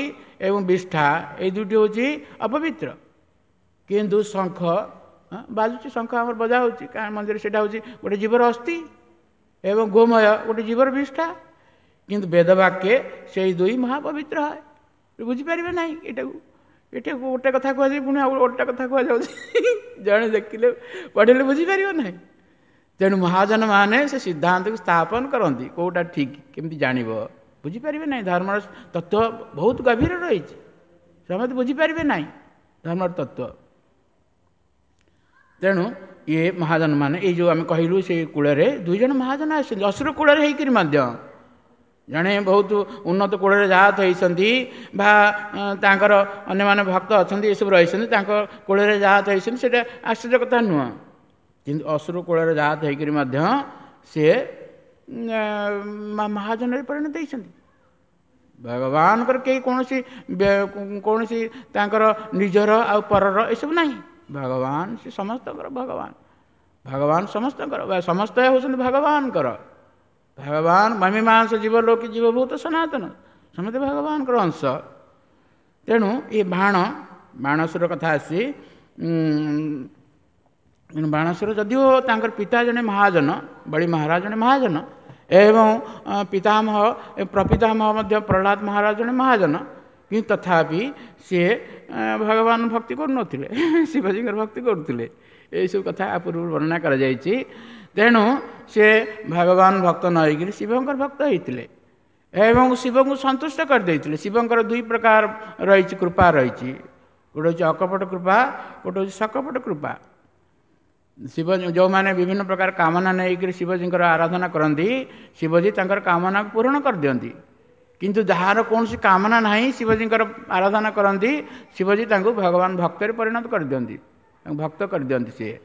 ଏବଂ ବିଷ୍ଠା ଏଇ ଦୁଇଟି ହେଉଛି ଅପବିତ୍ର, କିନ୍ତୁ ଶଙ୍ଖ ବାଜୁଛି, ଶଙ୍ଖ ଆମର ବଜା ହେଉଛି କାରଣ ମନ୍ଦିର, ସେଇଟା ହେଉଛି ଗୋଟେ ଜୀବର ଅସ୍ଥି, ଏବଂ ଗୋମୟ ଗୋଟେ ଜୀବର ବିଷ୍ଠା, କିନ୍ତୁ ବେଦବାକ୍ୟେ ସେଇ ଦୁଇ ମହାପବିତ୍ର ହୟ। ବୁଝିପାରିବେ ନାହିଁ ଏଇଟାକୁ, ଏଇଟାକୁ ଗୋଟେ କଥା କୁହାଯାଏ, ପୁଣି ଆଉ ଗୋଟେ କଥା କୁହାଯାଉଛି, ଜଣେ ଦେଖିଲେ ପଢ଼ିଲେ ବୁଝିପାରିବ ନାହିଁ। ତେଣୁ ମହାଜନ ମାନେ ସେ ସିଦ୍ଧାନ୍ତକୁ ସ୍ଥାପନ କରନ୍ତି, କେଉଁଟା ଠିକ୍ କେମିତି ଜାଣିବ, ବୁଝିପାରିବେ ନାହିଁ। ଧର୍ମର ତତ୍ତ୍ୱ ବହୁତ ଗଭୀର ରହିଛି, ସମସ୍ତେ ବୁଝିପାରିବେ ନାହିଁ ଧର୍ମର ତତ୍ତ୍ୱ। ତେଣୁ ଇଏ ମହାଜନ ମାନେ ଏଇ ଯେଉଁ ଆମେ କହିଲୁ ସେଇ କୂଳରେ ଦୁଇ ଜଣ ମହାଜନ ଆସିଛନ୍ତି, ଅସୁର କୂଳରେ ହେଇକରି ମଧ୍ୟ ଜଣେ ବହୁତ ଉନ୍ନତ କୂଳରେ ଜାତ ହେଇଛନ୍ତି ବା ତାଙ୍କର ଅନ୍ୟମାନେ ଭକ୍ତ ଅଛନ୍ତି, ଏସବୁ ରହିଛନ୍ତି, ତାଙ୍କ କୂଳରେ ଜାତ ହେଇଛନ୍ତି, ସେଇଟା ଆଶ୍ଚର୍ଯ୍ୟ କଥା ନୁହଁ। କିନ୍ତୁ ଅସୁର କୂଳରେ ଜାତ ହେଇକରି ମଧ୍ୟ ସିଏ ମହାଜନରେ ପରିଣତ ହେଇଛନ୍ତି। ଭଗବାନଙ୍କର କେହି କୌଣସି କୌଣସି ତାଙ୍କର ନିଜର ଆଉ ପରର ଏସବୁ ନାହିଁ। ଭଗବାନ ସେ ସମସ୍ତଙ୍କର ଭଗବାନ, ଭଗବାନ ସମସ୍ତଙ୍କର, ସମସ୍ତେ ହେଉଛନ୍ତି ଭଗବାନଙ୍କର। ଭଗବାନ ମମିମାଂସ ଜୀବ ଲୋକି ଜୀବଭୂତ ସନାତନ, ସମସ୍ତେ ଭଗବାନଙ୍କର ଅଂଶ। ତେଣୁ ଏ ବାଣ ବାଣସୁର କଥା ଆସି, ବାଣସୁର ଯଦିଓ ତାଙ୍କର ପିତା ଜଣେ ମହାଜନ, ବଳି ମହାରାଜ ଜଣେ ମହାଜନ, ଏବଂ ପିତାମହ ପ୍ରପିତାମହ ମଧ୍ୟ ପ୍ରହ୍ଲାଦ ମହାରାଜ ଜଣେ ମହାଜନ, କିନ୍ତୁ ତଥାପି ସିଏ ଭଗବାନ ଭକ୍ତି କରୁନଥିଲେ, ଶିବଜୀଙ୍କର ଭକ୍ତି କରୁଥିଲେ। ଏଇସବୁ କଥା ପୂର୍ବରୁ ବର୍ଣ୍ଣନା କରାଯାଇଛି। ତେଣୁ ସେ ଭଗବାନ ଭକ୍ତ ନ ହେଇକରି ଶିବଙ୍କର ଭକ୍ତ ହେଇଥିଲେ ଏବଂ ଶିବଙ୍କୁ ସନ୍ତୁଷ୍ଟ କରିଦେଇଥିଲେ। ଶିବଙ୍କର ଦୁଇ ପ୍ରକାର ରହିଛି କୃପା ରହିଛି, ଗୋଟେ ହେଉଛି ଅକପଟ କୃପା, ଗୋଟେ ହେଉଛି ସକପଟ କୃପା। ଶିବ ଯେଉଁମାନେ ବିଭିନ୍ନ ପ୍ରକାର କାମନା ନେଇକରି ଶିବଜୀଙ୍କର ଆରାଧନା କରନ୍ତି, ଶିବଜୀ ତାଙ୍କର କାମନାକୁ ପୂରଣ କରିଦିଅନ୍ତି। କିନ୍ତୁ ଯାହାର କୌଣସି କାମନା ନାହିଁ ଶିବଜୀଙ୍କର ଆରାଧନା କରନ୍ତି, ଶିବଜୀ ତାଙ୍କୁ ଭଗବାନ ଭକ୍ତରେ ପରିଣତ କରିଦିଅନ୍ତି, ତାଙ୍କୁ ଭକ୍ତ କରିଦିଅନ୍ତି ସିଏ।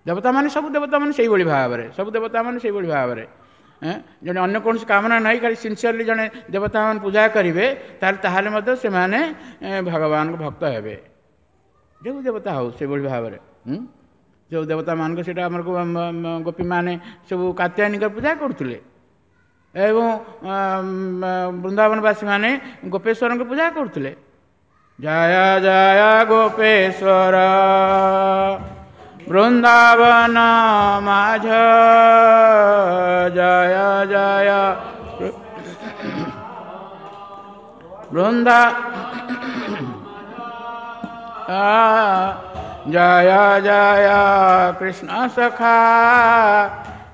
ଦେବତାମାନେ ସବୁ ଦେବତାମାନେ ସେଇଭଳି ଭାବରେ, ସବୁ ଦେବତାମାନେ ସେଇଭଳି ଭାବରେ ଜଣେ ଅନ୍ୟ କୌଣସି କାମନା ନାହିଁ, ଖାଲି ସିନସିୟରଲି ଜଣେ ଦେବତାମାନେ ପୂଜା କରିବେ, ତାହେଲେ ତାହେଲେ ମଧ୍ୟ ସେମାନେ ଭଗବାନଙ୍କ ଭକ୍ତ ହେବେ। ଯେଉଁ ଦେବତା ହେଉ ସେଇଭଳି ଭାବରେ, ଯେଉଁ ଦେବତାମାନଙ୍କୁ ସେଇଟା ଆମର ଗୋପୀମାନେ ସବୁ କାତ୍ୟାୟନୀଙ୍କର ପୂଜା କରୁଥିଲେ ଏବଂ ବୃନ୍ଦାବନବାସୀମାନେ ଗୋପେଶ୍ୱରଙ୍କ ପୂଜା କରୁଥିଲେ। ଜୟ ଜୟ ଗୋପେଶ୍ୱର ବୃନ୍ଦାବନ ମାଝ, ଜୟ ଜୟ ବୃନ୍ଦା ଜୟ ଜୟ କୃଷ୍ଣ ସଖା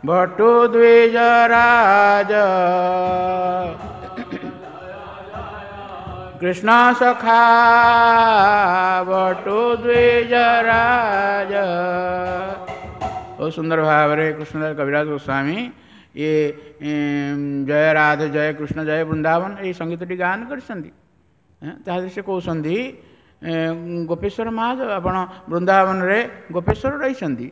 ଭଟ୍ଟୁ ଦ୍ୱିଜରାଜ, କୃଷ୍ଣ ସଖା ଭଟ୍ଟୁ ଦ୍ୱିଜରାଜ। ବହୁତ ସୁନ୍ଦର ଭାବରେ କୃଷ୍ଣଦାସ କବିରାଜ ଗୋସ୍ୱାମୀ ଇଏ ଜୟ ରାଧେ ଜୟ କୃଷ୍ଣ ଜୟ ବୃନ୍ଦାବନ ଏଇ ସଙ୍ଗୀତଟି ଗାନ କରିଛନ୍ତି। ତାହେଲେ ସେ କହୁଛନ୍ତି ଗୋପେଶ୍ୱର ମହାଦେବ, ଆପଣ ବୃନ୍ଦାବନରେ ଗୋପେଶ୍ୱର ରହିଛନ୍ତି,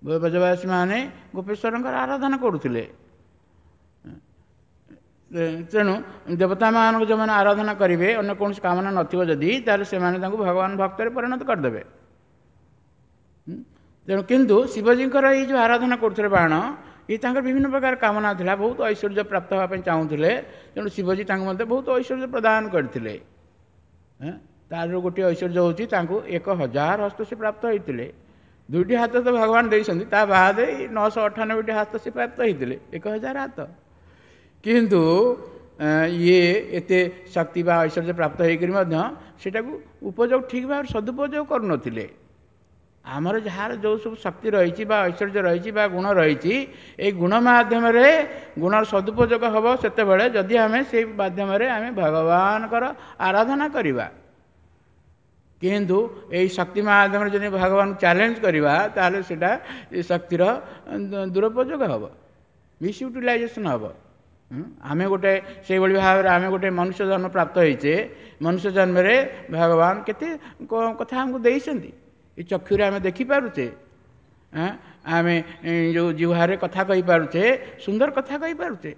ବ୍ରଜବାସୀମାନେ ଗୋପେଶ୍ୱରଙ୍କର ଆରାଧନା କରୁଥିଲେ। ତେଣୁ ଦେବତାମାନଙ୍କୁ ଯେଉଁମାନେ ଆରାଧନା କରିବେ, ଅନ୍ୟ କୌଣସି କାମନା ନଥିବ ଯଦି, ତାହେଲେ ସେମାନେ ତାଙ୍କୁ ଭଗବାନ ଭକ୍ତରେ ପରିଣତ କରିଦେବେ। ତେଣୁ କିନ୍ତୁ ଶିବଜୀଙ୍କର ଏଇ ଯେଉଁ ଆରାଧନା କରୁଥିଲେ ବାଣ, ଇଏ ତାଙ୍କର ବିଭିନ୍ନ ପ୍ରକାର କାମନା ଥିଲା, ବହୁତ ଐଶ୍ୱର୍ଯ୍ୟ ପ୍ରାପ୍ତ ହେବା ପାଇଁ ଚାହୁଁଥିଲେ। ତେଣୁ ଶିବଜୀ ତାଙ୍କୁ ମଧ୍ୟ ବହୁତ ଐଶ୍ୱର୍ଯ୍ୟ ପ୍ରଦାନ କରିଥିଲେ। ତାର ଗୋଟିଏ ଐଶ୍ୱର୍ଯ୍ୟ ହେଉଛି ତାଙ୍କୁ ଏକ ହଜାର ହସ୍ତ ସେ ପ୍ରାପ୍ତ ହେଇଥିଲେ। ଦୁଇଟି ହାତ ତ ଭଗବାନ ଦେଇଛନ୍ତି, ତା ବାଦେ ନଅଶହ ଅଠାନବେଟି ହାତ ସେ ପ୍ରାପ୍ତ ହେଇଥିଲେ, ଏକ ହଜାର ହାତ। କିନ୍ତୁ ଇଏ ଏତେ ଶକ୍ତି ବା ଐଶ୍ୱର୍ଯ୍ୟ ପ୍ରାପ୍ତ ହେଇକରି ମଧ୍ୟ ସେଟାକୁ ଉପଯୋଗ ଠିକ୍ ଭାବରେ ସଦୁପଯୋଗ କରୁନଥିଲେ। ଆମର ଯାହାର ଯେଉଁ ସବୁ ଶକ୍ତି ରହିଛି ବା ଐଶ୍ୱର୍ଯ୍ୟ ରହିଛି ବା ଗୁଣ ରହିଛି, ଏଇ ଗୁଣ ମାଧ୍ୟମରେ ଗୁଣର ସଦୁପଯୋଗ ହେବ ସେତେବେଳେ ଯଦି ଆମେ ସେଇ ମାଧ୍ୟମରେ ଆମେ ଭଗବାନଙ୍କର ଆରାଧନା କରିବା। କିନ୍ତୁ ଏଇ ଶକ୍ତି ମାଧ୍ୟମରେ ଯଦି ଭଗବାନଙ୍କୁ ଚ୍ୟାଲେଞ୍ଜ କରିବା, ତାହେଲେ ସେଇଟା ଏ ଶକ୍ତିର ଦୁରୁପଯୋଗ ହେବ, ମିସ୍ୟୁଟିଲାଇଜେସନ୍ ହେବ। ଆମେ ଗୋଟେ ସେଇଭଳି ଭାବରେ ଆମେ ଗୋଟେ ମନୁଷ୍ୟ ଜନ୍ମ ପ୍ରାପ୍ତ ହେଇଛେ, ମନୁଷ୍ୟ ଜନ୍ମରେ ଭଗବାନ କେତେ କଥା ଆମକୁ ଦେଇଛନ୍ତି। ଏ ଚକ୍ଷୁରେ ଆମେ ଦେଖିପାରୁଛେ, ଆମେ ଯେଉଁ ଜିହ୍ୱାରେ କଥା କହିପାରୁଛେ, ସୁନ୍ଦର କଥା କହିପାରୁଛେ।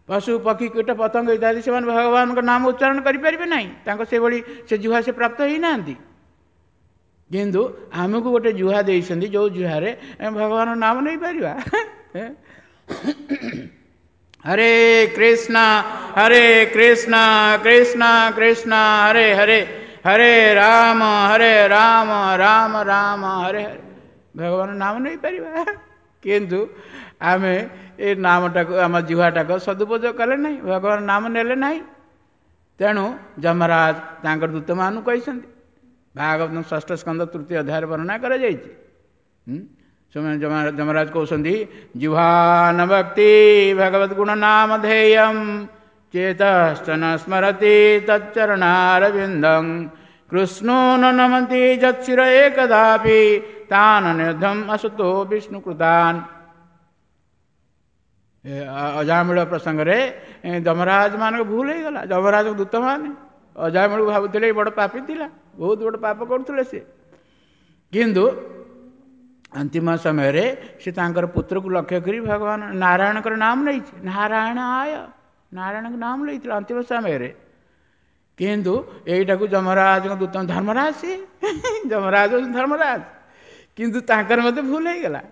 ପଶୁ ପକ୍ଷୀ କୀଟ ପତଙ୍ଗ ଇତ୍ୟାଦି ସେମାନେ ଭଗବାନଙ୍କ ନାମ ଉଚ୍ଚାରଣ କରିପାରିବେ ନାହିଁ, ତାଙ୍କ ସେଭଳି ସେ ଜିହ୍ୱା ସେ ପ୍ରାପ୍ତ ହେଇନାହାନ୍ତି। କିନ୍ତୁ ଆମକୁ ଗୋଟେ ଜିହ୍ୱା ଦେଇଛନ୍ତି, ଯେଉଁ ଜିହ୍ୱାରେ ଆମେ ଭଗବାନଙ୍କ ନାମ ନେଇପାରିବା। ହରେ କୃଷ୍ଣ ହରେ କୃଷ୍ଣ କୃଷ୍ଣ କୃଷ୍ଣ ହରେ ହରେ, ହରେ ରାମ ହରେ ରାମ ରାମ ରାମ ହରେ ହରେ, ଭଗବାନ ନାମ ନେଇପାରିବା। କିନ୍ତୁ ଆମେ ଏ ନାମଟାକୁ ଆମ ଜିହ୍ୱାଟାକୁ ସଦୁପଯୋଗ କଲେ ନାହିଁ, ଭଗବାନ ନାମ ନେଲେ ନାହିଁ। ତେଣୁ ଯମରାଜ ତାଙ୍କର ଦୂତମାନଙ୍କୁ କହିଛନ୍ତି, ଭାଗବତ ଷଷ୍ଠ ସ୍କନ୍ଧ ତୃତୀୟ ଅଧ୍ୟାୟରେ ବର୍ଣ୍ଣନା କରାଯାଇଛି। ସେମାନେ ଯମରାଜ କହୁଛନ୍ତି, ଜିହ୍ୱାନ ଭକ୍ତି ଭଗବତ ଗୁଣ ନାମ ଧେୟମ୍ ଚେତଶ୍ଚ ନ ସ୍ମରତି ତच्ଚରଣାରବିନ୍ଦଂ କୃଷ୍ଣୋ ନ ନମନ୍ତି ଯତ୍ଶିର ଏକଦାପି ତାନ ନିର୍ଧମ୍ ଅସତୋ ବିଷ୍ଣୁ କୃତାନ୍। ଅଜାମିଳ ପ୍ରସଙ୍ଗରେ ଯମରାଜ ମାନଙ୍କ ଭୁଲ ହେଇଗଲା। ଯମରାଜଙ୍କ ଦୂତମାନେ ଅଜାମିଳକୁ ଭାବୁଥିଲେ ବଡ଼ ପାପୀ ଥିଲା, ବହୁତ ବଡ଼ ପାପ କରୁଥିଲେ ସେ। କିନ୍ତୁ ଅନ୍ତିମ ସମୟରେ ସେ ତାଙ୍କର ପୁତ୍ରକୁ ଲକ୍ଷ୍ୟ କରି ଭଗବାନ ନାରାୟଣଙ୍କର ନାମ ନେଇଛି, ନାରାୟଣ ଆୟ ନାରାୟଣଙ୍କ ନାମ ନେଇଥିଲା ଅନ୍ତିମ ସମୟରେ। କିନ୍ତୁ ଏଇଟାକୁ ଯମରାଜଙ୍କ ଦୂତ, ଧର୍ମରାଜ ସିଏ, ଯମରାଜ ଧର୍ମରାଜ, କିନ୍ତୁ ତାଙ୍କର ମଧ୍ୟ ଭୁଲ ହେଇଗଲା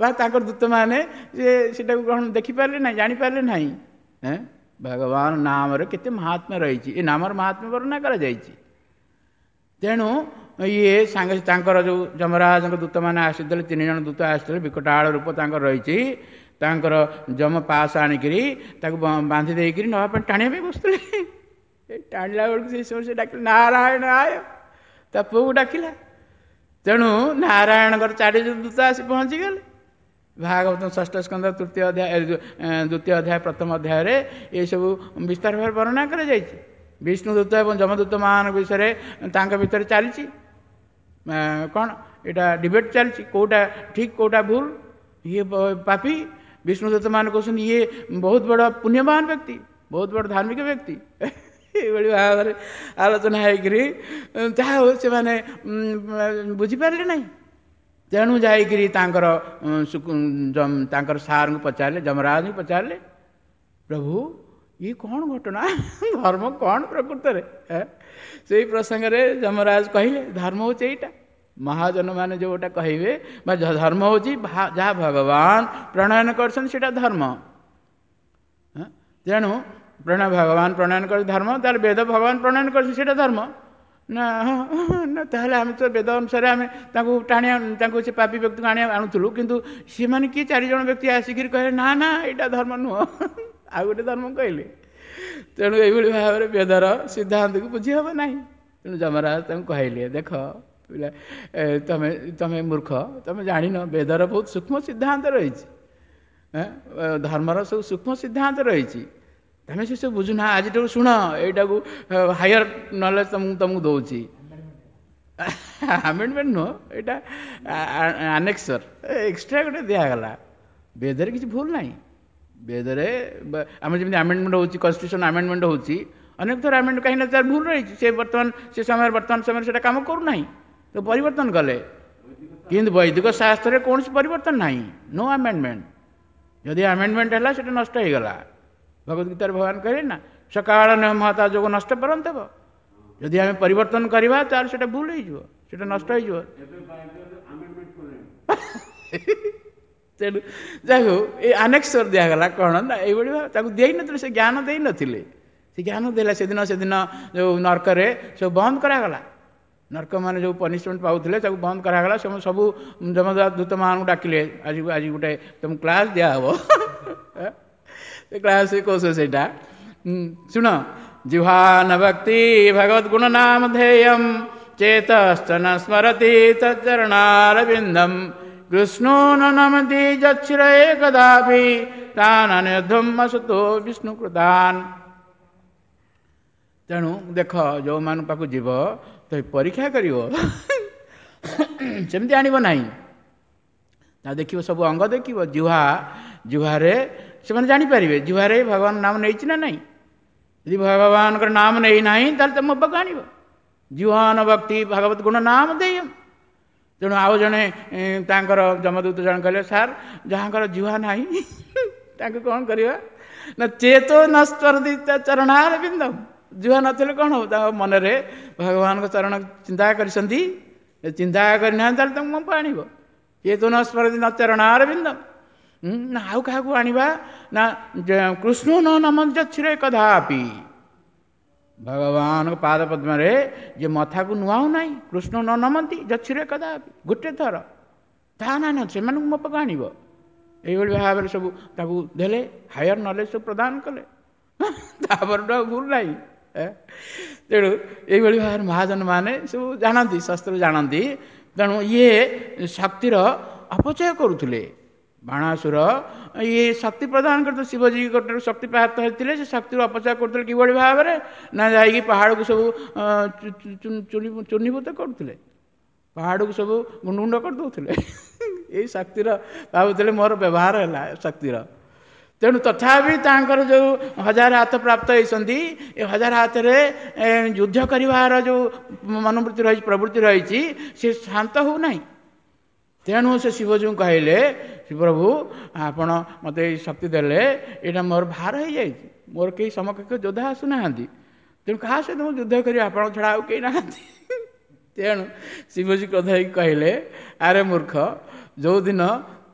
ବା ତାଙ୍କର ଦୂତମାନେ ସେ ସେଟାକୁ ଗ୍ରହଣ ଦେଖିପାରିଲେ ନାହିଁ, ଜାଣିପାରିଲେ ନାହିଁ। ଭଗବାନ ନାମରେ କେତେ ମହାତ୍ମ୍ୟ ରହିଛି, ଏ ନାମର ମହାତ୍ମ୍ୟ ବର୍ଣ୍ଣନା କରାଯାଇଛି। ତେଣୁ ଇଏ ସାଙ୍ଗେ ତାଙ୍କର ଯେଉଁ ଯମରାଜଙ୍କ ଦୂତମାନେ ଆସିଥିଲେ, ତିନି ଜଣ ଦୂତ ଆସିଥିଲେ, ବିକଟାଳ ରୂପ ତାଙ୍କର ରହିଛି, ତାଙ୍କର ଯମ ପାସ ଆଣିକିରି ତାକୁ ବାନ୍ଧି ଦେଇକିରି ନେବା ପାଇଁ ଟାଣିବା ପାଇଁ ବସୁଥିଲେ। ଟାଣିଲା ବେଳକୁ ସେଇ ସମୟ ସେ ଡାକିଲେ ନାରାୟଣ ଆୟ, ତା ପୁଅକୁ ଡାକିଲା। ତେଣୁ ନାରାୟଣଙ୍କର ଚାରି ଦୂତ ଆସି ପହଞ୍ଚିଗଲେ। ଭାଗବତ ଷଷ୍ଠ ସ୍କନ୍ଧ ତୃତୀୟ ଅଧ୍ୟାୟ, ଦ୍ୱିତୀୟ ଅଧ୍ୟାୟ ପ୍ରଥମ ଅଧ୍ୟାୟରେ ଏସବୁ ବିସ୍ତାର ଭାବରେ ବର୍ଣ୍ଣନା କରାଯାଇଛି। ବିଷ୍ଣୁ ଦୂତ ଏବଂ ଯମଦୂତମାନଙ୍କ ବିଷୟରେ ତାଙ୍କ ଭିତରେ ଚାଲିଛି କ'ଣ ଏଇଟା ଡିବେଟ୍ ଚାଲିଛି, କେଉଁଟା ଠିକ୍ କେଉଁଟା ଭୁଲ। ଇଏ ପାପୀ, ବିଷ୍ଣୁ ଦୂତମାନେ କହୁଛନ୍ତି ଇଏ ବହୁତ ବଡ଼ ପୁଣ୍ୟବାନ ବ୍ୟକ୍ତି, ବହୁତ ବଡ଼ ଧାର୍ମିକ ବ୍ୟକ୍ତି। ଏଇଭଳି ଭାବରେ ଆଲୋଚନା ହେଇକରି ଯାହା ହଉ ସେମାନେ ବୁଝିପାରିଲେ ନାହିଁ। ତେଣୁ ଯାଇକରି ତାଙ୍କର ତାଙ୍କର ସାର୍ଙ୍କୁ ପଚାରିଲେ, ଯମରାଜଙ୍କୁ ପଚାରିଲେ, ପ୍ରଭୁ ଇଏ କ'ଣ ଘଟଣା, ଧର୍ମ କ'ଣ ପ୍ରକୃତରେ? ସେଇ ପ୍ରସଙ୍ଗରେ ଯମରାଜ କହିଲେ ଧର୍ମ ହେଉଛି ଏଇଟା, ମହାଜନମାନେ ଯେଉଁଟା କହିବେ ବା ଧର୍ମ ହେଉଛି ଯାହା ଭଗବାନ ପ୍ରଣୟନ କରିଛନ୍ତି ସେଇଟା ଧର୍ମ। ତେଣୁ ପ୍ରଣୟ ଭଗବାନ ପ୍ରଣୟନ କରି ଧର୍ମ, ତାହେଲେ ବେଦ ଭଗବାନ ପ୍ରଣୟନ କରିଛନ୍ତି ସେଇଟା ଧର୍ମ ନା? ନା, ତାହେଲେ ଆମେ ତ ବେଦ ଅନୁସାରେ ଆମେ ତାଙ୍କୁ ଟାଣି ତାଙ୍କୁ ସେ ପାପୀ ବ୍ୟକ୍ତିକୁ ଆଣି ଆଣୁଥିଲୁ, କିନ୍ତୁ ସେମାନେ କିଏ ଚାରିଜଣ ବ୍ୟକ୍ତି ଆସିକିରି କହିଲେ ନା ନା ଏଇଟା ଧର୍ମ ନୁହଁ, ଆଉ ଗୋଟେ ଧର୍ମ କହିଲେ। ତେଣୁ ଏଇଭଳି ଭାବରେ ବେଦର ସିଦ୍ଧାନ୍ତକୁ ବୁଝି ହେବ ନାହିଁ। ତେଣୁ ଯମରାଜ ତାଙ୍କୁ କହିଲେ ଦେଖ ପିଲା, ତମେ ତମେ ମୂର୍ଖ, ତମେ ଜାଣିନ ବେଦର ବହୁତ ସୂକ୍ଷ୍ମ ସିଦ୍ଧାନ୍ତ ରହିଛି, ଧର୍ମର ସବୁ ସୂକ୍ଷ୍ମ ସିଦ୍ଧାନ୍ତ ରହିଛି, ତମେ ସେସବୁ ବୁଝୁନା। ଆଜିଠାରୁ ଶୁଣ, ଏଇଟାକୁ ହାୟର ନଲେଜ ତମକୁ ତମକୁ ଦେଉଛି। ଆମେଣ୍ଡମେଣ୍ଟ ନୁହଁ, ଏଇଟା ଆନେକ୍ସର ଏକ୍ସଟ୍ରା ଗୋଟେ ଦିଆଗଲା। ବେଦରେ କିଛି ଭୁଲ ନାହିଁ। ବେଦରେ ଆମର ଯେମିତି ଆମେଣ୍ଡମେଣ୍ଟ ହେଉଛି, କନଷ୍ଟିଟ୍ୟୁସନ୍ ଆମେଣ୍ଡମେଣ୍ଟ ହେଉଛି ଅନେକ ଥର ଆମେଣ୍ଡ, କାହିଁକି ନା ତାର ଭୁଲ ରହିଛି, ସେ ବର୍ତ୍ତମାନ ସେ ସମୟରେ ବର୍ତ୍ତମାନ ସମୟରେ ସେଇଟା କାମ କରୁନାହିଁ, ତ ପରିବର୍ତ୍ତନ କଲେ। କିନ୍ତୁ ବୈଦିକ ଶାସ୍ତ୍ରରେ କୌଣସି ପରିବର୍ତ୍ତନ ନାହିଁ, ନୋ ଆମେଣ୍ଡମେଣ୍ଟ। ଯଦି ଆମେଣ୍ଡମେଣ୍ଟ ହେଲା ସେଇଟା ନଷ୍ଟ ହେଇଗଲା। ଭଗବତ ଗୀତାରେ ଭଗବାନ କହିଲେ ନା ସକାଳ ମହତା ଯୋଗ ନଷ୍ଟ ପରନ୍ତ ହେବ। ଯଦି ଆମେ ପରିବର୍ତ୍ତନ କରିବା ତାହେଲେ ସେଇଟା ଭୁଲ ହେଇଯିବ, ସେଇଟା ନଷ୍ଟ ହେଇଯିବ। ତେଣୁ ଯାଇ ହଉ ଏ ଆନେକ୍ସର ଦିଆଗଲା କ'ଣ ନା ଏଇଭଳି ଭାବେ ତାକୁ ଦେଇନଥିଲେ, ସେ ଜ୍ଞାନ ଦେଇନଥିଲେ, ସେ ଜ୍ଞାନ ଦେଲା ସେଦିନ। ସେଦିନ ଯେଉଁ ନର୍କରେ ସବୁ ବନ୍ଦ କରାଗଲା, ନର୍କମାନେ ଯେଉଁ ପନିସମେଣ୍ଟ ପାଉଥିଲେ ତାକୁ ବନ୍ଦ କରାଗଲା। ସେମାନେ ସବୁ ଯମଦୂତମାନଙ୍କୁ ଡାକିଲେ, ଆଜି ଆଜି ଗୋଟେ ତୁମକୁ କ୍ଲାସ୍ ଦିଆହେବ। ସେ କ୍ଲାସ୍ କହୁଛ ସେଇଟା ଶୁଣ, ଜିହ୍ୱାନ ଭକ୍ତି ଭଗବତ ଗୁଣ ନାମ ଧେୟମ୍ ଚେତଶ୍ଚ ନ ସ୍ମରତି ତଚ୍ଚରଣାରବିନ୍ଦମ୍ କୃଷ୍ଣୋ ନ ନମତି ଯଚ୍ଛିର ଏକଦାପି ତାନ୍ ଅନିରୁଦ୍ଧମ୍ ଅସତୋ ବିଷ୍ଣୁ କୃତାନ୍। ତେଣୁ ଦେଖ, ଯେଉଁମାନଙ୍କ ପାଖକୁ ଯିବ ତ ପରୀକ୍ଷା କରିବ, ସେମିତି ଆଣିବ ନାହିଁ। ତା ଦେଖିବ ସବୁ ଅଙ୍ଗ ଦେଖିବ, ଜିହ୍ୱା, ଜିହ୍ୱାରେ ସେମାନେ ଜାଣିପାରିବେ ଜିହ୍ୱାରେ ଭଗବାନ ନାମ ନେଇଛି ନା ନାହିଁ। ଯଦି ଭଗବାନଙ୍କର ନାମ ନେଇନାହିଁ ତାହେଲେ ତ ମୋ ପାଖକୁ ଆଣିବ। ଜିହ୍ୱାନ ଭକ୍ତି ଭଗବତ ଗୁଣ ନାମ ଦେୟ। ତେଣୁ ଆଉ ଜଣେ ତାଙ୍କର ଯମଦୂତ ଜଣେ କହିଲେ, ସାର୍ ଯାହାଙ୍କର ଜିହ୍ୱା ନାହିଁ ତାଙ୍କୁ କ'ଣ କରିବା? ନା ଚେତ ନସ୍ପରତି ଚରଣାର ବିନ୍ଦମ। ଜିହ୍ୱା ନଥିଲେ କ'ଣ ହବ? ତାଙ୍କ ମନରେ ଭଗବାନଙ୍କ ଚରଣ ଚିନ୍ତା କରିଛନ୍ତି, ଚିନ୍ତା କରିନାହାନ୍ତି ତାହେଲେ ତାଙ୍କୁ ମୋ ଆଣିବ। ଚେତ ନସ୍ପରତି ନ ଚରଣାର ବିନ୍ଦମ। ନା ଆଉ କାହାକୁ ଆଣିବା? ନା କୃଷ୍ଣ ନ ନମଞ୍ଜରେ କଦାପି, ଭଗବାନଙ୍କ ପାଦ ପଦ୍ମରେ ଯେ ମଥାକୁ ନୁଆଉ ନାହିଁ, କୃଷ୍ଣ ନ ନମନ୍ତି ଯଛିରେ କଦାପି ଗୋଟେ ଥର, ତାହା ନା ନା ସେମାନଙ୍କୁ ମୋ ପାଖକୁ ଆଣିବ। ଏଇଭଳି ଭାବରେ ସବୁ ତାକୁ ଦେଲେ, ହାୟର ନଲେଜ ସବୁ ପ୍ରଦାନ କଲେ, ତାପରଠୁ ଆଉ ଭୁଲ ନାହିଁ। ତେଣୁ ଏଇଭଳି ଭାବରେ ମହାଜନ ମାନେ ସବୁ ଜାଣନ୍ତି, ଶାସ୍ତ୍ର ଜାଣନ୍ତି। ତେଣୁ ଇଏ ଶକ୍ତିର ଅପଚୟ କରୁଥିଲେ ବାଣାସୁର। ଇଏ ଶକ୍ତି ପ୍ରଦାନ କରୁଥିଲେ, ଶିବଜୀଙ୍କ ଠାରୁ ଶକ୍ତି ପ୍ରାପ୍ତ ହେଇଥିଲେ, ସେ ଶକ୍ତିରୁ ଅପଚୟ କରୁଥିଲେ କିଭଳି ଭାବରେ? ନା ଯାଇକି ପାହାଡ଼କୁ ସବୁ ଚୂର୍ଣ୍ଣୀଭୂତ କରୁଥିଲେ, ପାହାଡ଼କୁ ସବୁ ଗୁଣ୍ଡ ଗୁଣ୍ଡ କରିଦେଉଥିଲେ। ଏଇ ଶକ୍ତିର ଭାବୁଥିଲେ ମୋର ବ୍ୟବହାର ହେଲା ଶକ୍ତିର। ତେଣୁ ତଥାପି ତାଙ୍କର ଯେଉଁ ହଜାର ହାତ ପ୍ରାପ୍ତ ହେଇଛନ୍ତି, ଏ ହଜାର ହାତରେ ଯୁଦ୍ଧ କରିବାର ଯେଉଁ ମନୋବୃତ୍ତି ରହିଛି, ପ୍ରବୃତ୍ତି ରହିଛି, ସେ ଶାନ୍ତ ହେଉନାହିଁ। ତେଣୁ ସେ ଶିବଜୀଙ୍କୁ କହିଲେ, ପ୍ରଭୁ ଆପଣ ମୋତେ ଏଇ ଶକ୍ତି ଦେଲେ, ଏଇଟା ମୋର ଭାର ହେଇଯାଇଛି, ମୋର କେହି ସମକକ୍ଷ ଯୋଦ୍ଧା ଆସୁନାହାନ୍ତି, ତେଣୁ କାହା ସହିତ ମୁଁ ଯୁଦ୍ଧ କରିବି, ଆପଣଙ୍କ ଛଡ଼ା ଆଉ କେହି ନାହାନ୍ତି। ତେଣୁ ଶିବଜୀ କ୍ରୋଧ ହେଇକି କହିଲେ, ଆରେ ମୂର୍ଖ, ଯେଉଁଦିନ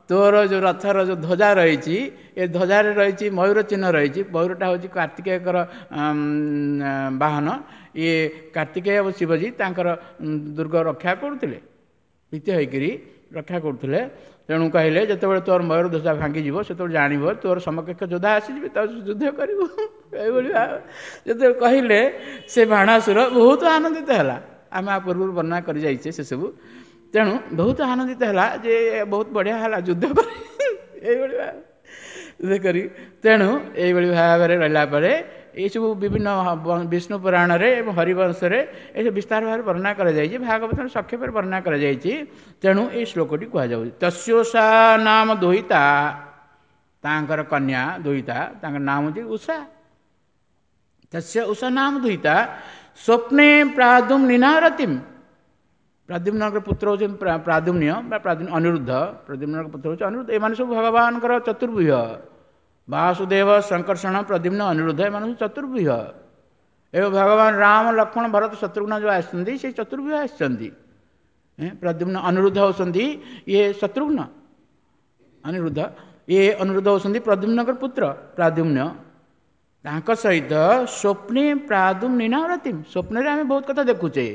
ତୋର ଯେଉଁ ରଥର ଯେଉଁ ଧ୍ୱଜା ରହିଛି, ଏ ଧ୍ୱଜାରେ ରହିଛି ମୟୂର ଚିହ୍ନ ରହିଛି, ମୟୂରଟା ହେଉଛି କାର୍ତ୍ତିକେୟଙ୍କର ବାହନ, ଇଏ କାର୍ତ୍ତିକେୟ ଏବଂ ଶିବଜୀ ତାଙ୍କର ଦୁର୍ଗ ରକ୍ଷା କରୁଥିଲେ, ପ୍ରୀତି ହୋଇକରି ରକ୍ଷା କରୁଥିଲେ। ତେଣୁ କହିଲେ ଯେତେବେଳେ ତୋର ମୟୂର ଧ୍ୱଜା ଭାଙ୍ଗିଯିବ ସେତେବେଳେ ଜାଣିବ ତୋର ସମକକ୍ଷ ଯୋଦ୍ଧା ଆସିଯିବେ, ତା ଯୁଦ୍ଧ କରିବୁ। ଏଇଭଳି ଯେତେବେଳେ କହିଲେ ସେ ବାଣାସୁର ବହୁତ ଆନନ୍ଦିତ ହେଲା। ଆମେ ଆ ପୂର୍ବରୁ ବର୍ଣ୍ଣନା କରିଯାଇଛେ ସେସବୁ। ତେଣୁ ବହୁତ ଆନନ୍ଦିତ ହେଲା ଯେ ବହୁତ ବଢ଼ିଆ ହେଲା ଯୁଦ୍ଧ କରି, ଏଇଭଳି ଯୁଦ୍ଧ କରି। ତେଣୁ ଏଇଭଳି ଭାବରେ ରହିଲା ପରେ ଏଇସବୁ ବିଭିନ୍ନ ବିଷ୍ଣୁ ପୁରାଣରେ ଏବଂ ହରିବଂଶରେ ଏସବୁ ବିସ୍ତାର ଭାବରେ ବର୍ଣ୍ଣନା କରାଯାଇଛି, ଭାଗବତର ସଂକ୍ଷେପରେ ବର୍ଣ୍ଣନା କରାଯାଇଛି। ତେଣୁ ଏଇ ଶ୍ଲୋକଟି କୁହାଯାଉଛି, ତସ୍ୟୋଷା ନାମ ଦୁହିତା, ତାଙ୍କର କନ୍ୟା ଦୁହିତା, ତାଙ୍କର ନାମ ହେଉଛି ଉଷା। ତସ୍ୟ ଉଷା ନାମ ଦୁହିତା ସ୍ୱପ୍ନେ ପ୍ରାଦୁମ୍ନିନା ରତିମ୍, ପ୍ରଦ୍ୟୁମ୍ନଙ୍କର ପୁତ୍ର ହେଉଛନ୍ତି ପ୍ରାଦୁମ୍ନ୍ୟ ବା ପ୍ରାଦୁମ୍ନ ଅନିରୁଦ୍ଧ, ପ୍ରଦ୍ୟୁମ୍ନଙ୍କ ପୁତ୍ର ହେଉଛି ଅନିରୁଦ୍ଧ। ଏମାନେ ସବୁ ଭଗବାନଙ୍କର ଚତୁର୍ବ୍ୟୁହ, ବାସୁଦେବ, ଶଙ୍କର୍ଷଣ, ପ୍ରଦ୍ୟୁମ୍ନ, ଅନିରୁଦ୍ଧ, ଏମାନେ ସବୁ ଚତୁର୍ବ୍ୟୁହ। ଏବଂ ଭଗବାନ ରାମ, ଲକ୍ଷ୍ମଣ, ଭରତ, ଶତ୍ରୁଘ୍ନ ଯେଉଁ ଆସିଛନ୍ତି ସେଇ ଚତୁର୍ବ୍ୟୁହ ଆସିଛନ୍ତି। ପ୍ରଦ୍ୟୁମ୍ନ ଅନିରୁଦ୍ଧ ହେଉଛନ୍ତି ଇଏ ଶତ୍ରୁଘ୍ନ, ଅନିରୁଦ୍ଧ ଇଏ ଅନିରୁଦ୍ଧ ହେଉଛନ୍ତି ପ୍ରଦ୍ୟୁମ୍ନଙ୍କର ପୁତ୍ର ପ୍ରାଦ୍ୟୁମ୍ନ। ତାଙ୍କ ସହିତ ସ୍ୱପ୍ନେ ପ୍ରାଦୁମ୍ନିନା ରତିମ୍, ସ୍ୱପ୍ନରେ ଆମେ ବହୁତ କଥା ଦେଖୁଛେ,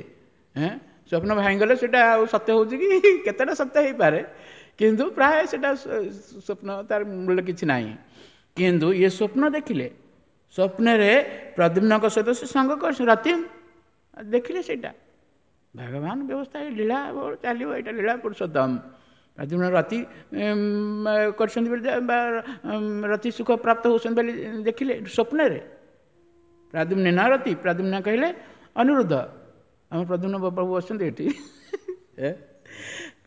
ସ୍ୱପ୍ନ ଭାଙ୍ଗିଗଲେ ସେଇଟା ଆଉ ସତ୍ୟ ହେଉଛି କି, କେତେଟା ସତ୍ୟ ହେଇପାରେ, କିନ୍ତୁ ପ୍ରାୟ ସେଇଟା ସ୍ୱପ୍ନ, ତାର ମୂଲ୍ୟ କିଛି ନାହିଁ। କିନ୍ତୁ ଇଏ ସ୍ୱପ୍ନ ଦେଖିଲେ, ସ୍ୱପ୍ନରେ ପ୍ରଦ୍ୟୁମ୍ନଙ୍କ ସହିତ ସେ ସଙ୍ଗ କରିଛନ୍ତି, ରତିମ୍ ଦେଖିଲେ, ସେଇଟା ଭଗବାନ ବ୍ୟବସ୍ଥା, ଏ ଲୀଳା ଚାଲିବ, ଏଇଟା ଲୀଳା ପୁରୁଷୋତ୍ତମ। ପ୍ରଦ୍ୟୁମ୍ନ ରତି କରିଛନ୍ତି ବୋଲି ବା ରତି ସୁଖ ପ୍ରାପ୍ତ ହେଉଛନ୍ତି ବୋଲି ଦେଖିଲେ ସ୍ୱପ୍ନରେ। ପ୍ରାଦ୍ୟୁମ୍ନ ନା ରତି, ପ୍ରାଦ୍ୟୁମ୍ନ କହିଲେ ଅନିରୁଦ୍ଧ, ଆମ ପ୍ରଦ୍ୟୁମ୍ନ ପ୍ରଭୁ ଅଛନ୍ତି ଏଠି।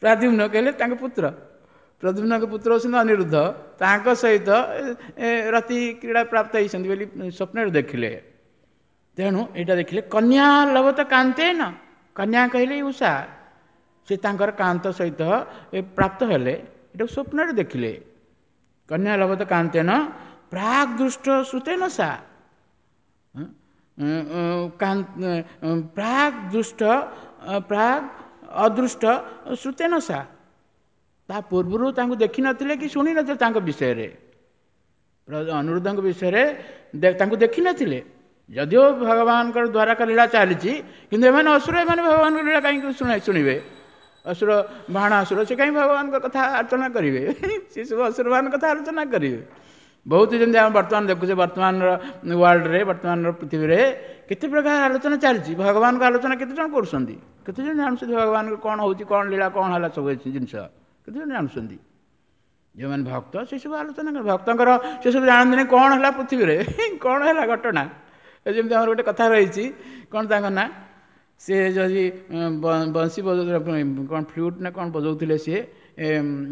ପ୍ରାଦ୍ୟୁମ୍ନ କହିଲେ ତାଙ୍କ ପୁତ୍ର, ପ୍ରଦ୍ୟୁମ୍ନଙ୍କ ପୁତ୍ର ହେଉଛନ୍ତି ଅନିରୁଦ୍ଧ, ତାଙ୍କ ସହିତ ରତି କ୍ରୀଡ଼ା ପ୍ରାପ୍ତ ହେଇଛନ୍ତି ବୋଲି ସ୍ୱପ୍ନରେ ଦେଖିଲେ। ତେଣୁ ଏଇଟା ଦେଖିଲେ କନ୍ୟା ଲବତ କାନ୍ତେନ, କନ୍ୟା କହିଲେ ଉଷା, ସେ ତାଙ୍କର କାନ୍ତ ସହିତ ପ୍ରାପ୍ତ ହେଲେ, ଏଇଟାକୁ ସ୍ୱପ୍ନରେ ଦେଖିଲେ। କନ୍ୟା ଲବତ କାନ୍ତେନ ପ୍ରାକ୍ ଦୃଷ୍ଟ ଶ୍ରୁତେନ ସା, ପ୍ରାକ୍ ଦୃଷ୍ଟ ପ୍ରାକ୍ ଅଦୃଷ୍ଟ ଶ୍ରୁତେନ ସା, ତା ପୂର୍ବରୁ ତାଙ୍କୁ ଦେଖିନଥିଲେ କି ଶୁଣିନଥିଲେ ତାଙ୍କ ବିଷୟରେ, ଅନିରୁଦ୍ଧଙ୍କ ବିଷୟରେ ତାଙ୍କୁ ଦେଖିନଥିଲେ। ଯଦିଓ ଭଗବାନଙ୍କର ଦ୍ୱାରକା ଲୀଳା ଚାଲିଛି, କିନ୍ତୁ ଏମାନେ ଅସୁର, ଏମାନେ ଭଗବାନଙ୍କ ଲୀଳା କାହିଁକି ଶୁଣା ଶୁଣିବେ? ଅସୁର ବାଣାସୁର ସେ କାହିଁ ଭଗବାନଙ୍କ କଥା ଆଲୋଚନା କରିବେ? ସେ ସବୁ ଅସୁରମାନଙ୍କ କଥା ଆଲୋଚନା କରିବେ। ବହୁତ ଯେମିତି ଆମେ ବର୍ତ୍ତମାନ ଦେଖୁଛେ, ବର୍ତ୍ତମାନର ୱାର୍ଲଡରେ, ବର୍ତ୍ତମାନର ପୃଥିବୀରେ କେତେ ପ୍ରକାର ଆଲୋଚନା ଚାଲିଛି। ଭଗବାନଙ୍କ ଆଲୋଚନା କେତେ ଜଣ କରୁଛନ୍ତି? କେତେ ଜଣ ଜାଣୁଛନ୍ତି ଭଗବାନଙ୍କ କ'ଣ ହେଉଛି, କ'ଣ ଲୀଳା, କ'ଣ ହେଲା, ସବୁ ଜିନିଷ କେତେ ଜଣ ଜାଣୁଛନ୍ତି? ଯେଉଁମାନେ ଭକ୍ତ ସେସବୁ ଆଲୋଚନା, ଭକ୍ତଙ୍କର ସେସବୁ ଜାଣନ୍ତିନି କ'ଣ ହେଲା ପୃଥିବୀରେ, କ'ଣ ହେଲା ଘଟଣା। ଯେମିତି ଆମର ଗୋଟେ କଥା ରହିଛି, କ'ଣ ତାଙ୍କ ନାଁ, ସେ ଯଦି ବଂଶୀ ବଜାଉଥିଲେ, କ'ଣ ଫ୍ଲୁଟ୍ ନା କ'ଣ ବଜାଉଥିଲେ, ସିଏ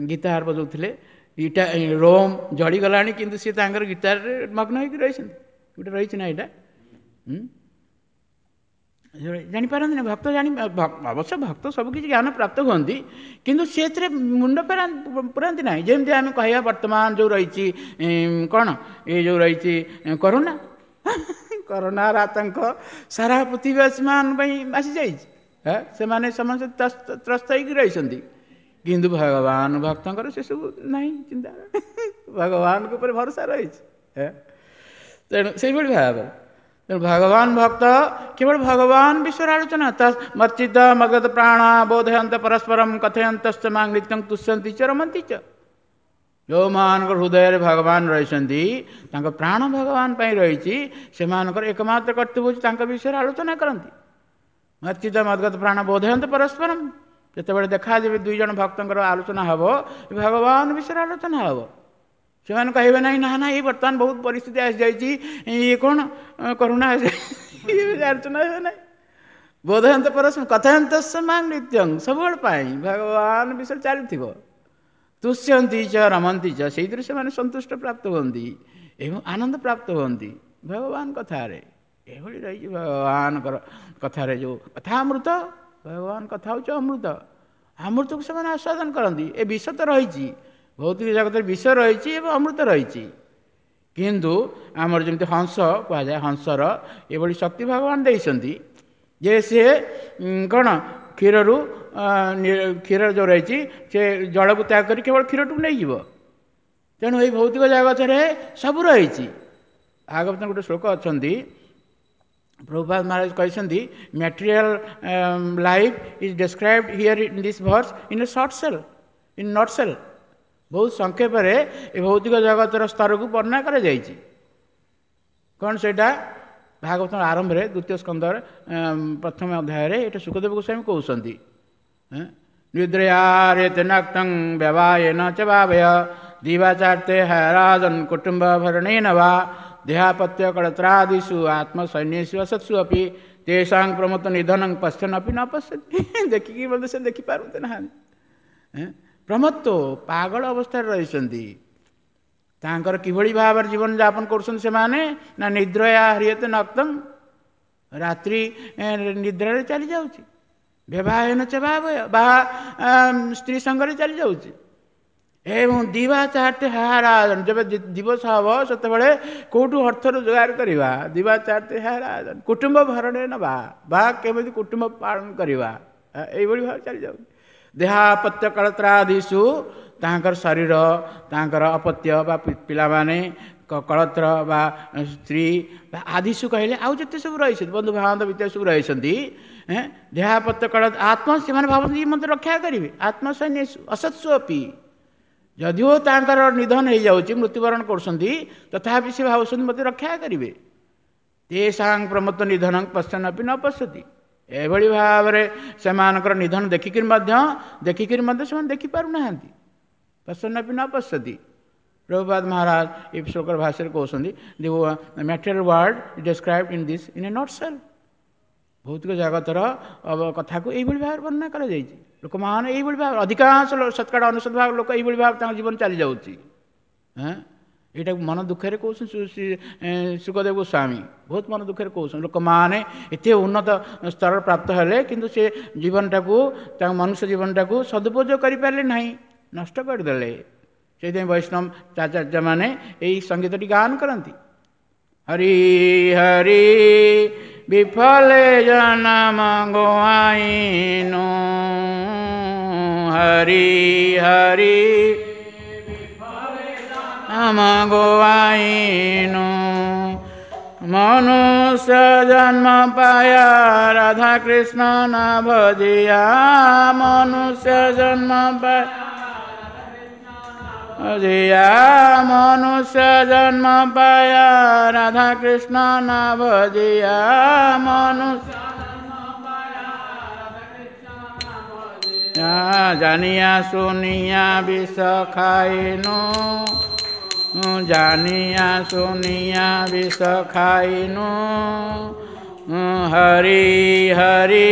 ଗିତାର ବଜାଉଥିଲେ, ଇଟା ରୋମ୍ ଜଳିଗଲାଣି, କିନ୍ତୁ ସିଏ ତାଙ୍କର ଗିତାରରେ ମଗ୍ନ ହେଇକି ରହିଛନ୍ତି। ଗୋଟେ ରହିଛି ନା ଏଇଟା ଜାଣିପାରନ୍ତି ନା ଭକ୍ତ, ଜାଣି ଅବଶ୍ୟ ଭକ୍ତ ସବୁକିଛି ଜ୍ଞାନ ପ୍ରାପ୍ତ ହୁଅନ୍ତି, କିନ୍ତୁ ସେଥିରେ ମୁଣ୍ଡ ପୁରାନ୍ତି ନାହିଁ। ଯେମିତି ଆମେ କହିବା ବର୍ତ୍ତମାନ ଯେଉଁ ରହିଛି କ'ଣ, ଏ ଯେଉଁ ରହିଛି କରୋନା, କରୋନାର ଆତଙ୍କ ସାରା ପୃଥିବୀବାସୀମାନଙ୍କ ପାଇଁ ଆସିଯାଇଛି, ସେମାନେ ସମସ୍ତେ ତ୍ରସ୍ତ ହେଇକି ରହିଛନ୍ତି। କିନ୍ତୁ ଭଗବାନ ଭକ୍ତଙ୍କର ସେସବୁ ନାହିଁ ଚିନ୍ତା, ଭଗବାନଙ୍କ ଉପରେ ଭରସା ରହିଛି। ତେଣୁ ସେଇଭଳି ଭାବରେ ତେଣୁ ଭଗବାନ ଭକ୍ତ କେବଳ ଭଗବାନ ବିଷୟରେ ଆଲୋଚନା, ମର୍ଚିତ ମଗତ ପ୍ରାଣ ବୋଧୟନ୍ତ ପରସ୍ପରମ କଥୟନ୍ତଶ୍ଚ ମାଂ ନିତ୍ୟଂ ତୁଷ୍ୟନ୍ତି ଚ ରମନ୍ତି ଚ। ଯେଉଁମାନଙ୍କର ହୃଦୟରେ ଭଗବାନ ରହିଛନ୍ତି, ତାଙ୍କ ପ୍ରାଣ ଭଗବାନ ପାଇଁ ରହିଛି, ସେମାନଙ୍କର ଏକମାତ୍ର କର୍ତ୍ତବ୍ୟ ହେଉଛି ତାଙ୍କ ବିଷୟରେ ଆଲୋଚନା କରନ୍ତି। ମର୍ଚିତ ମଦ୍ଗତ ପ୍ରାଣ ବୋଧୟନ୍ତ ପରସ୍ପରମ, ଯେତେବେଳେ ଦେଖାଯିବେ ଦୁଇ ଜଣ ଭକ୍ତଙ୍କର ଆଲୋଚନା ହେବ, ଭଗବାନ ବିଷୟରେ ଆଲୋଚନା ହେବ। ସେମାନେ କହିବେ ନାହିଁ ନା ନା ଏଇ ବର୍ତ୍ତମାନ ବହୁତ ପରିସ୍ଥିତି ଆସିଯାଇଛି, ଇଏ କ'ଣ କରୁଣା ଆସିଯାଇଛି, ଆଲୋଚନା ହେବେ ନାହିଁ। ବୋଧୟନ୍ତ ପରସ୍ପରମ କଥୟନ୍ତ ମାଂ ନିତ୍ୟଂ, ସବୁବେଳେ ପାଇଁ ଭଗବାନ ବିଷୟରେ ଚାଲିଥିବ। ତୁଷ୍ୟନ୍ତି ଚ ରମନ୍ତି ଚ, ସେଇଥିରେ ସେମାନେ ସନ୍ତୁଷ୍ଟ ପ୍ରାପ୍ତ ହୁଅନ୍ତି ଏବଂ ଆନନ୍ଦ ପ୍ରାପ୍ତ ହୁଅନ୍ତି ଭଗବାନ କଥାରେ। ଏଭଳି ରହିଛି ଭଗବାନଙ୍କର କଥାରେ ଯେଉଁ କଥା ଅମୃତ, ଭଗବାନ କଥା ହେଉଛି ଅମୃତ, ଅମୃତକୁ ସେମାନେ ଆସ୍ୱାଦନ କରନ୍ତି। ଏ ବିଷ ତ ରହିଛି, ଭୌତିକ ଜଗତରେ ବିଷ ରହିଛି ଏବଂ ଅମୃତ ରହିଛି, କିନ୍ତୁ ଆମର ଯେମିତି ହଂସ କୁହାଯାଏ, ହଂସର ଏଭଳି ଶକ୍ତି ଭଗବାନ ଦେଇଛନ୍ତି ଯେ ସିଏ କ'ଣ କ୍ଷୀରରୁ, କ୍ଷୀର ଯେଉଁ ରହିଛି ସେ ଜଳକୁ ତ୍ୟାଗ କରି କେବଳ କ୍ଷୀରଟିକୁ ନେଇଯିବ। ତେଣୁ ଏଇ ଭୌତିକ ଜଗତରେ ସବୁ ରହିଛି। ଭାଗବତ ଗୋଟେ ଶ୍ଲୋକ ଅଛନ୍ତି, ପ୍ରଭୁପାଦ ମହାରାଜ କହିଛନ୍ତି, material life is described here in this verse in a short cell in not cell. ବହୁତ ସଂକ୍ଷେପରେ ଏ ଭୌତିକ ଜଗତର ସ୍ତରକୁ ବର୍ଣ୍ଣନା କରାଯାଇଛି। କ'ଣ ସେଇଟା? ଭାଗବତର ଆରମ୍ଭରେ ଦ୍ୱିତୀୟ ସ୍କନ୍ଧରେ ପ୍ରଥମ ଅଧ୍ୟାୟରେ ଏଇଟା ଶୁକଦେବ ଗୋସ୍ୱାମୀ କହୁଛନ୍ତି, ନିଦ୍ରୟାରେତେ ନକ୍ତଂ ବ୍ୟବାୟେନ ଚ ଭାବୟ ଦିବାଚାର୍ତେ ହରାଜନ କୁଟୁମ୍ବ ଭରଣେନ ବା ଦେହାପତ୍ୟ କଳତ୍ରାଦିଷୁ ଆତ୍ମସୈନ୍ୟେଷୁ ଅସତ୍ସୁ ଅପି ତେଷାଂ ପ୍ରମତ୍ତ ନିଧନଂ ପଶ୍ୟନ୍ ଅପି ନ ପଶ୍ୟନ୍ତି। ଦେଖିକି ମଧ୍ୟ ସେ ଦେଖିପାରନ୍ତି ନାହାନ୍ତି। ପ୍ରମତ୍ତ ପାଗଳ ଅବସ୍ଥାରେ ରହିଛନ୍ତି। ତାଙ୍କର କିଭଳି ଭାବରେ ଜୀବନଯାପନ କରୁଛନ୍ତି ସେମାନେ ନା, ନିଦ୍ରୟା ହ୍ରିୟତେ ନକ୍ତଂ, ରାତ୍ରି ନିଦ୍ରାରେ ଚାଲିଯାଉଛି, ବ୍ୟବାହେନ ଚ ଭାବୟ ବା ସ୍ତ୍ରୀ ସଙ୍ଗରେ ଚାଲିଯାଉଛି, ଏବଂ ଦିବା ଚାରିଟି ହାରାଜନ, ଯେବେ ଦିବସ ହେବ ସେତେବେଳେ କେଉଁଠୁ ଅର୍ଥ ରୋଜଗାର କରିବା, ଦିବା ଚାରିଟି ହାରାଜନ କୁଟୁମ୍ବ ଭରଣେ ନେବା ବା କେମିତି କୁଟୁମ୍ବ ପାଳନ କରିବା, ଏଇଭଳି ଭାବେ ଚାଲିଯାଉଛି। ଦେହାପତ୍ୟ କଳତ୍ରାଦିଷୁ, ତାଙ୍କର ଶରୀର, ତାଙ୍କର ଅପତ୍ୟ ବା ପିଲାମାନେ, କଳତ୍ର ବା ସ୍ତ୍ରୀ ବା ଆଦିଷୁ କହିଲେ ଆଉ ଯେତେ ସବୁ ରହିଛନ୍ତି, ବନ୍ଧୁବାନ୍ଧବ ଇତ୍ୟାଦି ସବୁ ରହିଛନ୍ତି, ଦେହାପତ୍ୟ କଳ ଆତ୍ମ, ସେମାନେ ଭାବନ୍ତି ମୋତେ ରକ୍ଷା କରିବେ, ଆତ୍ମସୈନ୍ୟ ଅସତ୍ସୁ ଅପି, ଯଦିଓ ତାଙ୍କର ନିଧନ ହେଇଯାଉଛି, ମୃତ୍ୟୁବରଣ କରୁଛନ୍ତି, ତଥାପି ସେ ଭାବୁଛନ୍ତି ମୋତେ ରକ୍ଷା କରିବେ। ତେଷାଂ ପ୍ରମତ୍ତ ନିଧନଂ ପଶ୍ୟନ୍ ଅପି ନ ପଶ୍ୟତି, ଏଭଳି ଭାବରେ ସେମାନଙ୍କର ନିଧନ ଦେଖିକିରି ମଧ୍ୟ ଦେଖିକିରି ମଧ୍ୟ ସେମାନେ ଦେଖିପାରୁନାହାନ୍ତି। ପଶ୍ୟନ୍ ଅପି ନ ପଶ୍ୟତି। ପ୍ରଭୁପାଦ ମହାରାଜ ଏ ଶ୍ଲୋକର ଭାଷାରେ କହୁଛନ୍ତି, the material world describe in this in a not cell. ଭୌତିକ ଜଗତର କଥାକୁ ଏଇଭଳି ଭାବରେ ବର୍ଣ୍ଣନା କରାଯାଇଛି। ଲୋକମାନେ ଏଇଭଳି ଭାବରେ ଅଧିକାଂଶ ଶତକଡ଼ା ଅନେଶତ ଭାଗ ଲୋକ ଏଇଭଳି ଭାବରେ ତାଙ୍କ ଜୀବନ ଚାଲିଯାଉଛି। ହଁ, ଏଇଟାକୁ ମନ ଦୁଃଖରେ କହୁଛନ୍ତି ଶୁକଦେବ ଗୋସ୍ୱାମୀ, ବହୁତ ମନ ଦୁଃଖରେ କହୁଛନ୍ତି। ଲୋକମାନେ ଏତେ ଉନ୍ନତ ସ୍ତର ପ୍ରାପ୍ତ ହେଲେ, କିନ୍ତୁ ସେ ଜୀବନଟାକୁ, ତାଙ୍କ ମନୁଷ୍ୟ ଜୀବନଟାକୁ ସଦୁପଯୋଗ କରିପାରିଲେ ନାହିଁ, ନଷ୍ଟ କରିଦେଲେ। ସେଇଥିପାଇଁ ବୈଷ୍ଣବ ଆଚାର୍ଯ୍ୟମାନେ ଏଇ ସଙ୍ଗୀତଟି ଗାନ କରନ୍ତି, ହରି ହରି ବିଫଲେ ଜନମ ଗୋଆଇନୁ, ହରି ହରି ଆମ ଗୋଆଇନୁ, ମନୁଷ୍ୟ ଜନ୍ମ ପାୟା ରାଧା କୃଷ୍ଣ ନା ଭଜିଆ, ମନୁଷ୍ୟ ଜନ୍ମ ପାୟା ଭଜିଆ, ମନୁଷ୍ୟ ଜନ୍ମ ପାୟା ରାଧା କୃଷ୍ଣ ନା ଭଜିଆ, ମନୁଷ୍ୟ ଜାନିଆ ସୁନିଆ ବିଷ ଖାଇନୁ, ଜାନିଆ ସୁନିଆ ବିଷ ଖାଇନୁ, ହରି ହରି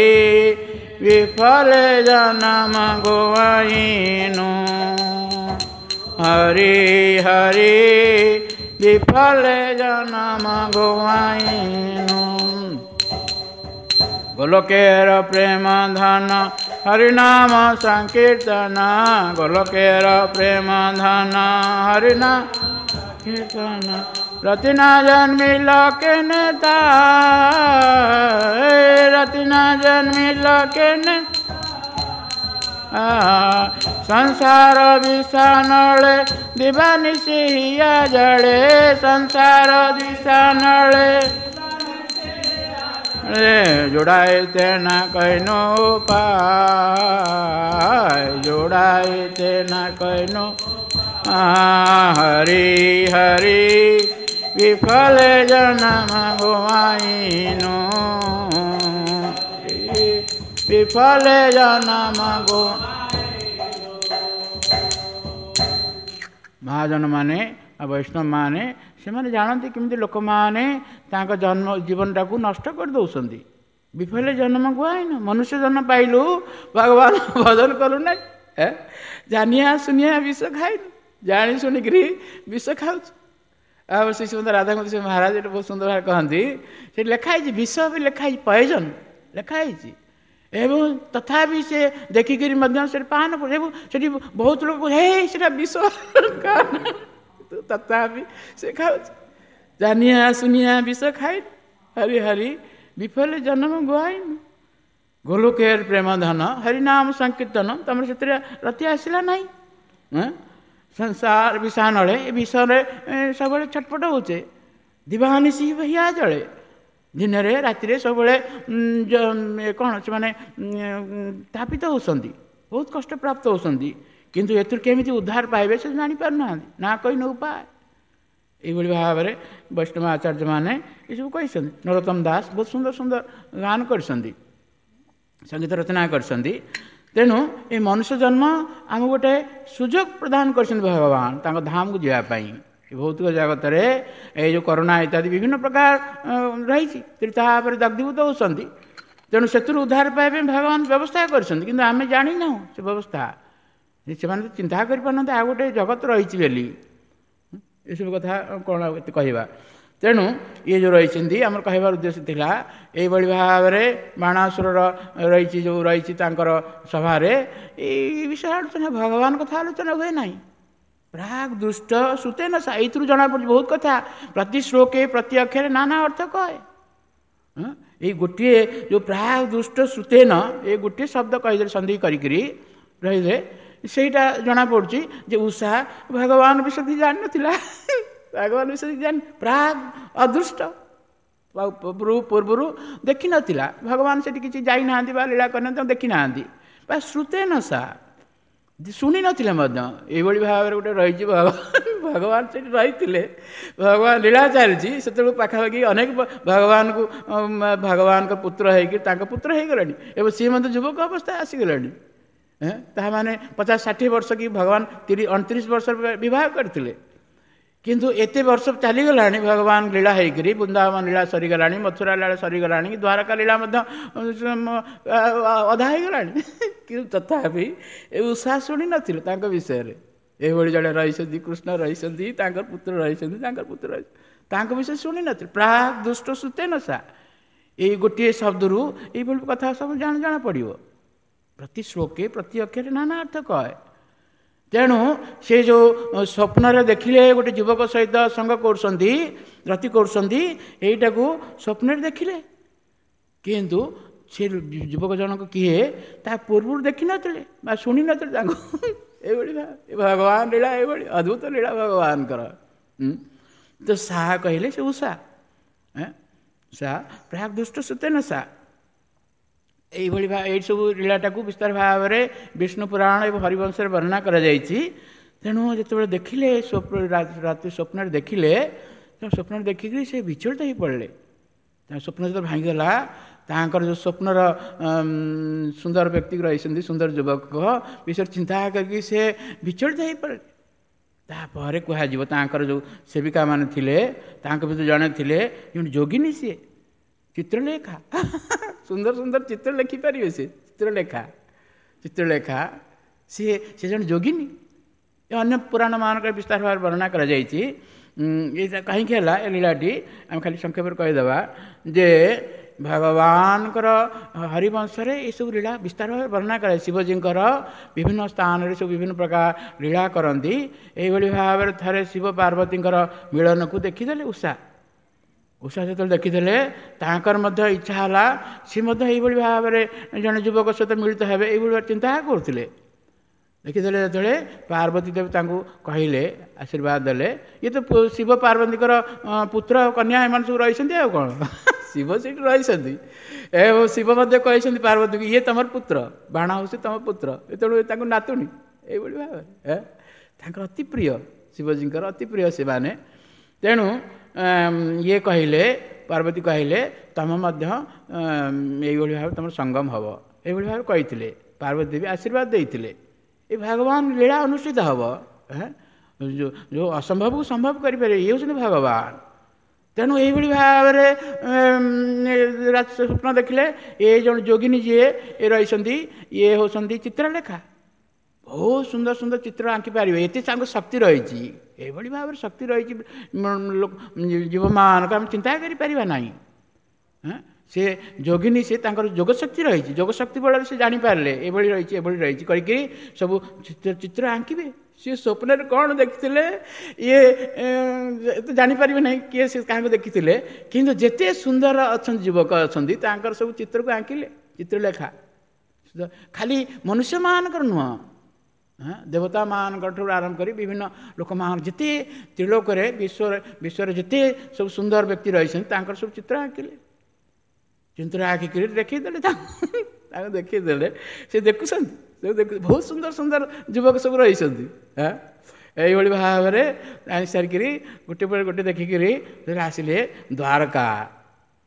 ବିଫଲେ ଜନମ ଗୋଆଇନୁ, ହରି ହରି ବିଫଲେ ଜନମ ଗୋଆଇନୁ। ଗୋଲକେର ପ୍ରେମ ଧନ ହରିନାମ ସଂକୀର୍ତ୍ତନ, ଗୋଲକେର ପ୍ରେମ ଧନ ହରିନାମ କୀର୍ତ୍ତନ, ରତିନା ଜନ୍ମିଲ କେନେ ତା, ରତିନା ଜନ୍ମିଲ କେନେ, ସଂସାର ବିଷାନଳେ ଦିବାନିଶି ହିଆ ଜଳେ, ସଂସାର ବିଷାନଳେ ଯୋଡ଼ାଏ ତେନା କହିନୁ ପାଏ, ଯୋଡ଼ାଏ ତେନା କହିନୁ, ହରି ହରି ବିଫଲେ ଜନମ ଗୋଆଇନୁ, ବିଫଲେ ଜନମ ଗୋ। ମହାଜନମାନେ ଆଉ ବୈଷ୍ଣବମାନେ ସେମାନେ ଜାଣନ୍ତି କେମିତି ଲୋକମାନେ ତାଙ୍କ ଜନ୍ମ ଜୀବନଟାକୁ ନଷ୍ଟ କରିଦେଉଛନ୍ତି। ବିଫଲେ ଜନ୍ମ ଗୁଆଇନୁ, ମନୁଷ୍ୟ ଜନ୍ମ ପାଇଲୁ, ଭଗବାନ ଭଜନ କଲୁ ନାହିଁ, ଜାନିଆ ସୁନିଆ ବିଷ ଖାଇଲୁ, ଜାଣି ଶୁଣିକିରି ବିଷ ଖାଉଛୁ। ଆଉ ଶ୍ରୀ ଶ୍ରୀମନ୍ତ ରାଧାକାନ୍ତ ମହାରାଜ ଏଇଟା ବହୁତ ସୁନ୍ଦର ଭାବେ କହନ୍ତି, ସେଠି ଲେଖା ହେଇଛି ବିଷ ବି ଲେଖା ହେଇଛି, ପଏଜନ୍ ଲେଖା ହେଇଛି, ଏବଂ ତଥାପି ସେ ଦେଖିକିରି ମଧ୍ୟ ସେଠି ପାନ, ଏବଂ ସେଠି ବହୁତ ଲୋକ ହେ ସେଟା ବିଷ। ତଥାପି ସେ ଖାଉଛି। ଜାନିଆ ସୁନିଆ ବିଷ ଖାଇ ହରି ହରି ବିଫଲେ ଜନ୍ମ ଗୁଆଇନୁ। ଗୋଲୋକେର ପ୍ରେମ ଧନ ହରିନାମ ସଂକୀର୍ତ୍ତନ, ତମର ସେଥିରେ ରତି ଆସିଲା ନାହିଁ। ସଂସାର ବିଷାନଳେ, ଏ ବିଷରେ ସବୁବେଳେ ଛଟପଟ ହେଉଛେ। ଦିବାନିଶି ହିଆ ଜଳେ, ଦିନରେ ରାତିରେ ସବୁବେଳେ କ'ଣ ସେମାନେ ତାପିତ ହେଉଛନ୍ତି, ବହୁତ କଷ୍ଟ ପ୍ରାପ୍ତ ହେଉଛନ୍ତି। କିନ୍ତୁ ଏଥିରୁ କେମିତି ଉଦ୍ଧାର ପାଇବେ ସେ ଜାଣିପାରୁନାହାନ୍ତି। ନା କହିନ ଉପାୟ। ଏଇଭଳି ଭାବରେ ବୈଷ୍ଣବ ଆଚାର୍ଯ୍ୟମାନେ ଏସବୁ କହିଛନ୍ତି। ନରୋତ୍ତମ ଦାସ ବହୁତ ସୁନ୍ଦର ସୁନ୍ଦର ଗାନ କରିଛନ୍ତି, ସଙ୍ଗୀତ ରଚନା କରିଛନ୍ତି। ତେଣୁ ଏ ମନୁଷ୍ୟ ଜନ୍ମ ଆମକୁ ଗୋଟେ ସୁଯୋଗ ପ୍ରଦାନ କରିଛନ୍ତି ଭଗବାନ ତାଙ୍କ ଧାମକୁ ଯିବା ପାଇଁ। ଭୌତିକ ଜଗତରେ ଏଇ ଯେଉଁ କରୋନା ଇତ୍ୟାଦି ବିଭିନ୍ନ ପ୍ରକାର ରହିଛି, ତେଣୁ ତା ଉପରେ ଦଗ୍ଧୀଭୂତ ହେଉଛନ୍ତି। ତେଣୁ ସେଥିରୁ ଉଦ୍ଧାର ପାଇବା ପାଇଁ ଭଗବାନ ବ୍ୟବସ୍ଥା କରିଛନ୍ତି, କିନ୍ତୁ ଆମେ ଜାଣିନାହୁଁ ସେ ବ୍ୟବସ୍ଥା। ସେମାନେ ତ ଚିନ୍ତା କରିପାରୁନାହାନ୍ତି ଆଉ ଗୋଟେ ଜଗତ ରହିଛି ବୋଲି। ଏସବୁ କଥା କ'ଣ ଆଉ ଏତେ କହିବା। ତେଣୁ ଇଏ ଯେଉଁ ରହିଛନ୍ତି, ଆମର କହିବାର ଉଦ୍ଦେଶ୍ୟ ଥିଲା ଏଇଭଳି ଭାବରେ ବାଣାସୁରର ରହିଛି ଯେଉଁ ରହିଛି ତାଙ୍କର ସଭାରେ ଏଇ ବିଷୟ ଆଲୋଚନା, ଭଗବାନ କଥା ଆଲୋଚନା ହୁଏ ନାହିଁ। ପ୍ରାକ୍ ଦୃଷ୍ଟ ଶ୍ରୁତେନ, ଏଇଥିରୁ ଜଣାପଡ଼ୁଛି ବହୁତ କଥା। ପ୍ରତି ଶ୍ଲୋକେ ପ୍ରତି ଅକ୍ଷରେ ନାନା ଅର୍ଥ କହେ। ଏଇ ଗୋଟିଏ ଯେଉଁ ପ୍ରାକ୍ ଦୃଷ୍ଟ ଶ୍ରୁତେନ, ଏ ଗୋଟିଏ ଶବ୍ଦ କହିଦେଲେ ସନ୍ଧି କରିକିରି ରହିଲେ, ସେଇଟା ଜଣାପଡ଼ୁଛି ଯେ ଉଷା ଭଗବାନ ବିଷୟ ଜାଣିନଥିଲା। ଭଗବାନ ବିଷୟ ଜାଣି ପ୍ରାକ୍ ଅଦୃଷ୍ଟ ପୂର୍ବରୁ ଦେଖିନଥିଲା ଭଗବାନ, ସେଠି କିଛି ଯାଇନାହାନ୍ତି ବା ଲୀଳା କରିନାହାନ୍ତି, ତାଙ୍କୁ ଦେଖିନାହାନ୍ତି। ବା ଶ୍ରୁତେନ ସା ଶୁଣିନଥିଲେ ମଧ୍ୟ। ଏଇଭଳି ଭାବରେ ଗୋଟେ ରହିଛି ଭଗବାନ, ଭଗବାନ ସେଠି ରହିଥିଲେ, ଭଗବାନ ଲୀଳା ଚାଲିଛି। ସେତେବେଳକୁ ପାଖାପାଖି ଅନେକ ଭଗବାନଙ୍କୁ ଭଗବାନଙ୍କ ପୁତ୍ର ହେଇକି ତାଙ୍କ ପୁତ୍ର ହେଇଗଲେଣି ଏବଂ ସିଏ ମଧ୍ୟ ଯୁବକ ଅବସ୍ଥା ଆସିଗଲେଣି। ତାହା ମାନେ ପଚାଶ ଷାଠିଏ ବର୍ଷ କି ଭଗବାନ ତିରିଶ ଅଣତିରିଶ ବର୍ଷ ବିବାହ କରିଥିଲେ, କିନ୍ତୁ ଏତେ ବର୍ଷ ଚାଲିଗଲାଣି ଭଗବାନ ଲୀଳା ହେଇକରି। ବୃନ୍ଦାବନ ଲୀଳା ସରିଗଲାଣି, ମଥୁରା ଲୀଳା ସରିଗଲାଣି, ଦ୍ୱାରକା ଲୀଳା ମଧ୍ୟ ଅଧା ହେଇଗଲାଣି, କିନ୍ତୁ ତଥାପି ଏ ଉଷା ଶୁଣିନଥିଲେ ତାଙ୍କ ବିଷୟରେ। ଏଇଭଳି ଜଣେ ରହିଛନ୍ତି, କୃଷ୍ଣ ରହିଛନ୍ତି, ତାଙ୍କର ପୁତ୍ର ରହିଛନ୍ତି, ତାଙ୍କର ପୁତ୍ର ରହିଛନ୍ତି, ତାଙ୍କ ବିଷୟରେ ଶୁଣିନଥିଲେ। ପ୍ରାକ୍ ଦୁଷ୍ଟ ଶ୍ରୁତେନ ସା, ଏଇ ଗୋଟିଏ ଶବ୍ଦରୁ ଏଇଭଳି କଥା ସବୁ ଜଣା ଜଣା ପଡ଼ିବ। ପ୍ରତି ଶ୍ଲୋକେ ପ୍ରତି ଅକ୍ଷରେ ନାନା ଅର୍ଥ କହେ। ତେଣୁ ସେ ଯେଉଁ ସ୍ୱପ୍ନରେ ଦେଖିଲେ ଗୋଟେ ଯୁବକ ସହିତ ସଙ୍ଗ କରୁଛନ୍ତି, ରତି କରୁଛନ୍ତି, ଏଇଟାକୁ ସ୍ୱପ୍ନରେ ଦେଖିଲେ, କିନ୍ତୁ ସେ ଯୁବକ ଜଣକ କିଏ ତା ପୂର୍ବରୁ ଦେଖିନଥିଲେ ବା ଶୁଣିନଥିଲେ ତାଙ୍କୁ। ଏଇଭଳି ଭଗବାନ ଲୀଳା, ଏଇଭଳି ଅଦ୍ଭୁତ ଲୀଳା ଭଗବାନଙ୍କର। ତ ସାହା କହିଲେ ସେ ଉଷା, ସା ପ୍ରାକ୍ ଦୁଷ୍ଟ ଶ୍ରୁତେନ ସା। ଏଇଭଳି ଏଇ ସବୁ ଲୀଳାଟାକୁ ବିସ୍ତାର ଭାବରେ ବିଷ୍ଣୁ ପୁରାଣ ଏବଂ ହରିବଂଶରେ ବର୍ଣ୍ଣନା କରାଯାଇଛି। ତେଣୁ ଯେତେବେଳେ ଦେଖିଲେ ରାତି ସ୍ୱପ୍ନରେ ଦେଖିଲେ, ସ୍ୱପ୍ନରେ ଦେଖିକିରି ସେ ବିଚଳିତ ହେଇ ପଡ଼ିଲେ। ତାଙ୍କ ସ୍ୱପ୍ନ ଯେତେବେଳେ ଭାଙ୍ଗିଗଲା, ତାଙ୍କର ଯେଉଁ ସ୍ୱପ୍ନର ସୁନ୍ଦର ବ୍ୟକ୍ତି ରହିଛନ୍ତି, ସୁନ୍ଦର ଯୁବକ ବିଷୟରେ ଚିନ୍ତା କରିକି ସେ ବିଚଳିତ ହେଇପଡ଼ିଲେ। ତାପରେ କୁହାଯିବ ତାଙ୍କର ଯେଉଁ ସେବିକା ମାନେ ଥିଲେ, ତାଙ୍କ ଭିତରୁ ଜଣେ ଥିଲେ ଜଣେ ଯୋଗିନୀ, ସିଏ ଚିତ୍ରଲେଖା, ସୁନ୍ଦର ସୁନ୍ଦର ଚିତ୍ର ଲେଖିପାରିବେ ସେ, ଚିତ୍ରଲେଖା ଚିତ୍ରଲେଖା ସିଏ ସେ ଜଣେ ଯୋଗିନୀ। ଏ ଅନ୍ୟ ପୁରାଣ ମାନଙ୍କରେ ବିସ୍ତାର ଭାବରେ ବର୍ଣ୍ଣନା କରାଯାଇଛି। ଏଇଟା କାହିଁକି ହେଲା ଏ ଲୀଳାଟି ଆମେ ଖାଲି ସଂକ୍ଷେପରେ କହିଦେବା ଯେ ଭଗବାନଙ୍କର ହରିବଂଶରେ ଏସବୁ ଲୀଳା ବିସ୍ତାର ଭାବରେ ବର୍ଣ୍ଣନା କରାଯାଏ। ଶିବଜୀଙ୍କର ବିଭିନ୍ନ ସ୍ଥାନରେ ସବୁ ବିଭିନ୍ନ ପ୍ରକାର ଲୀଳା କରନ୍ତି। ଏଇଭଳି ଭାବରେ ଥରେ ଶିବ ପାର୍ବତୀଙ୍କର ମିଳନକୁ ଦେଖିଦେଲେ ଉଷା। ଉଷା ଯେତେବେଳେ ଦେଖିଦେଲେ ତାଙ୍କର ମଧ୍ୟ ଇଚ୍ଛା ହେଲା ସେ ମଧ୍ୟ ଏଇଭଳି ଭାବରେ ଜଣେ ଯୁବକ ସହିତ ମିଳିତ ହେବେ, ଏଇଭଳି ଭାବେ ଚିନ୍ତା କରୁଥିଲେ। ଦେଖିଦେଲେ ଯେତେବେଳେ ପାର୍ବତୀ ଦେବୀ ତାଙ୍କୁ କହିଲେ, ଆଶୀର୍ବାଦ ଦେଲେ, ଇଏ ତ ଶିବ ପାର୍ବତୀଙ୍କର ପୁତ୍ର କନ୍ୟା ଏମାନେ ସବୁ ରହିଛନ୍ତି, ଆଉ କ'ଣ ଶିବ ସେଇଠି ରହିଛନ୍ତି। ଏବଂ ଶିବ ମଧ୍ୟ କହିଛନ୍ତି ପାର୍ବତୀକୁ, ଇଏ ତୁମର ପୁତ୍ର, ବାଣ ହେଉଛି ତୁମ ପୁତ୍ର, ତେଣୁ ତାଙ୍କୁ ନାତୁଣୀ। ଏଇଭଳି ଭାବରେ ତାଙ୍କର ଅତି ପ୍ରିୟ, ଶିବଜୀଙ୍କର ଅତି ପ୍ରିୟ ସେମାନେ। ତେଣୁ ଇଏ କହିଲେ, ପାର୍ବତୀ କହିଲେ, ତମ ମଧ୍ୟ ଏଇଭଳି ଭାବେ ତୁମର ସଙ୍ଗମ ହେବ, ଏଇଭଳି ଭାବେ କହିଥିଲେ। ପାର୍ବତୀ ଦେବୀ ଆଶୀର୍ବାଦ ଦେଇଥିଲେ। ଏ ଭଗବାନ ଲୀଳା ଅନୁଷ୍ଠିତ ହେବ, ଯେଉଁ ଯେଉଁ ଅସମ୍ଭବକୁ ସମ୍ଭବ କରିପାରିବେ, ଇଏ ହେଉଛନ୍ତି ଭଗବାନ। ତେଣୁ ଏଇଭଳି ଭାବରେ ସ୍ୱପ୍ନ ଦେଖିଲେ। ଏ ଜଣେ ଯୋଗିନୀ ଯିଏ ଏ ରହିଛନ୍ତି, ଇଏ ହେଉଛନ୍ତି ଚିତ୍ରଲେଖା, ବହୁତ ସୁନ୍ଦର ସୁନ୍ଦର ଚିତ୍ର ଆଙ୍କି ପାରିବେ, ଏତେ ତାଙ୍କ ଶକ୍ତି ରହିଛି। ଏଇଭଳି ଭାବରେ ଶକ୍ତି ରହିଛି ଜୀବମାନଙ୍କ, ଆମେ ଚିନ୍ତା କରିପାରିବା ନାହିଁ। ସେ ଯୋଗିନୀ, ସେ ତାଙ୍କର ଯୋଗଶକ୍ତି ରହିଛି, ଯୋଗଶକ୍ତି ବଳରେ ସେ ଜାଣିପାରିଲେ ଏଭଳି ରହିଛି ଏଭଳି ରହିଛି କରିକି ସବୁ ଚିତ୍ର ଚିତ୍ର ଆଙ୍କିବେ। ସିଏ ସ୍ୱପ୍ନରେ କ'ଣ ଦେଖିଥିଲେ ଇଏ ତ ଜାଣିପାରିବେ ନାହିଁ କିଏ ସେ କାହାକୁ ଦେଖିଥିଲେ, କିନ୍ତୁ ଯେତେ ସୁନ୍ଦର ଅଛନ୍ତି ଯୁବକ ଅଛନ୍ତି ତାଙ୍କର ସବୁ ଚିତ୍ରକୁ ଆଙ୍କିଲେ। ଚିତ୍ରଲେଖା ଖାଲି ମନୁଷ୍ୟମାନଙ୍କର ନୁହଁ, ଦେବତାମାନଙ୍କ ଠାରୁ ଆରମ୍ଭ କରି ବିଭିନ୍ନ ଲୋକମାନ ଯେତେ ତ୍ରିଲୋକରେ ବିଶ୍ୱରେ ବିଶ୍ୱରେ ଯେତେ ସବୁ ସୁନ୍ଦର ବ୍ୟକ୍ତି ରହିଛନ୍ତି ତାଙ୍କର ସବୁ ଚିତ୍ର ଆଙ୍କିଲେ। ଚିତ୍ର ଆଙ୍କିକିରି ଦେଖେଇଦେଲେ, ତାଙ୍କୁ ଦେଖେଇଦେଲେ, ସେ ଦେଖୁଛନ୍ତି, ଦେଖୁ ବହୁତ ସୁନ୍ଦର ସୁନ୍ଦର ଯୁବକ ସବୁ ରହିଛନ୍ତି। ହଁ, ଏଇଭଳି ଭାବରେ ଆଣି ସାରିକିରି ଗୋଟେ ପରେ ଗୋଟେ ଦେଖିକିରି ଆସିଲେ ଦ୍ୱାରକା।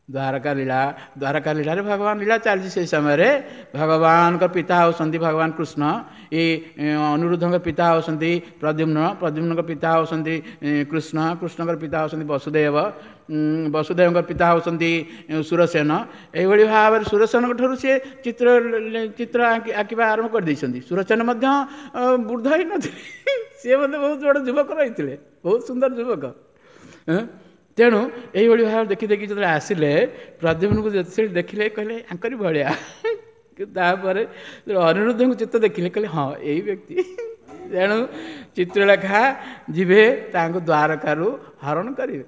ଦ୍ୱାରକା ଲୀଳା, ଦ୍ୱାରକା ଲୀଳାରେ ଭଗବାନ ଲୀଳା ଚାଲିଛି। ସେଇ ସମୟରେ ଭଗବାନଙ୍କ ପିତା ହେଉଛନ୍ତି ଭଗବାନ କୃଷ୍ଣ, ଏଇ ଅନିରୁଦ୍ଧଙ୍କ ପିତା ହେଉଛନ୍ତି ପ୍ରଦ୍ୟୁମ୍ନ, ପ୍ରଦ୍ୟୁମ୍ନଙ୍କ ପିତା ହେଉଛନ୍ତି କୃଷ୍ଣ, କୃଷ୍ଣଙ୍କର ପିତା ହେଉଛନ୍ତି ବସୁଦେବ, ବସୁଦେବଙ୍କ ପିତା ହେଉଛନ୍ତି ସୁରସେନ। ଏଇଭଳି ଭାବରେ ସୁରସେନଙ୍କ ଠାରୁ ସିଏ ଚିତ୍ର ଚିତ୍ର ଆଙ୍କିବା ଆରମ୍ଭ କରିଦେଇଛନ୍ତି। ସୁରସେନ ମଧ୍ୟ ବୃଦ୍ଧ ହେଇନଥିଲେ, ସିଏ ମଧ୍ୟ ବହୁତ ବଡ଼ ଯୁବକ ରହିଥିଲେ, ବହୁତ ସୁନ୍ଦର ଯୁବକ। ତେଣୁ ଏଇଭଳି ଭାବରେ ଦେଖି ଦେଖି ଯେତେବେଳେ ଆସିଲେ ପ୍ରଦ୍ୟୁମ୍ନକୁ ଯେତେବେଳେ ଦେଖିଲେ କହିଲେ ଆଙ୍କରି ଭଳିଆ। ତାପରେ ଅନିରୁଦ୍ଧଙ୍କୁ ଚିତ୍ର ଦେଖିଲେ କହିଲେ ହଁ ଏଇ ବ୍ୟକ୍ତି। ତେଣୁ ଚିତ୍ରଲେଖା ଯିବେ ତାଙ୍କୁ ଦ୍ୱାରକାରୁ ହରଣ କରିବେ।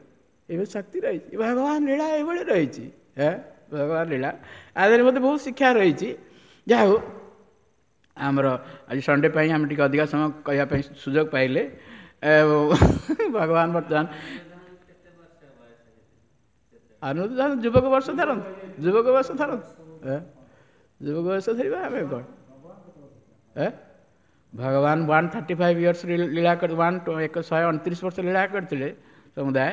ଏବେ ଶକ୍ତି ରହିଛି, ଭଗବାନ ଲୀଳା ଏଇଭଳି ରହିଛି। ହେ ଭଗବାନ ଲୀଳା ଆଦେହରେ ମୋତେ ବହୁତ ଶିକ୍ଷା ରହିଛି। ଯାହା ହଉ ଆମର ଆଜି ସଣ୍ଡେ ପାଇଁ ଆମେ ଟିକେ ଅଧିକା ସମୟ କହିବା ପାଇଁ ସୁଯୋଗ ପାଇଲେ। ଭଗବାନ ବର୍ତ୍ତମାନ ଅନିରୁଦ୍ଧ ଯୁବକ ବର୍ଷ ଧରନ୍ତୁ, ଯୁବକ ବର୍ଷ ଧରନ୍ତୁ, ଯୁବକ ବର୍ଷ ଧରିବା ଆମେ କ'ଣ? ଏ ଭଗବାନ ୱାନ୍ ଥାର୍ଟି ଫାଇଭ୍ ଇୟର୍ସ ଲୀଳା କରି ୱାନ୍ ଏକ ଶହେ ଅଣତିରିଶ ବର୍ଷ ଲୀଳା କରିଥିଲେ ସମୁଦାୟ।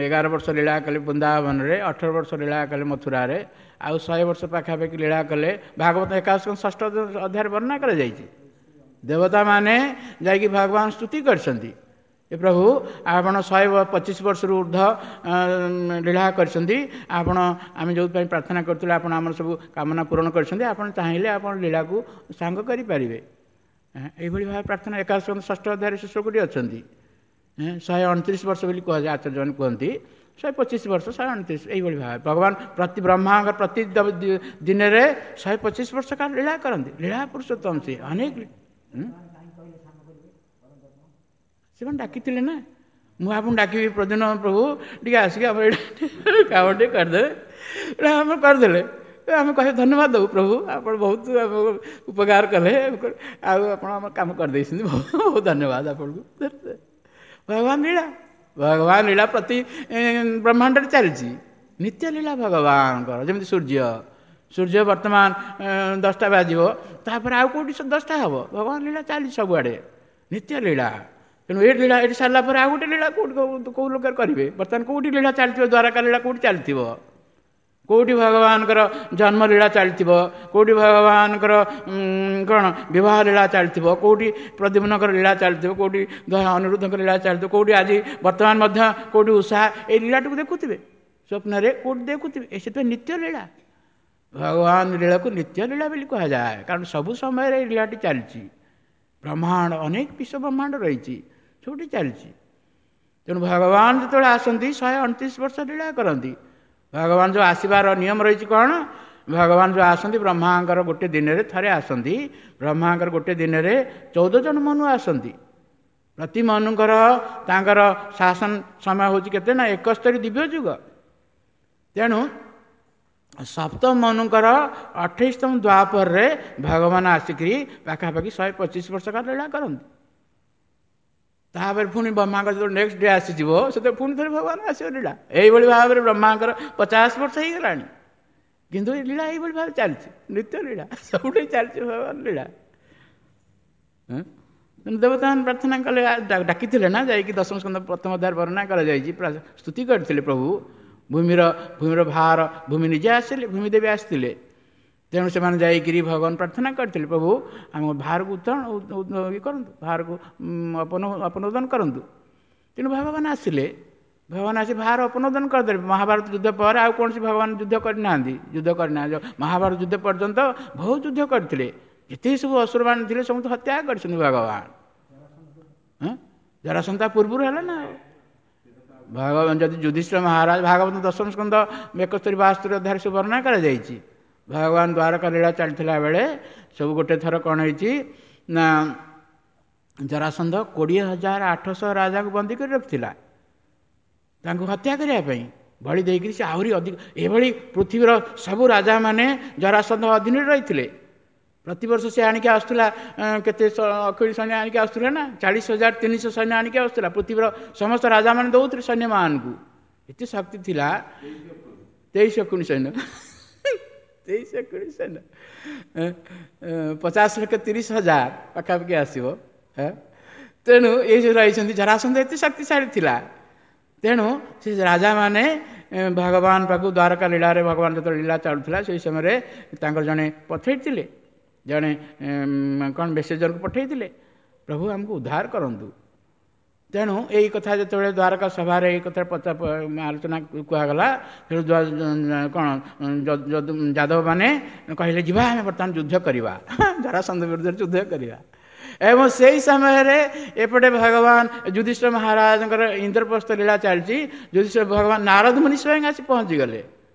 ଏଗାର ବର୍ଷ ଲୀଳା କଲେ ବୃନ୍ଦାବନରେ, ଅଠର ବର୍ଷ ଲୀଳା କଲେ ମଥୁରାରେ, ଆଉ ଶହେ ବର୍ଷ ପାଖାପାଖି ଲୀଳା କଲେ। ଭାଗବତ ଏକାଦଶ ଷଷ୍ଠ ଅଧ୍ୟାୟରେ ବର୍ଣ୍ଣନା କରାଯାଇଛି। ଦେବତାମାନେ ଯାଇକି ଭଗବାନ ସ୍ତୁତି କରିଛନ୍ତି, ଏ ପ୍ରଭୁ ଆପଣ ଶହେ ପଚିଶ ବର୍ଷରୁ ଉର୍ଦ୍ଧ୍ୱ ଲୀଳା କରିଛନ୍ତି, ଆପଣ ଆମେ ଯେଉଁଥିପାଇଁ ପ୍ରାର୍ଥନା କରୁଥିଲୁ ଆପଣ ଆମର ସବୁ କାମନା ପୂରଣ କରିଛନ୍ତି, ଆପଣ ଚାହିଁଲେ ଆପଣ ଲୀଳାକୁ ସାଙ୍ଗ କରିପାରିବେ। ଏଇଭଳି ଭାବେ ପ୍ରାର୍ଥନା ଏକାଦଶ ଷଷ୍ଠ ଅଧ୍ୟାୟରେ ସେ ଶ୍ଲୋକଟି ଅଛନ୍ତି। ଶହେ ଅଣତିରିଶ ବର୍ଷ ବୋଲି କୁହାଯାଏ, ଆଚାର୍ଯ୍ୟମାନେ କୁହନ୍ତି ଶହେ ପଚିଶ ବର୍ଷ, ଶହେ ଅଣତିରିଶ। ଏଇଭଳି ଭାବେ ଭଗବାନ ପ୍ରତି ବ୍ରହ୍ମାଙ୍କ ପ୍ରତି ଦିନରେ ଶହେ ପଚିଶ ବର୍ଷ କାଳ ଲୀଳା କରନ୍ତି। ଲୀଳା ପୁରୁଷୋତ୍ତମ ସେ ଅନେକ ସେମାନେ ଡାକିଥିଲେ ନା, ମୁଁ ଆପଣଙ୍କୁ ଡାକିବି ପ୍ରଦ୍ୟୁମ୍ନ ପ୍ରଭୁ ଟିକେ ଆସିକି ଆମର ଏଇଟା କାମ ଟିକେ କରିଦେବେ, ଏଇଟା ଆମେ କରିଦେଲେ ଆମେ କହିବେ ଧନ୍ୟବାଦ ଦେବୁ ପ୍ରଭୁ ଆପଣ ବହୁତ ଆମକୁ ଉପକାର କଲେ, ଆଉ ଆପଣ ଆମ କାମ କରିଦେଇଛନ୍ତି, ବହୁତ ବହୁତ ଧନ୍ୟବାଦ ଆପଣଙ୍କୁ। ଭଗବାନ ଲୀଳା, ଭଗବାନ ଲୀଳା ପ୍ରତି ବ୍ରହ୍ମାଣ୍ଡରେ ଚାଲିଛି, ନିତ୍ୟ ଲୀଳା ଭଗବାନଙ୍କର। ଯେମିତି ସୂର୍ଯ୍ୟ, ସୂର୍ଯ୍ୟ ବର୍ତ୍ତମାନ ଦଶଟା ବାଜିବ, ତାପରେ ଆଉ କେଉଁଠି ଦଶଟା ହେବ। ଭଗବାନ ଲୀଳା ଚାଲିଛି ସବୁଆଡ଼େ, ନିତ୍ୟ ଲୀଳା। ତେଣୁ ଏ ଲୀଳା ଏଠି ସାରିଲା ପରେ ଆଉ ଗୋଟେ ଲୀଳା କେଉଁଠି କେଉଁ ଲୋକରେ କରିବେ। ବର୍ତ୍ତମାନ କେଉଁଠି ଲୀଳା ଚାଲିଥିବ, ଦ୍ୱାରକା ଲୀଳା କେଉଁଠି ଚାଲିଥିବ, କେଉଁଠି ଭଗବାନଙ୍କର ଜନ୍ମ ଲୀଳା ଚାଲିଥିବ, କେଉଁଠି ଭଗବାନଙ୍କର କ'ଣ ବିବାହ ଲୀଳା ଚାଲିଥିବ, କେଉଁଠି ପ୍ରଦ୍ୟୁମ୍ନଙ୍କର ଲୀଳା ଚାଲିଥିବ, କେଉଁଠି ଅନିରୁଦ୍ଧଙ୍କର ଲୀଳା ଚାଲିଥିବ, କେଉଁଠି ଆଜି ବର୍ତ୍ତମାନ ମଧ୍ୟ କେଉଁଠି ଉଷା ଏଇ ଲୀଳାଟିକୁ ଦେଖୁଥିବେ ସ୍ୱପ୍ନରେ, କେଉଁଠି ଦେଖୁଥିବେ। ଏ ସେଥିପାଇଁ ନିତ୍ୟ ଲୀଳା, ଭଗବାନ ଲୀଳାକୁ ନିତ୍ୟ ଲୀଳା ବୋଲି କୁହାଯାଏ, କାରଣ ସବୁ ସମୟରେ ଏଇ ଲୀଳାଟି ଚାଲିଛି। ବ୍ରହ୍ମାଣ୍ଡ ଅନେକ ବିଶ୍ୱ ବ୍ରହ୍ମାଣ୍ଡ ରହିଛି, ସବୁଠି ଚାଲିଛି। ତେଣୁ ଭଗବାନ ଯେତେବେଳେ ଆସନ୍ତି ଶହେ ଅଣତିରିଶ ବର୍ଷ ଲୀଳା କରନ୍ତି। ଭଗବାନ ଯେଉଁ ଆସିବାର ନିୟମ ରହିଛି କ'ଣ, ଭଗବାନ ଯେଉଁ ଆସନ୍ତି ବ୍ରହ୍ମାଙ୍କର ଗୋଟେ ଦିନରେ ଥରେ ଆସନ୍ତି, ବ୍ରହ୍ମାଙ୍କର ଗୋଟେ ଦିନରେ ଚଉଦ ଜଣ ମନୁ ଆସନ୍ତି। ପ୍ରତି ମନୁଙ୍କର ତାଙ୍କର ଶାସନ ସମୟ ହେଉଛି କେତେ ନା ଏକସ୍ତରୀ ଦିବ୍ୟ ଯୁଗ। ତେଣୁ ସପ୍ତମ ମନୁଙ୍କର ଅଠେଇଶତମ ଦ୍ୱାପରରେ ଭଗବାନ ଆସିକରି ପାଖାପାଖି ଶହେ ପଚିଶ ବର୍ଷ କାଳ ଲୀଳା କରନ୍ତି। ତାପରେ ପୁଣି ବ୍ରହ୍ମାଙ୍କର ଯେତେବେଳେ ନେକ୍ସଟ ଡେ ଆସିଯିବ ସେତେବେଳେ ପୁଣି ଥରେ ଭଗବାନ ଆସିବ ଲୀଳା। ଏଇଭଳି ଭାବରେ ବ୍ରହ୍ମାଙ୍କର ପଚାଶ ବର୍ଷ ହେଇଗଲାଣି, କିନ୍ତୁ ଏ ଲୀଳା ଏଇଭଳି ଭାବେ ଚାଲିଛି, ନିତ୍ୟ ଲୀଳା ସବୁଠି ଚାଲିଛି ଭଗବାନ ଲୀଳା। ତେଣୁ ଦେବତାମାନେ ପ୍ରାର୍ଥନା କଲେ, ଡାକିଥିଲେ ନା ଯାଇକି ଦଶମ ସ୍କନ୍ଧ ପ୍ରଥମ ଅଧ୍ୟାୟରେ ବର୍ଣ୍ଣନା କରାଯାଇଛି, ସ୍ତୁତି କରିଥିଲେ ପ୍ରଭୁ ଭୂମିର ଭୂମିର ଭାର ଭୂମି ନିଜେ ଆସିଲେ, ଭୂମି ଦେବୀ ଆସିଥିଲେ। ତେଣୁ ସେମାନେ ଯାଇକିରି ଭଗବାନ ପ୍ରାର୍ଥନା କରିଥିଲେ, ପ୍ରଭୁ ଆମ ଭାରକୁ ଉତ୍ତରଣ ଇଏ କରନ୍ତୁ, ଭାରକୁ ଅପନୋଦନ କରନ୍ତୁ। ତେଣୁ ଭଗବାନ ଆସିଲେ, ଭଗବାନ ଆସି ଭାର ଅପନୋଦନ କରିଦେଲେ। ମହାଭାରତ ଯୁଦ୍ଧ ପରେ ଆଉ କୌଣସି ଭଗବାନ ଯୁଦ୍ଧ କରିନାହାନ୍ତି, ଯୁଦ୍ଧ କରିନାହାନ୍ତି। ମହାଭାରତ ଯୁଦ୍ଧ ପର୍ଯ୍ୟନ୍ତ ବହୁତ ଯୁଦ୍ଧ କରିଥିଲେ, ଯେତିକି ସବୁ ଅସୁରମାନେ ଥିଲେ ସମସ୍ତେ ହତ୍ୟା କରିଛନ୍ତି ଭଗବାନ। ହଁ, ଜରାସନ୍ଧ ପୂର୍ବରୁ ହେଲା ନା ଆଉ। ଭଗବାନ ଯଦି ଯୁଧିଷ୍ଠିର ମହାରାଜ, ଭାଗବତ ଦଶମ ସ୍କନ୍ଧ ଏକସ୍ତରୀ ବାସ୍ତରୀ ଅଧ୍ୟାୟରେ ସବୁ ବର୍ଣ୍ଣନା କରାଯାଇଛି। ଭଗବାନ ଦ୍ୱାରକା ଲୀଳା ଚାଲିଥିଲା ବେଳେ ସବୁ ଗୋଟେ ଥର କ'ଣ ହେଇଛି ନା, ଜରାସନ୍ଧ କୋଡ଼ିଏ ହଜାର ଆଠଶହ ରାଜାଙ୍କୁ ବନ୍ଦୀ କରି ରଖିଥିଲା ତାଙ୍କୁ ହତ୍ୟା କରିବା ପାଇଁ। ବଳି ଦେଇକରି ସେ ଆହୁରି ଅଧିକ, ଏଭଳି ପୃଥିବୀର ସବୁ ରାଜାମାନେ ଜରାସନ୍ଧ ଅଧୀନରେ ରହିଥିଲେ। ପ୍ରତିବର୍ଷ ସେ ଆଣିକି ଆସୁଥିଲା କେତେ ଅକ୍ଷୟ ସୈନ୍ୟ ଆଣିକି ଆସୁଥିଲା ନା, ଚାଳିଶ ହଜାର ତିନିଶହ ସୈନ୍ୟ ଆଣିକି ଆସୁଥିଲା। ପୃଥିବୀର ସମସ୍ତ ରାଜାମାନେ ଦେଉଥିଲେ ସୈନ୍ୟମାନଙ୍କୁ, ଏତେ ଶକ୍ତି ଥିଲା। ତେଇଶ ଅକୁଣି ସୈନ୍ୟ, ତେଇଶ ଅକୁଣି ସୈନ୍ୟ, ପଚାଶ ଲକ୍ଷ ତିରିଶ ହଜାର ପାଖାପାଖି ଆସିବ। ତେଣୁ ଏଇ ଯେଉଁ ରହିଛନ୍ତି ଜରାସନ୍ଧ ଏତେ ଶକ୍ତିଶାଳୀ ଥିଲା। ତେଣୁ ସେ ରାଜାମାନେ ଭଗବାନ ପାଖକୁ ଦ୍ୱାରକା ଲୀଳାରେ ଭଗବାନ ଯେତେବେଳେ ଲୀଳା ଚାଲୁଥିଲା ସେଇ ସମୟରେ ତାଙ୍କର ଜଣେ ପଠେଇଥିଲେ, ଜଣେ କ'ଣ ମେସେଜରକୁ ପଠେଇଥିଲେ, ପ୍ରଭୁ ଆମକୁ ଉଦ୍ଧାର କରନ୍ତୁ। ତେଣୁ ଏଇ କଥା ଯେତେବେଳେ ଦ୍ୱାରକା ସଭାରେ ଏଇ କଥା ପଚା ଆଲୋଚନା କୁହାଗଲା, ତେଣୁ କ'ଣ ଯାଦବମାନେ କହିଲେ ଯିବା ଆମେ ବର୍ତ୍ତମାନ ଯୁଦ୍ଧ କରିବା, ଜରାସନ୍ଧ ବିରୁଦ୍ଧରେ ଯୁଦ୍ଧ କରିବା। ଏବଂ ସେଇ ସମୟରେ ଏପଟେ ଭଗବାନ ଯୁଧିଷ୍ଠିର ମହାରାଜଙ୍କର ଇନ୍ଦ୍ରପ୍ରସ୍ଥ ଲୀଳା ଚାଲିଛି। ଯୁଧିଷ୍ଠିର ଭଗବାନ ନାରଦ ମୁନି ସ୍ୱୟଂ ଆସି ପହଞ୍ଚିଗଲେ।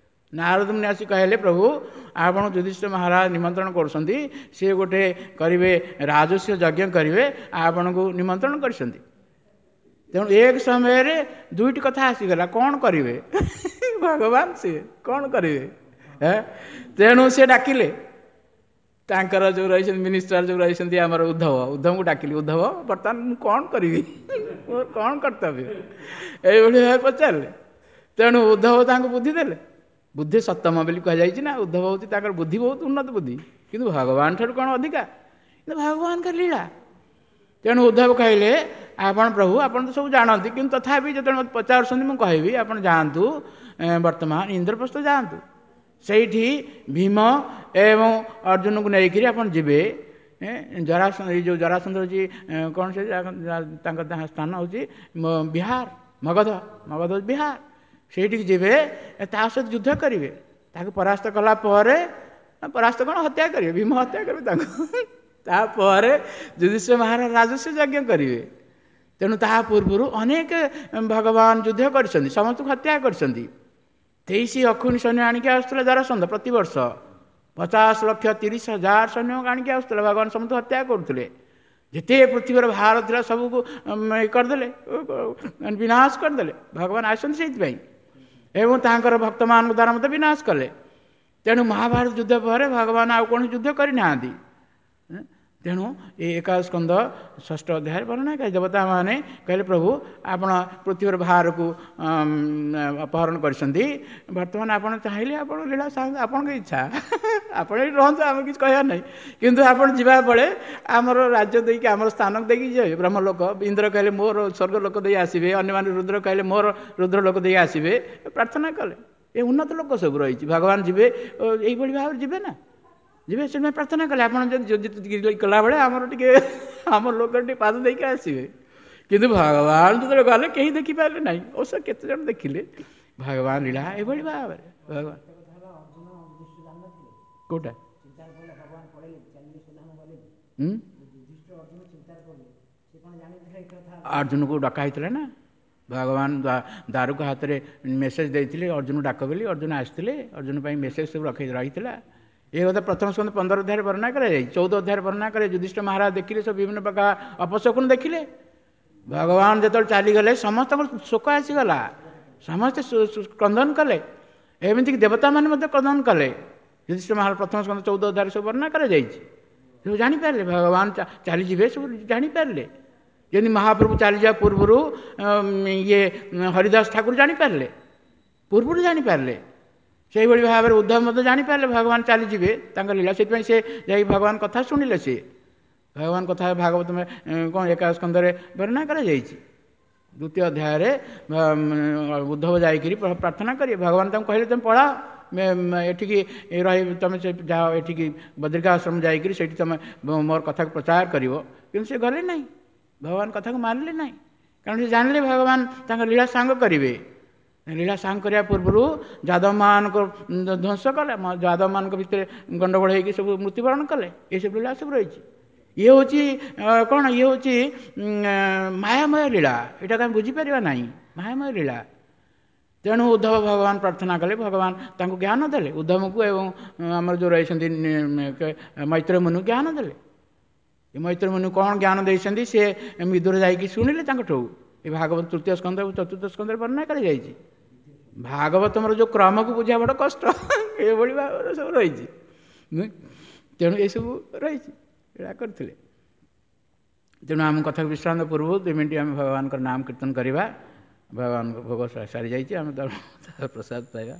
ନାରଦ ମୁନି ଆସି କହିଲେ, ପ୍ରଭୁ ଆପଣ ଯୁଧିଷ୍ଠିର ମହାରାଜ ନିମନ୍ତ୍ରଣ କରୁଛନ୍ତି, ସିଏ ଗୋଟେ କରିବେ ରାଜସ୍ୱ ଯଜ୍ଞ କରିବେ, ଆପଣଙ୍କୁ ନିମନ୍ତ୍ରଣ କରିଛନ୍ତି। ତେଣୁ ଏକ ସମୟରେ ଦୁଇଟି କଥା ଆସିଗଲା, କ'ଣ କରିବେ ଭଗବାନ, ସିଏ କ'ଣ କରିବେ? ତେଣୁ ସେ ଡାକିଲେ ତାଙ୍କର ଯେଉଁ ରହିଛନ୍ତି ମିନିଷ୍ଟର ଯେଉଁ ରହିଛନ୍ତି ଆମର ଉଦ୍ଧବ, ଉଦ୍ଧବଙ୍କୁ ଡାକିଲି, ଉଦ୍ଧବ ବର୍ତ୍ତମାନ ମୁଁ କ'ଣ କରିବି, ମୋର କ'ଣ କର୍ତ୍ତବ୍ୟ, ଏଇଭଳି ଭାବେ ପଚାରିଲେ। ତେଣୁ ଉଦ୍ଧବ ତାଙ୍କୁ ବୁଦ୍ଧି ଦେଲେ। ବୁଦ୍ଧି ସତ୍ତମ ବୋଲି କୁହାଯାଇଛି ନା, ଉଦ୍ଧବ ହେଉଛି ତାଙ୍କର ବୁଦ୍ଧି ବହୁତ ଉନ୍ନତ ବୁଦ୍ଧି, କିନ୍ତୁ ଭଗବାନ ଠାରୁ କ'ଣ ଅଧିକା, କିନ୍ତୁ ଭଗବାନଙ୍କ ଲୀଳା। ତେଣୁ ଉଦ୍ଧବ କହିଲେ, ଆପଣ ପ୍ରଭୁ ଆପଣ ତ ସବୁ ଜାଣନ୍ତି, କିନ୍ତୁ ତଥାପି ଯେତେବେଳେ ମୋତେ ପଚାରୁଛନ୍ତି ମୁଁ କହିବି, ଆପଣ ଯାଆନ୍ତୁ ବର୍ତ୍ତମାନ ଇନ୍ଦ୍ରପ୍ରସ୍ଥ ଯାଆନ୍ତୁ, ସେଇଠି ଭୀମ ଏବଂ ଅର୍ଜୁନକୁ ନେଇକରି ଆପଣ ଯିବେ। ଜରାସନ୍ଧ, ଏଇ ଯେଉଁ ଜରାସନ୍ଧ ହେଉଛି କ'ଣ, ସେ ତାଙ୍କ ସ୍ଥାନ ହେଉଛି ବିହାର, ମଗଧ, ମଗଧ ବିହାର, ସେଇଠିକି ଯିବେ, ତା ସହିତ ଯୁଦ୍ଧ କରିବେ, ତାକୁ ପରାସ୍ତ କଲା ପରେ, ପରାସ୍ତ କ'ଣ ହତ୍ୟା କରିବେ, ଭୀମ ହତ୍ୟା କରିବେ ତାଙ୍କୁ। ତାପରେ ଯୁଧିଷ୍ଠିର ମହାରାଜ ରାଜସ୍ୱ ଯଜ୍ଞ କରିବେ। ତେଣୁ ତାହା ପୂର୍ବରୁ ଅନେକ ଭଗବାନ ଯୁଦ୍ଧ କରିଛନ୍ତି, ସମସ୍ତଙ୍କୁ ହତ୍ୟା କରିଛନ୍ତି। ତେଇଶ ଅକ୍ଷୁଣି ସୈନ୍ୟ ଆଣିକି ଆସୁଥିଲା ଜରାସନ୍ଧ ପ୍ରତିବର୍ଷ, ପଚାଶ ଲକ୍ଷ ତିରିଶ ହଜାର ସୈନ୍ୟ ଆଣିକି ଆସୁଥିଲା, ଭଗବାନ ସମସ୍ତଙ୍କୁ ହତ୍ୟା କରୁଥିଲେ। ଯେତେ ପୃଥିବୀର ଭାର ଥିଲା ସବୁକୁ କରିଦେଲେ, ବିନାଶ କରିଦେଲେ। ଭଗବାନ ଆସିଛନ୍ତି ସେଇଥିପାଇଁ, ଏବଂ ତାଙ୍କର ଭକ୍ତମାନଙ୍କ ଦ୍ୱାରା ମଧ୍ୟ ବିନାଶ କଲେ। ତେଣୁ ମହାଭାରତ ଯୁଦ୍ଧ ପରେ ଭଗବାନ ଆଉ କୌଣସି ଯୁଦ୍ଧ କରିନାହାନ୍ତି। ତେଣୁ ଏ ଏକାଦଶ ସ୍କନ୍ଧ ଷଷ୍ଠ ଅଧ୍ୟାୟରେ ବର୍ଣ୍ଣନା କରି ଦେବତାମାନେ କହିଲେ, ପ୍ରଭୁ ଆପଣ ପୃଥିବୀର ଭାରକୁ ଅପହରଣ କରିଛନ୍ତି, ବର୍ତ୍ତମାନ ଆପଣ ଚାହିଁଲେ ଆପଣ ଲୀଳା, ଆପଣଙ୍କ ଇଚ୍ଛା, ଆପଣ ଏଇଠି ରୁହନ୍ତୁ, ଆମେ କିଛି କହିବାର ନାହିଁ, କିନ୍ତୁ ଆପଣ ଯିବା ବେଳେ ଆମର ରାଜ୍ୟ ଦେଇକି, ଆମର ସ୍ଥାନକୁ ଦେଇକି ଯିବେ। ବ୍ରହ୍ମଲୋକ, ଇନ୍ଦ୍ର କହିଲେ ମୋର ସ୍ୱର୍ଗ ଲୋକ ଦେଇ ଆସିବେ, ଅନ୍ୟମାନେ ରୁଦ୍ର କହିଲେ ମୋର ରୁଦ୍ର ଲୋକ ଦେଇ ଆସିବେ, ପ୍ରାର୍ଥନା କଲେ। ଏ ଉନ୍ନତ ଲୋକ ସବୁ ରହିଛି, ଭଗବାନ ଯିବେ ଏଇଭଳି ଭାବରେ ଯିବେ ନା ଯିବେ, ସେଥିପାଇଁ ପ୍ରାର୍ଥନା କଲେ ଆପଣ ଯଦି କଲାବେଳେ ଆମର ଟିକେ ଆମ ଲୋକ ଟିକେ ପାଦ ଦେଇକି ଆସିବେ। କିନ୍ତୁ ଭଗବାନ ଯେତେବେଳେ ଗଲେ କେହି ଦେଖିପାରିଲେ ନାହିଁ, ଅବଶ୍ୟ କେତେ ଜଣ ଦେଖିଲେ ଭଗବାନ ଲୀଳା ଏଭଳି ଭାବରେ। ଭଗବାନ କୋଉଟା ଅର୍ଜୁନକୁ ଡକା ହେଇଥିଲା ନା, ଭଗବାନ ଦାରୁକ ହାତରେ ମେସେଜ ଦେଇଥିଲେ ଅର୍ଜୁନ ଡାକ ବୋଲି, ଅର୍ଜୁନ ଆସିଥିଲେ, ଅର୍ଜୁନ ପାଇଁ ମେସେଜ ସବୁ ରଖି ରହିଥିଲା। ଏ କଥା ପ୍ରଥମ ସ୍କନ୍ଧ ପନ୍ଦର ଅଧ୍ୟାୟରେ ବର୍ଣ୍ଣନା କରାଯାଇଛି, ଚଉଦ ଅଧ୍ୟାୟରେ ବର୍ଣ୍ଣନା କରାଯାଇଛି। ଯୁଧିଷ୍ଠିର ମହାରାଜ ଦେଖିଲେ ସବୁ ବିଭିନ୍ନ ପ୍ରକାର ଅପଶକୁନ ଦେଖିଲେ। ଭଗବାନ ଯେତେବେଳେ ଚାଲିଗଲେ ସମସ୍ତଙ୍କର ଶୋକ ଆସିଗଲା, ସମସ୍ତେ କ୍ରନ୍ଦନ କଲେ, ଏମିତିକି ଦେବତାମାନେ ମଧ୍ୟ କ୍ରନ୍ଦନ କଲେ। ଯୁଧିଷ୍ଠିର ମହାରାଜ ପ୍ରଥମ ସ୍କନ୍ଧ ଚଉଦ ଅଧ୍ୟାୟରେ ସବୁ ବର୍ଣ୍ଣନା କରାଯାଇଛି। ସବୁ ଜାଣିପାରିଲେ ଭଗବାନ ଚାଲିଯିବେ, ସବୁ ଜାଣିପାରିଲେ। ଯେମିତି ମହାପ୍ରଭୁ ଚାଲିଯିବା ପୂର୍ବରୁ ଇଏ ହରିଦାସ ଠାକୁର ଜାଣିପାରିଲେ, ପୂର୍ବରୁ ଜାଣିପାରିଲେ। ସେଇଭଳି ଭାବରେ ଉଦ୍ଧବ ମଧ୍ୟ ଜାଣିପାରିଲେ ଭଗବାନ ଚାଲିଯିବେ ତାଙ୍କ ଲୀଳା, ସେଥିପାଇଁ ସେ ଯାଇ ଭଗବାନ କଥା ଶୁଣିଲେ। ସେ ଭଗବାନ କଥା ଭାଗବତ କ'ଣ ଏକାଦଶ ସ୍କନ୍ଧରେ ବର୍ଣ୍ଣନା କରାଯାଇଛି। ଦ୍ୱିତୀୟ ଅଧ୍ୟାୟରେ ଉଦ୍ଧବ ଯାଇକରି ପ୍ରାର୍ଥନା କରିବେ, ଭଗବାନ ତାଙ୍କୁ କହିଲେ ତୁମେ ପଳାଅ ଏଠିକି ରହି, ତୁମେ ସେ ଯାଅ ଏଠିକି ବଦ୍ରିକାଶ୍ରମ ଯାଇକରି ସେଇଠି ତୁମେ ମୋର କଥାକୁ ପ୍ରଚାର କରିବ। କିନ୍ତୁ ସେ ଗଲେ ନାହିଁ, ଭଗବାନ କଥାକୁ ମାନିଲେ ନାହିଁ, କାରଣ ସେ ଜାଣିଲେ ଭଗବାନ ତାଙ୍କ ଲୀଳା ସାଙ୍ଗ କରିବେ। ଲୀଳା ସାଙ୍ଗ କରିବା ପୂର୍ବରୁ ଯାଦବମାନଙ୍କ ଧ୍ୱଂସ କଲେ, ଯାଦବମାନଙ୍କ ଭିତରେ ଗଣ୍ଡଗୋଳ ହେଇକି ସବୁ ମୃତ୍ୟୁବରଣ କଲେ। ଏସବୁ ଲୀଳା ସବୁ ରହିଛି। ଇଏ ହେଉଛି କ'ଣ, ଇଏ ହେଉଛି ମାୟାମୟ ଲୀଳା, ଏଇଟାକୁ ଆମେ ବୁଝିପାରିବା ନାହିଁ। ମାୟାମୟ ଲୀଳା। ତେଣୁ ଉଦ୍ଧବ ଭଗବାନ ପ୍ରାର୍ଥନା କଲେ, ଭଗବାନ ତାଙ୍କୁ ଜ୍ଞାନ ଦେଲେ, ଉଦ୍ଧବଙ୍କୁ ଏବଂ ଆମର ଯେଉଁ ରହିଛନ୍ତି ମୈତ୍ର ମୁନି ଜ୍ଞାନ ଦେଲେ। ଏ ମୈତ୍ର ମୁନି କ'ଣ ଜ୍ଞାନ ଦେଇଛନ୍ତି ସେ ବିଦୁର ଯାଇକି ଶୁଣିଲେ ତାଙ୍କଠୁ। ଏ ଭାଗବତ ତୃତୀୟ ସ୍କନ୍ଧ ଏବଂ ଚତୁର୍ଥ ସ୍କନ୍ଧରେ ବର୍ଣ୍ଣନା କରାଯାଇଛି। ଭାଗବତମର ଯେଉଁ କ୍ରମକୁ ବୁଝିବା ବଡ଼ କଷ୍ଟ, ଏଭଳି ଭାବରେ ସବୁ ରହିଛି। ତେଣୁ ଏସବୁ ରହିଛି, ଏଇଟା କରିଥିଲେ। ତେଣୁ ଆମ କଥାକୁ ବିଶ୍ରାନ୍ତ ପୂର୍ବରୁ ଦୁଇ ମିନିଟ୍ ଆମେ ଭଗବାନଙ୍କର ନାମ କୀର୍ତ୍ତନ କରିବା। ଭଗବାନଙ୍କ ଭୋଗ ସରିଯାଇଛି, ଆମେ ତାର ପ୍ରସାଦ ପାଇବା।